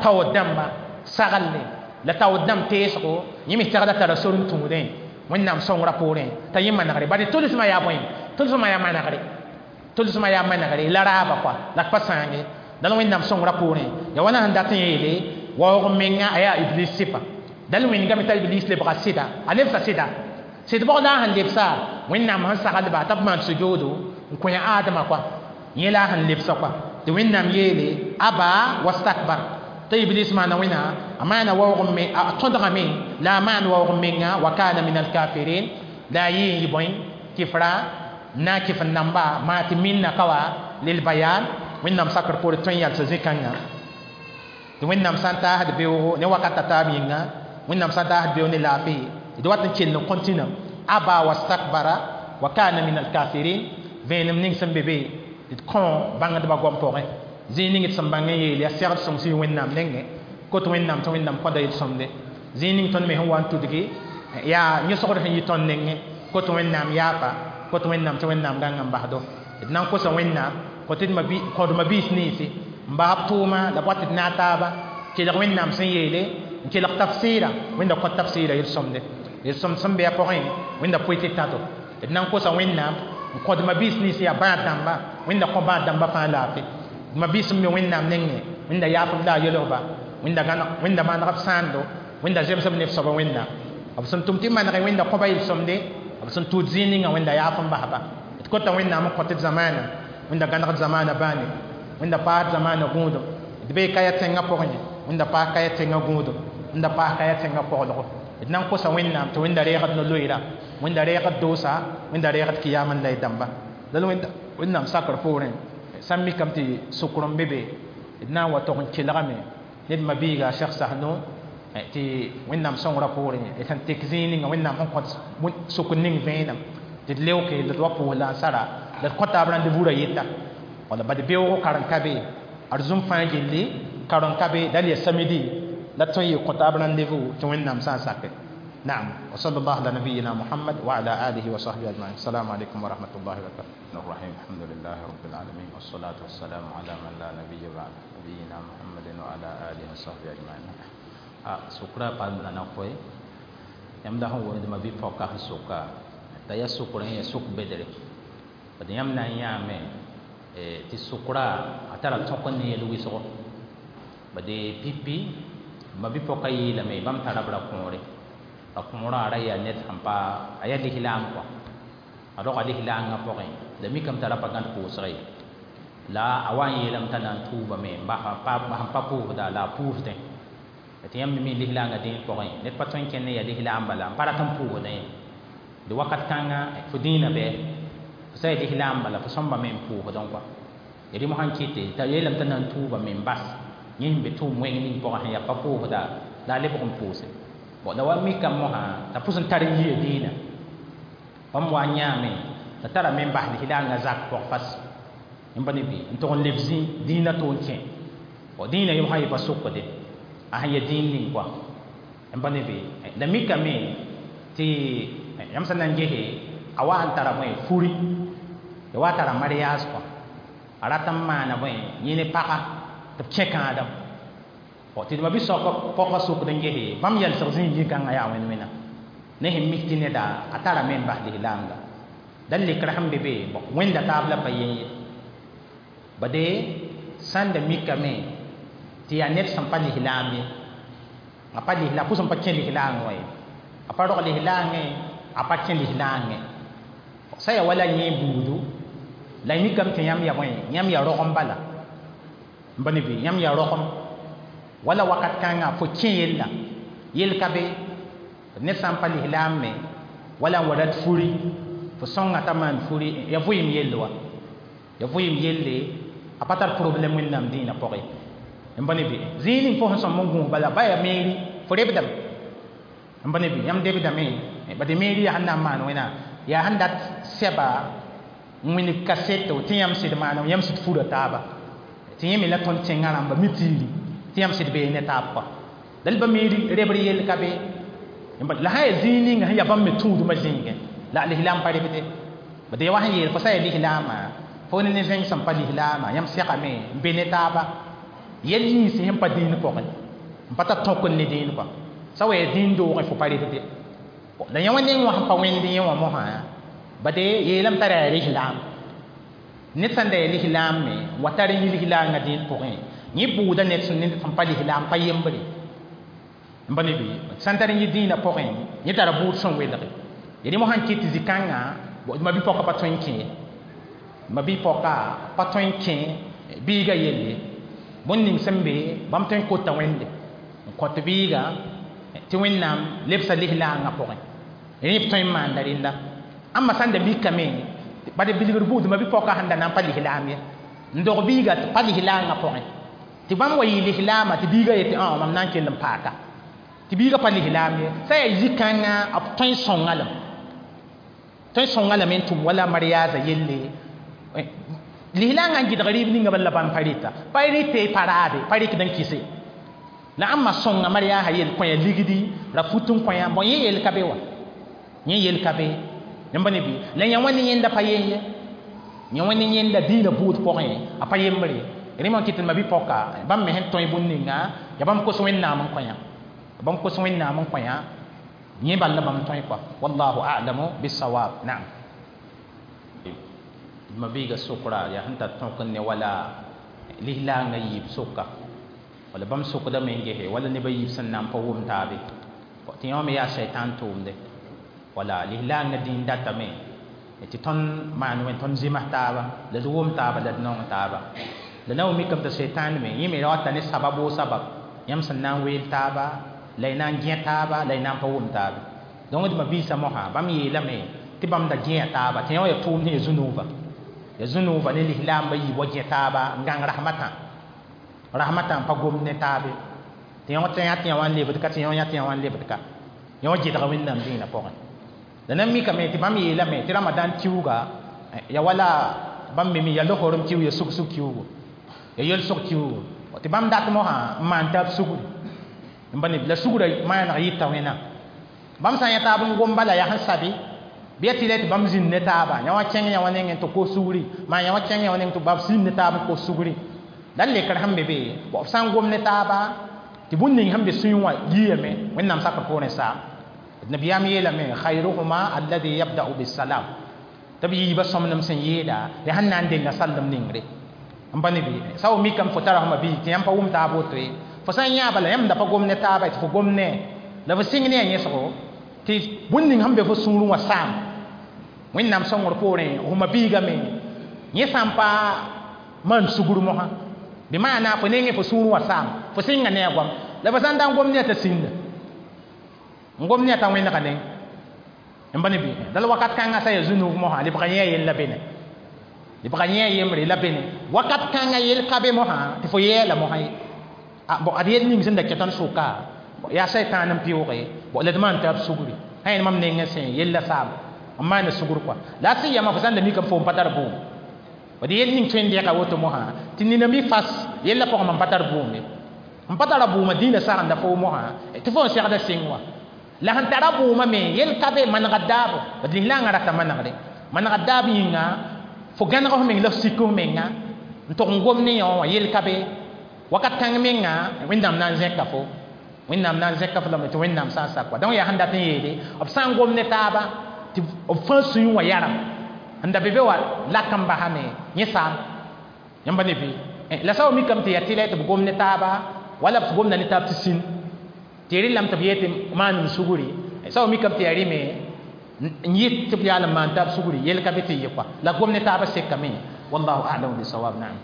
taood dãmba saglle la taood dãmb teesgo yẽ me segda tara sor n tũudẽ wẽnnaam sõngrã poorẽ t'a yẽ manegre bari tʋlsmã yaa bõe tʋlsmã yaa manegre tʋlsmã yaa manegre la raaba kɔa la pa sãange dal wẽnnaam sõngrã poorẽ ya wãna sẽn dat n yeele waoog n menga a yaa iblis sɩfa dal wẽngame t'a iblis lebga sɩda a lebsa sɩda sɩd bʋgda sẽn lebsa wẽnnaam sẽn saglba t'a b maan sujoodo n kõ aadama kɔa yẽ la sẽn lebsa kɔa tɩ wẽnnaam yeele aba wastakbar t'a iblis maana wẽna a maana waoog n me a tõdgame la a maan waoog n menga wa kana min alkafirin la a yɩ n yɩ bõe kɩfra n na n kɩf n namba maa tɩ minna ka wa lilbayan wẽnnaam sakr poore tõe n yalsa zĩ-kãngã tɩ wẽnnaam sã n taasd beoogo ne wakat a taab yĩnga wẽnnaam sã n taasd beoog ne laafɩ d wat n kell n contine aba wastakbara wa kana min alkafirin vẽenem ning sẽn be be d kõ bãngdbã goam pʋgẽ zĩig ning d sẽn bãng n yeel yaa segd sõng sɩ wẽnnaam nengẽ kot wẽnnaam tɩ wẽnnaam kõda yel-sõmde zĩig ning tõnd me sẽn wa n tudgi yaa yõsgd sẽn yɩ tõnd nengẽ Kot wẽnnaam yaafa, kot wẽnnaam tɩ wẽnnaam gãng n basdo. D na n kosa wẽnnaam kõ tɩ kõd mabiis ninsi n bas b tʋʋma la b wa tɩ d naag taaba kelg wẽnnaam sẽn yeele n kelg tafsɩɩra wẽnda kõt tafsɩɩra yel-sõmde yel-sõmd sẽn be a pʋgẽ wẽnda poe tɩ tãto. D na n kosa wẽnnaam n kõd mabiis nins yaa bãad dãmba wẽnda kõ bãad dãmba fãa laafɩ. Mabiis sẽn be wẽnnaam nengẽ wẽnda yaaf b la a yelsba wẽnda gãneg wẽnda maneg b sãando wẽnda zems b neb soaba wẽnnaam b sẽn tʋm tɩ manege wẽnda kõba yel-sõmde b sẽn tʋʋd zĩig ninga wẽnda yaaf n basba. D kota wẽnnaam n kõ tɩ d zamaana wẽnda gãnegd zamaana bãane wẽnda paasd zamaana gũudum. D bee kaya tẽngã pʋgẽ wẽnda paas kaya tẽngã gũudum wẽnda paas kaya tẽngã koglgo. D na n kosa wẽnnaam tɩ wẽnda reegd no-loeera wẽnda reegd doosa wẽnda reegd kiyama n la y dãmba la wẽnnaam sakr poorẽ sãn mikame tɩ sʋkr n be be d na n wa tog n kelgame ned mabiiga Cheikh Sahno tɩ wẽnnaam sõngrã poorẽ d sẽn tek zĩig ninga wẽnnaam sẽn kõt sʋkr ning vẽenem tɩ d leoke la d wa pʋʋs la n sara la d kõta b rendez-vous ra yeta wala bad beoogo karen ka be arzũm fãa gilli karen ka be dal ya samedi la tõe n yɩ kõta b rendez-vous tɩ wẽnnaam sã n sake. نعم وصلى الله على نبينا محمد وعلى آله وصحبه أجمعين. السلام عليكم ورحمة الله وبركاته. الرحيم الحمد لله رب العالمين والصلاة والسلام على من لا نبي بعد نبينا محمد وعلى آله وصحبه أجمعين. سكرا قال أنا خوي يمدح ولد ما بيفوق سكا تيا سكرا هي سك بدري بدي يمنا يامه تي سكرا أترى تكون يلوي سكر بدي بيبي ما بيفوق يلمي بام ترى برا كوري ra ra yaa ned sẽn pa a yaa lislaam kɔa a roga lislaangã pʋgẽ la mikame t'a ra pa gãd pʋʋsg ye la a wa n yeelame t'a na n tuubame n sẽn pa pʋʋsda la a pʋʋsdẽ tɩ yãmb me mi lislaangã dĩin pʋgẽ ned pa tõe n kẽnd n yaa lislaam bala n pa rat n pʋʋsdẽ ye dɩ wakat kãnga fo dĩinã bɩ fo sã yaa lislaam bala fo sõmbame n pʋʋsdẽ kɔa ya rɩ mosã n kɩte t'a yeelame t'a na n tuubame n bas yẽ sẽn be tʋʋm wẽng ning pʋgẽ sẽn yaa pa pʋʋsda la a lebg n pʋʋse. Bon la wa mikame mosã t'a pʋs n tar n yia dĩinã bãmb wa n yãame t'a tara me n bas lislaangã zak pʋg fas n pa ne bɩ n tog n leb zĩ dĩinã tʋ n kẽ bon dĩinã yem sã yɩ pa sʋkde a sẽn ya dĩin ning kɔa n pa ne bɩ la mikame tɩ yãmb sẽn na n gese a wa n tara bõe furi ya wa tara mariage kɔa a rat n maana bõe yẽ ne paga tɩ b kẽ kãadem tɩ d ma bi-soaba pɔgã sʋkd n gese bãmb yɛlsg zĩig yikãngã yaa wẽnd wẽna ne sẽn mik tɩ neda a tarame n bas lislaamga la lekr sẽn be be wẽnda taab la pa yen ye bade sãn da mikame tɩ yaa ned sẽn pa lislaam ye a pa lislaam pʋs n pa kẽ lislaangẽ wã ye a pa rog lislaangẽ a pa kẽ lislaangẽ sã yaa wala yẽ buudu la y mikame tɩ yãmb ya bõe yãmb yaa rogem bala n pa ne bɩ yãmb yaa rogem wala wakat kãngã fo kẽ yella yel ka be ned sã n pa lislaam me wala n wa rat furi fo sõnga t'a maan furi ya vʋɩɩm yelle wa ya vʋɩɩm yelle a pa tar problème wẽnnaam dĩinã pʋgẽ n pa ne bɩ zĩig ning fo sẽn sõm n gũus bala ba yaa meeri fo rebdame n pa ne bɩ yãmb debdame bad meeri yaa sẽn na n maan wẽna yaa sẽn dat sɛba n wĩnig kaseto tɩ yãmb sɩd maana yãmb sɩd fura taaba tɩ yẽ me la tõnd tẽngã rãmba mi tiiri tɩ yãmb sɩd bee ne taab kɔa la b meeri rebr yell ka be la sã yaa zĩig ninga sẽn yaa bãmb me tũudmã zĩigẽ la lislaam pa rebde bad ya wa sẽn yeel fo sã yaa lislaamã fo ne ne zẽng sẽn pa lislaamã yãmb segame n be ne taaba yɛl yĩns sẽn pa dĩin pʋgẽ n pa tar tõk n ne dĩin kɔa sã wa yaa dĩin doogẽ fo pa rebde la yã wã neng wã sẽn pa wẽnd yẽ wã mosã bade yeelame t'a ra yaa lislaam ned sãn da yaa lislaam me wa tar n yi lislaangã dĩin pʋgẽ yẽ buuda ned sẽn ned sẽn pa lislaam pa yembre n pa ne bɩ sãn tar n yɩ dĩinã pʋgẽ yẽ tara buud sẽn welge ya rẽ mosã n kɩt tɩ zĩ-kãngã ma-bi-pɔka pa tõe n kẽ ma-bi-pɔka pa tõe n kẽ biiga yelle bõn ning sẽn be bãmb tõe n kota wẽnde n kõt biiga tɩ wẽnnaam lebsa lislaangã pʋgẽ rẽ b tõe n maanda rẽnda ãmba sãn da mikame bad bilgr buud ma-bi-pɔka sẽn da na n pa lislaam ye n dog biiga tɩ pa lislaangã pʋgẽ tɩ bãmb wa yɩ lislaamã tɩ biiga yetɩ mam na n kell n paaka tɩ biiga pa lislaam ye sã yaa zĩ-kãngã b tõe n sõnga lame tõe n sõnga lame n tʋm wala mariaza yelle lislaangã n gɩdg rɩɩb ninga bala la bãmb pa rɩta pa rɩte pa raade pa rɩkd n kɩse la ãmba sõnga mariaasã yel kõ ya ligdi ra fut n kõ ya bõe yẽ yel ka be wa yẽ yel ka be Yãmb ne bɩ la yã wẽnd yẽnda pa yen ye yã wẽnd yẽnda dĩinã buud pʋgẽ a pa yembre rẽmã n kɩt tɩ ma-bi-pɔka bãmb me sẽn tõe bũmb ninga ya bãmb kos Wẽnnaam n kõ yã bãmb kos Wẽnnaam n kõ yã yẽ bal la bãmb tõe kɔa wallahu a'lamu bisawab naam ma biiga sokra yaa sẽn tar tõk n ne wala lislaangã yiib soka wala bãmb sokdame n gese wala neb a yiib sẽn na n pa wʋm taabe tɩ yã wã me yaa shaitan tʋʋmde wala lislaangã dĩin datame tɩ tõnd maan wẽn tõnd zems taaba la d wʋm taaba la d nong taaba la na wa mikame tɩ shaitan me yẽ me ra wata ne sabab woo sabab yãmb sẽn na n weel taaba la y na n gẽ taaba la y na n pa wʋm taaba donc d ma-biisã mosã bãmb yeelame tɩ bãmb da gẽa taaba tɩ yã wã yaa tʋʋmd sẽn ya zu-nuuva ya zu-nuuva ne lislaambã yiib wa gẽ taaba n gãng rasmatã rasmatã n pa gomd ne taabe tɩ yã tɩ yã tɩ yã wã n lebd ka tɩ yã yã tɩ yã wã n lebd ka yã wã gɩdga Wẽnnaam dĩinã pʋgẽ la nan mikame tɩ bãmb yeelame tɩ ramadan kiuuga ya wala bãmb me mi ya losorem kiug ya sug-sug kiuugo ya yelsg kiuugo tɩ bãmb dat mosã n maan taab sugri n ba neb la sugrã maaneg yɩta wẽnnaam bãmb sã n yã taab n gom bala yaa sẽn sabe bɩ ya tɩ la tɩ bãmb zĩnd ne taaba yã wã kẽng yã wã nengẽ tɩ kos sugri maa yã wã kẽng yã wã nengẽ tɩ bab zĩnd ne taab n kos sugri la d lekr sẽn be be b sã n gom ne taaba tɩ bũmb ning sẽn be sũyẽ wã yiame Wẽnnaam sakr poorẽ saam nabiyaam yeelame khayruhuma alladhi yabda'u bisalam tɩ b yiibã sõmnem sẽn yeeda yaa sẽn na n denga sallem ningre n pa ne bɩ sa wa mikame fo tara fõma bii tɩ yãmb pa wʋm taab woto ye fo sã n yã bala yãmb da pa gom ne taaba tɩ fo gom ne la fo sɩng ne a yẽsgo tɩ bũmb ning sẽn be fo sũurẽ wã saam Wẽnnaam sõngr poorẽ fõma biigame yẽ sã n pa maan sugr mosã bɩ maana fo nengẽ fo sũurẽ wã saam fo sɩnga ne a goam la fo sã n da n gom ne a t'a sĩnda n gom ne a t'a wẽnega neng n pa ne bɩ dal wakat kãngã sã ya zu-nuuf mosã lebga yẽ a yell la bene lebga yẽ a yembre la bene wakat kãngã yell ka be mosã tɩ fo yɛɛla mosã ye bon ad yell ning sẽn da kẽ tõnd sʋka yaa shaitan n pɩʋʋge bon la d maan taab sugri sã yẽnd mam nengẽ sẽ yella saam n maana sugr kɔa la a sẽn yama fo sã n da mikame fo n pa tar bʋʋm d yell ning tõe n dɛga woto mosã tɩ nina mi fas yella pʋgẽ mam pa tar bʋʋm ye n pa tara bʋʋmã dĩinã sagenda fo mosã tɩ fo n segda sɩng wã la sẽn tara bʋʋmã me yell ka be manega daabo d lislaangã rata manegre manega daab yĩnga fo gãneg f meng la f sik f menga n tʋg n gom ne yã wã yell ka be wakat kãng menga Wẽnnaam na n zẽka fo Wẽnnaam na n zẽka fo lame tɩ Wẽnnaam sã n sak wa donc yaa sẽn dat n yeele b sã n gom ne taaba tɩ b fãa sũyẽ wã yaram n da be be wa lak n basame yẽ saam yãmba ne bɩ la sa wa mikame tɩ yaa tɩ la tɩ b gom ne taaba wala b gomda ne taab tɩ sĩn tɩ rɩlame tɩ b yee tɩ maan n sugri sa wa mikame tɩ yaa rɩme n yɩt tɩ b yaal n maan taab sugri yell ka be tɩ yɩ kɔa la gom ne taabã sekame wallahu a'lamu bisawab naam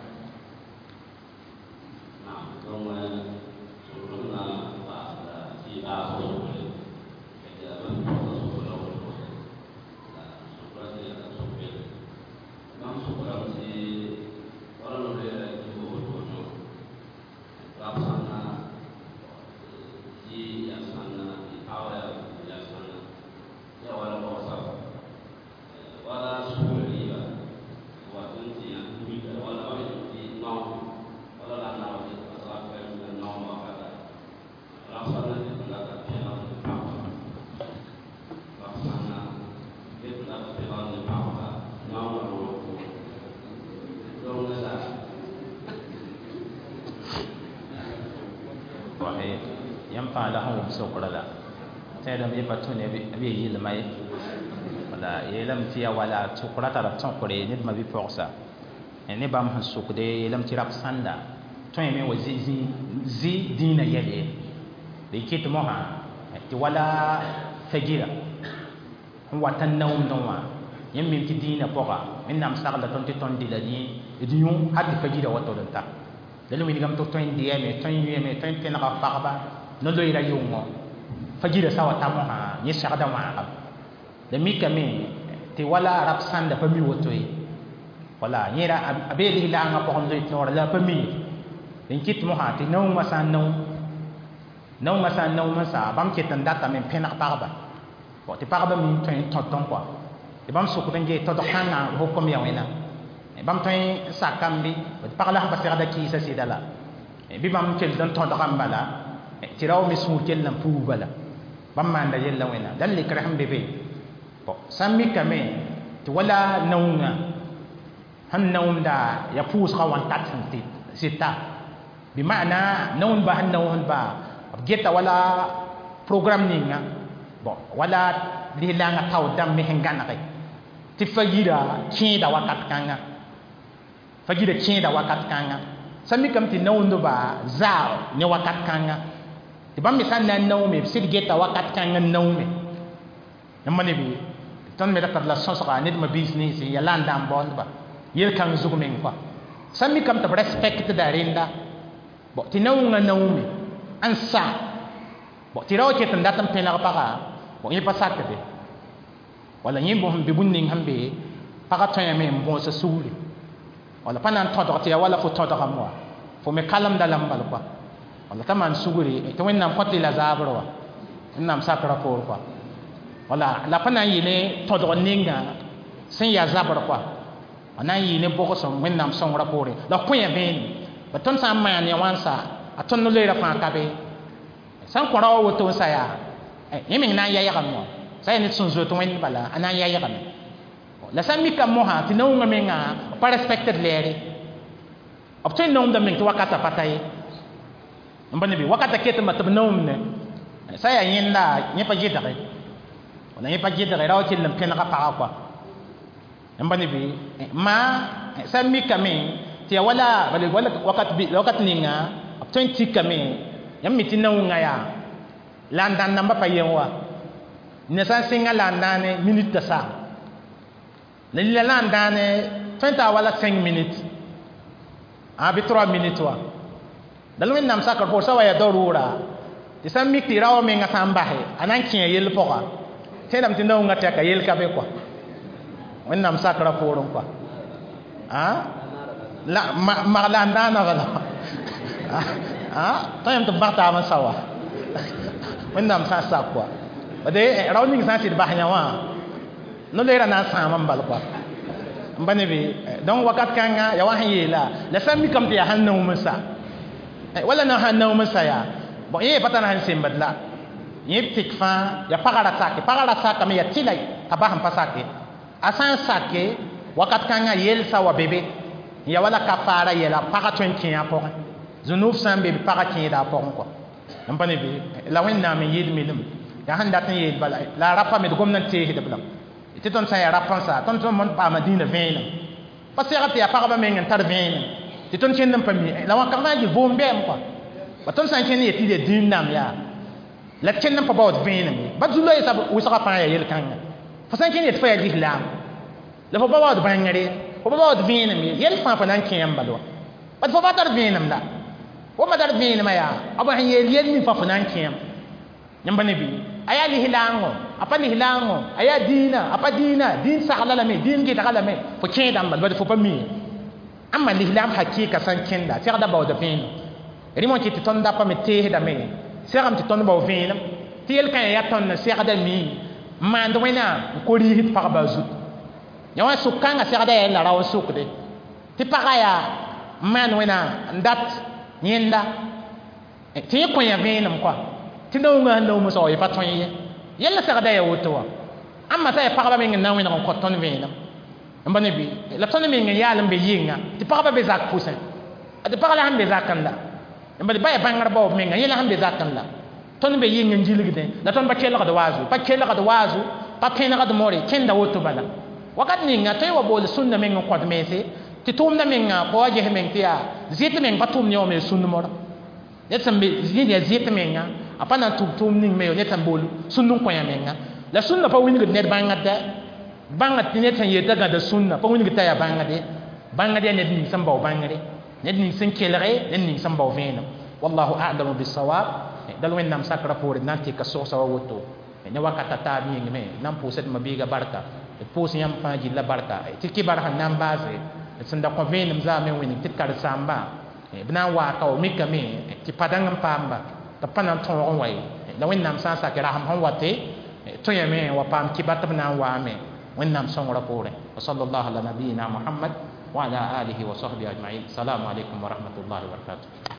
yãmb fãa la sẽn wʋm sokra la tẽedame yẽ pa tũ ne b ye yɩlma ye wala yeelame tɩ yaa wala sʋkra tara b tõkre ned ma-bi-pɔgsa ne bãmb sẽn sʋkde yeelame tɩ rab sãnda tõeme wa zĩ dĩinã yɛl ye d kɩt mosã tɩ wala fagira sẽn wat n naoomdẽ wã yãmb mim tɩ dĩinã pʋga Wẽnnaam sagla tõnd tɩ tõnd dɩla d yũ hal tɩ fagira wa tol n ta la la wilgame tɩ tõe n dɩyame tõe n yũame tõe n tẽnega pagba no-loeera yʋngõ fagira sã wa ta mosã yẽ segda wãagam la mikame tɩ wala rab sãnda pa mi woto ye wala yẽra a bee lislaangã pʋgẽ loe tõora la a pa mi ye n kɩt mosã tɩ naoongã sã n nao naoongã sã n naoom n sa bãmb ket n datame n pẽneg pagba tɩ pagba mi n tõe n tõt n kɔa tɩ bãmb sʋkd n gee tõdg kãngã hukum ya wẽnnaam bãmb tõe n sakame bɩ tɩ pag la sẽn pa segda kɩɩsã sɩda la bɩ bãmb kell n tõdgame bala tɩ rao me sũur kell n puug bala bãmb maanda yella wẽnnaam la lekr sẽn be be Bon sã n mikame tɩ wala naoongã sẽn naoomda ya pʋʋsgã wãnkat sẽn sɩta bɩ maana naoondbã sẽn naoosdba b geta wala programme ninga bon wala lislaangã taoor dãmb me sẽn gãnege tɩ fa yira kẽeda wakat kãnga fa yira kẽeda wakat kãnga sã n mikame tɩ naoondbã zaa ne wakat kãnga tɩ bãmb me sã n na n naoome b sɩd geta wakat kãng n naoome n ma ne bɩ tõnd me ra tar la sõsga ned mabiis nins n yaa la n dãan baoondba yel-kãng zug meng kɔa sã n mikame tɩ b respectda rẽnda bon tɩ naoongã naoome n sa bon tɩ ra wa ket n dat n pẽneg paga bon yẽ pa sakde wala yẽ bõs n be bũmb ning sẽn be pagã tõeme n bõosa sugri wala pa na n tõdg tɩ yaa wala fo tõdgame wa fo me kalemda la n bal kɔa wala t'a maan sugri tɩ wẽnnaam kõt-y la zaabr wa wẽnnaam sakra poor kɔa wala la pa na n yɩ ne tõdg ninga sẽn yaa zabr kɔa a na n yɩ ne bogosem wẽnnaam sõngrã poorẽ la f kõ ya vẽenem ba tõnd sã n maan ya wãnsa a tõnd no-loeera fãa ka be sã n kõ ra wa woto n sa yaa yẽ meng na n yaygame wã sã yaa ned sẽn zoet wẽnd bala a na n yaygame la sã n mika mosã tɩ naoongã menga b pa respectd lɛɛre b tõe n naoomda meng tɩ wakata pa ta ye n pa ne bɩ wakata ketame tɩ b naoomne sã yaa yẽnda yẽ pa gɩdge wala yẽ pa gɩdge ra wa kell n pẽnega pagã kɔa n pa ne bɩ maa sã n mikame tɩ yaa wala bala wala wakat wakat ninga b tõe n tikame yãmb mi tɩ naoongã yaa la n dãn namba pa yen wa ne sã n sɩnga la n dãane minute t'a sa la lila la n dãane tõe n taa wala cinq minutes a bɩ trois minutes wa dal wẽnnaam sakr poor sã wa yaa darʋʋra tɩ sã n mik tɩ ra wã menga sã n base a na n kẽ yell pʋga tẽedame tɩ naoongã tɛka yell ka be kɔa wẽnnaam sakra poorẽ kɔa la mag la n dãana bala tõe yãmb tɩ b bag taab n sa wa wẽnnaam sã n sak kɔa bade rao ning sã n sɩd bas yã wã no-loeera na n sãam n bal kɔa n pa ne bɩ donc wakat kãnga yaa wa sẽn yeela la sã n mikame tɩ yaa sẽn naoom n sa wala na sãn naoom n sa yaa bon yẽ pa tar sẽn sembd la yẽ tɩk fãa yaa pagã ra sake pagã ra sakame yaa tɩla t'a bas n pa sake a sã n sake wakat kãngã yelsa wa be be n yaa wala kafaara yɛla pagã tõe n kẽ a pʋgẽ zũnub sã n be bɩ pagã kẽeda a pʋgẽ kɔa n pa ne bɩ la wẽnnaam n yɩɩd milem yaa sẽn dat n yeel bala la a rapa me d gomd n teesd b lame tɩ tõnd sã n yaa rap n sa tõnd tõnd paama dĩinã vẽenem pa segd tɩ yaa pagba meng n tar vẽenem tɩ tõnd kẽnd n pa mi la wãnka fãa gil vʋʋm bɛɛm kɔa ba tõnd sã n kẽnd n yet tɩ yaa dĩin nam yaa la d kẽnd n pa baood vẽenem ye ba zu-loeesã wʋsgã fãa yaa yel-kãnga fo sã n kẽnd yet fo yaa lislaam la fo pa baood bãngre fo pa baood vẽenem ye yɛl fãa fo na n kẽ n bal wa bat fo pa tar vẽenem la fo pa tar vẽenemã yaa b sẽn yeel yel ning fãa fo na n kẽem yãmb ne bɩ a yaa lislaango a pa lislaango a yaa dĩinã a pa dĩinã dĩin sagla lame dĩin gɩdga lame fo kẽedã n bal bad fo pa mi ye ãmba lislaam hakɩɩka sã n kẽnda segda baooda vẽenem rẽm wã kɩ tɩ tõnd dapa me teesdame segame tɩ tõnd bao vẽenem tɩ yel-kã yaa tõnd n segda mi n maand wẽnnaam n ko riisd pagba zut ya wã sʋk-kãngã segda yaa la rao n sʋkde tɩ pagã yaa n maan wẽnnaam n dat yẽnda tɩ yẽ kõ yã vẽenem kɔa tɩ naoongã sẽn naoom n sao pa tõe ye yella segda yaa woto wã ãmba sã yaa pagba meng n na n wẽneg n kõt tõnd vẽenem n pa ne bɩ la tõnd meng n yaal n be yɩnga tɩ pagba be zak pʋsẽ tɩ pag la sẽn be zakẽ la n bala ba yaa bãngr baoob menga yẽ la sẽn be zakẽ la tõnd be yɩng n gilgdẽ la tõnd pa kelgd waazu pa kelgd waazu pa pẽnegd more kẽnda woto bala wakat ninga tõe wa bool sũnna meng n kõt mense tɩ tʋʋmda menga pa wa ges meng tɩ yaa zɩt meng pa tʋʋm ne wã me sũnd mora ned sẽn be zĩnd yaa zɩt menga a pa na n tʋm tʋʋm ning me yo ned sẽn bool sũnd n kõ yã menga la sũnna pa wilgd ned bãngd bãngd tɩ ned sẽn yetã gãda sũnna pa wilgd t'a yaa bãngde bãngd yaa ned ning sẽn bao bãngre ned ning sẽn kelge ned ning sẽn bao vẽenem wallahu a'lamu bisawab dal wẽnnaam sakra poore na n tɩka sogsa wa woto ne wakata taab yĩngme na n pʋʋsd mabiiga barka d pʋʋs yãmb fãa gilla barka tɩ kɩbar sẽn na n baase d sẽn da kõ vẽenem zaame wẽneg tɩ d karen-saamba b na n waaka wa mikame tɩ pa dãng n paamba tɩ b pa na n tõog n wa ye la wẽnnaam sã n sak rasem sẽn wate tõe yame wa paam kɩbar tɩ b na n waame wẽnnaam sõngrã poorẽ wa sallallahu ala nabiyina muhammad wa ala alihi wa sahbihi ajmain salamu alaikum wa rahmatullahi wa barakatuh.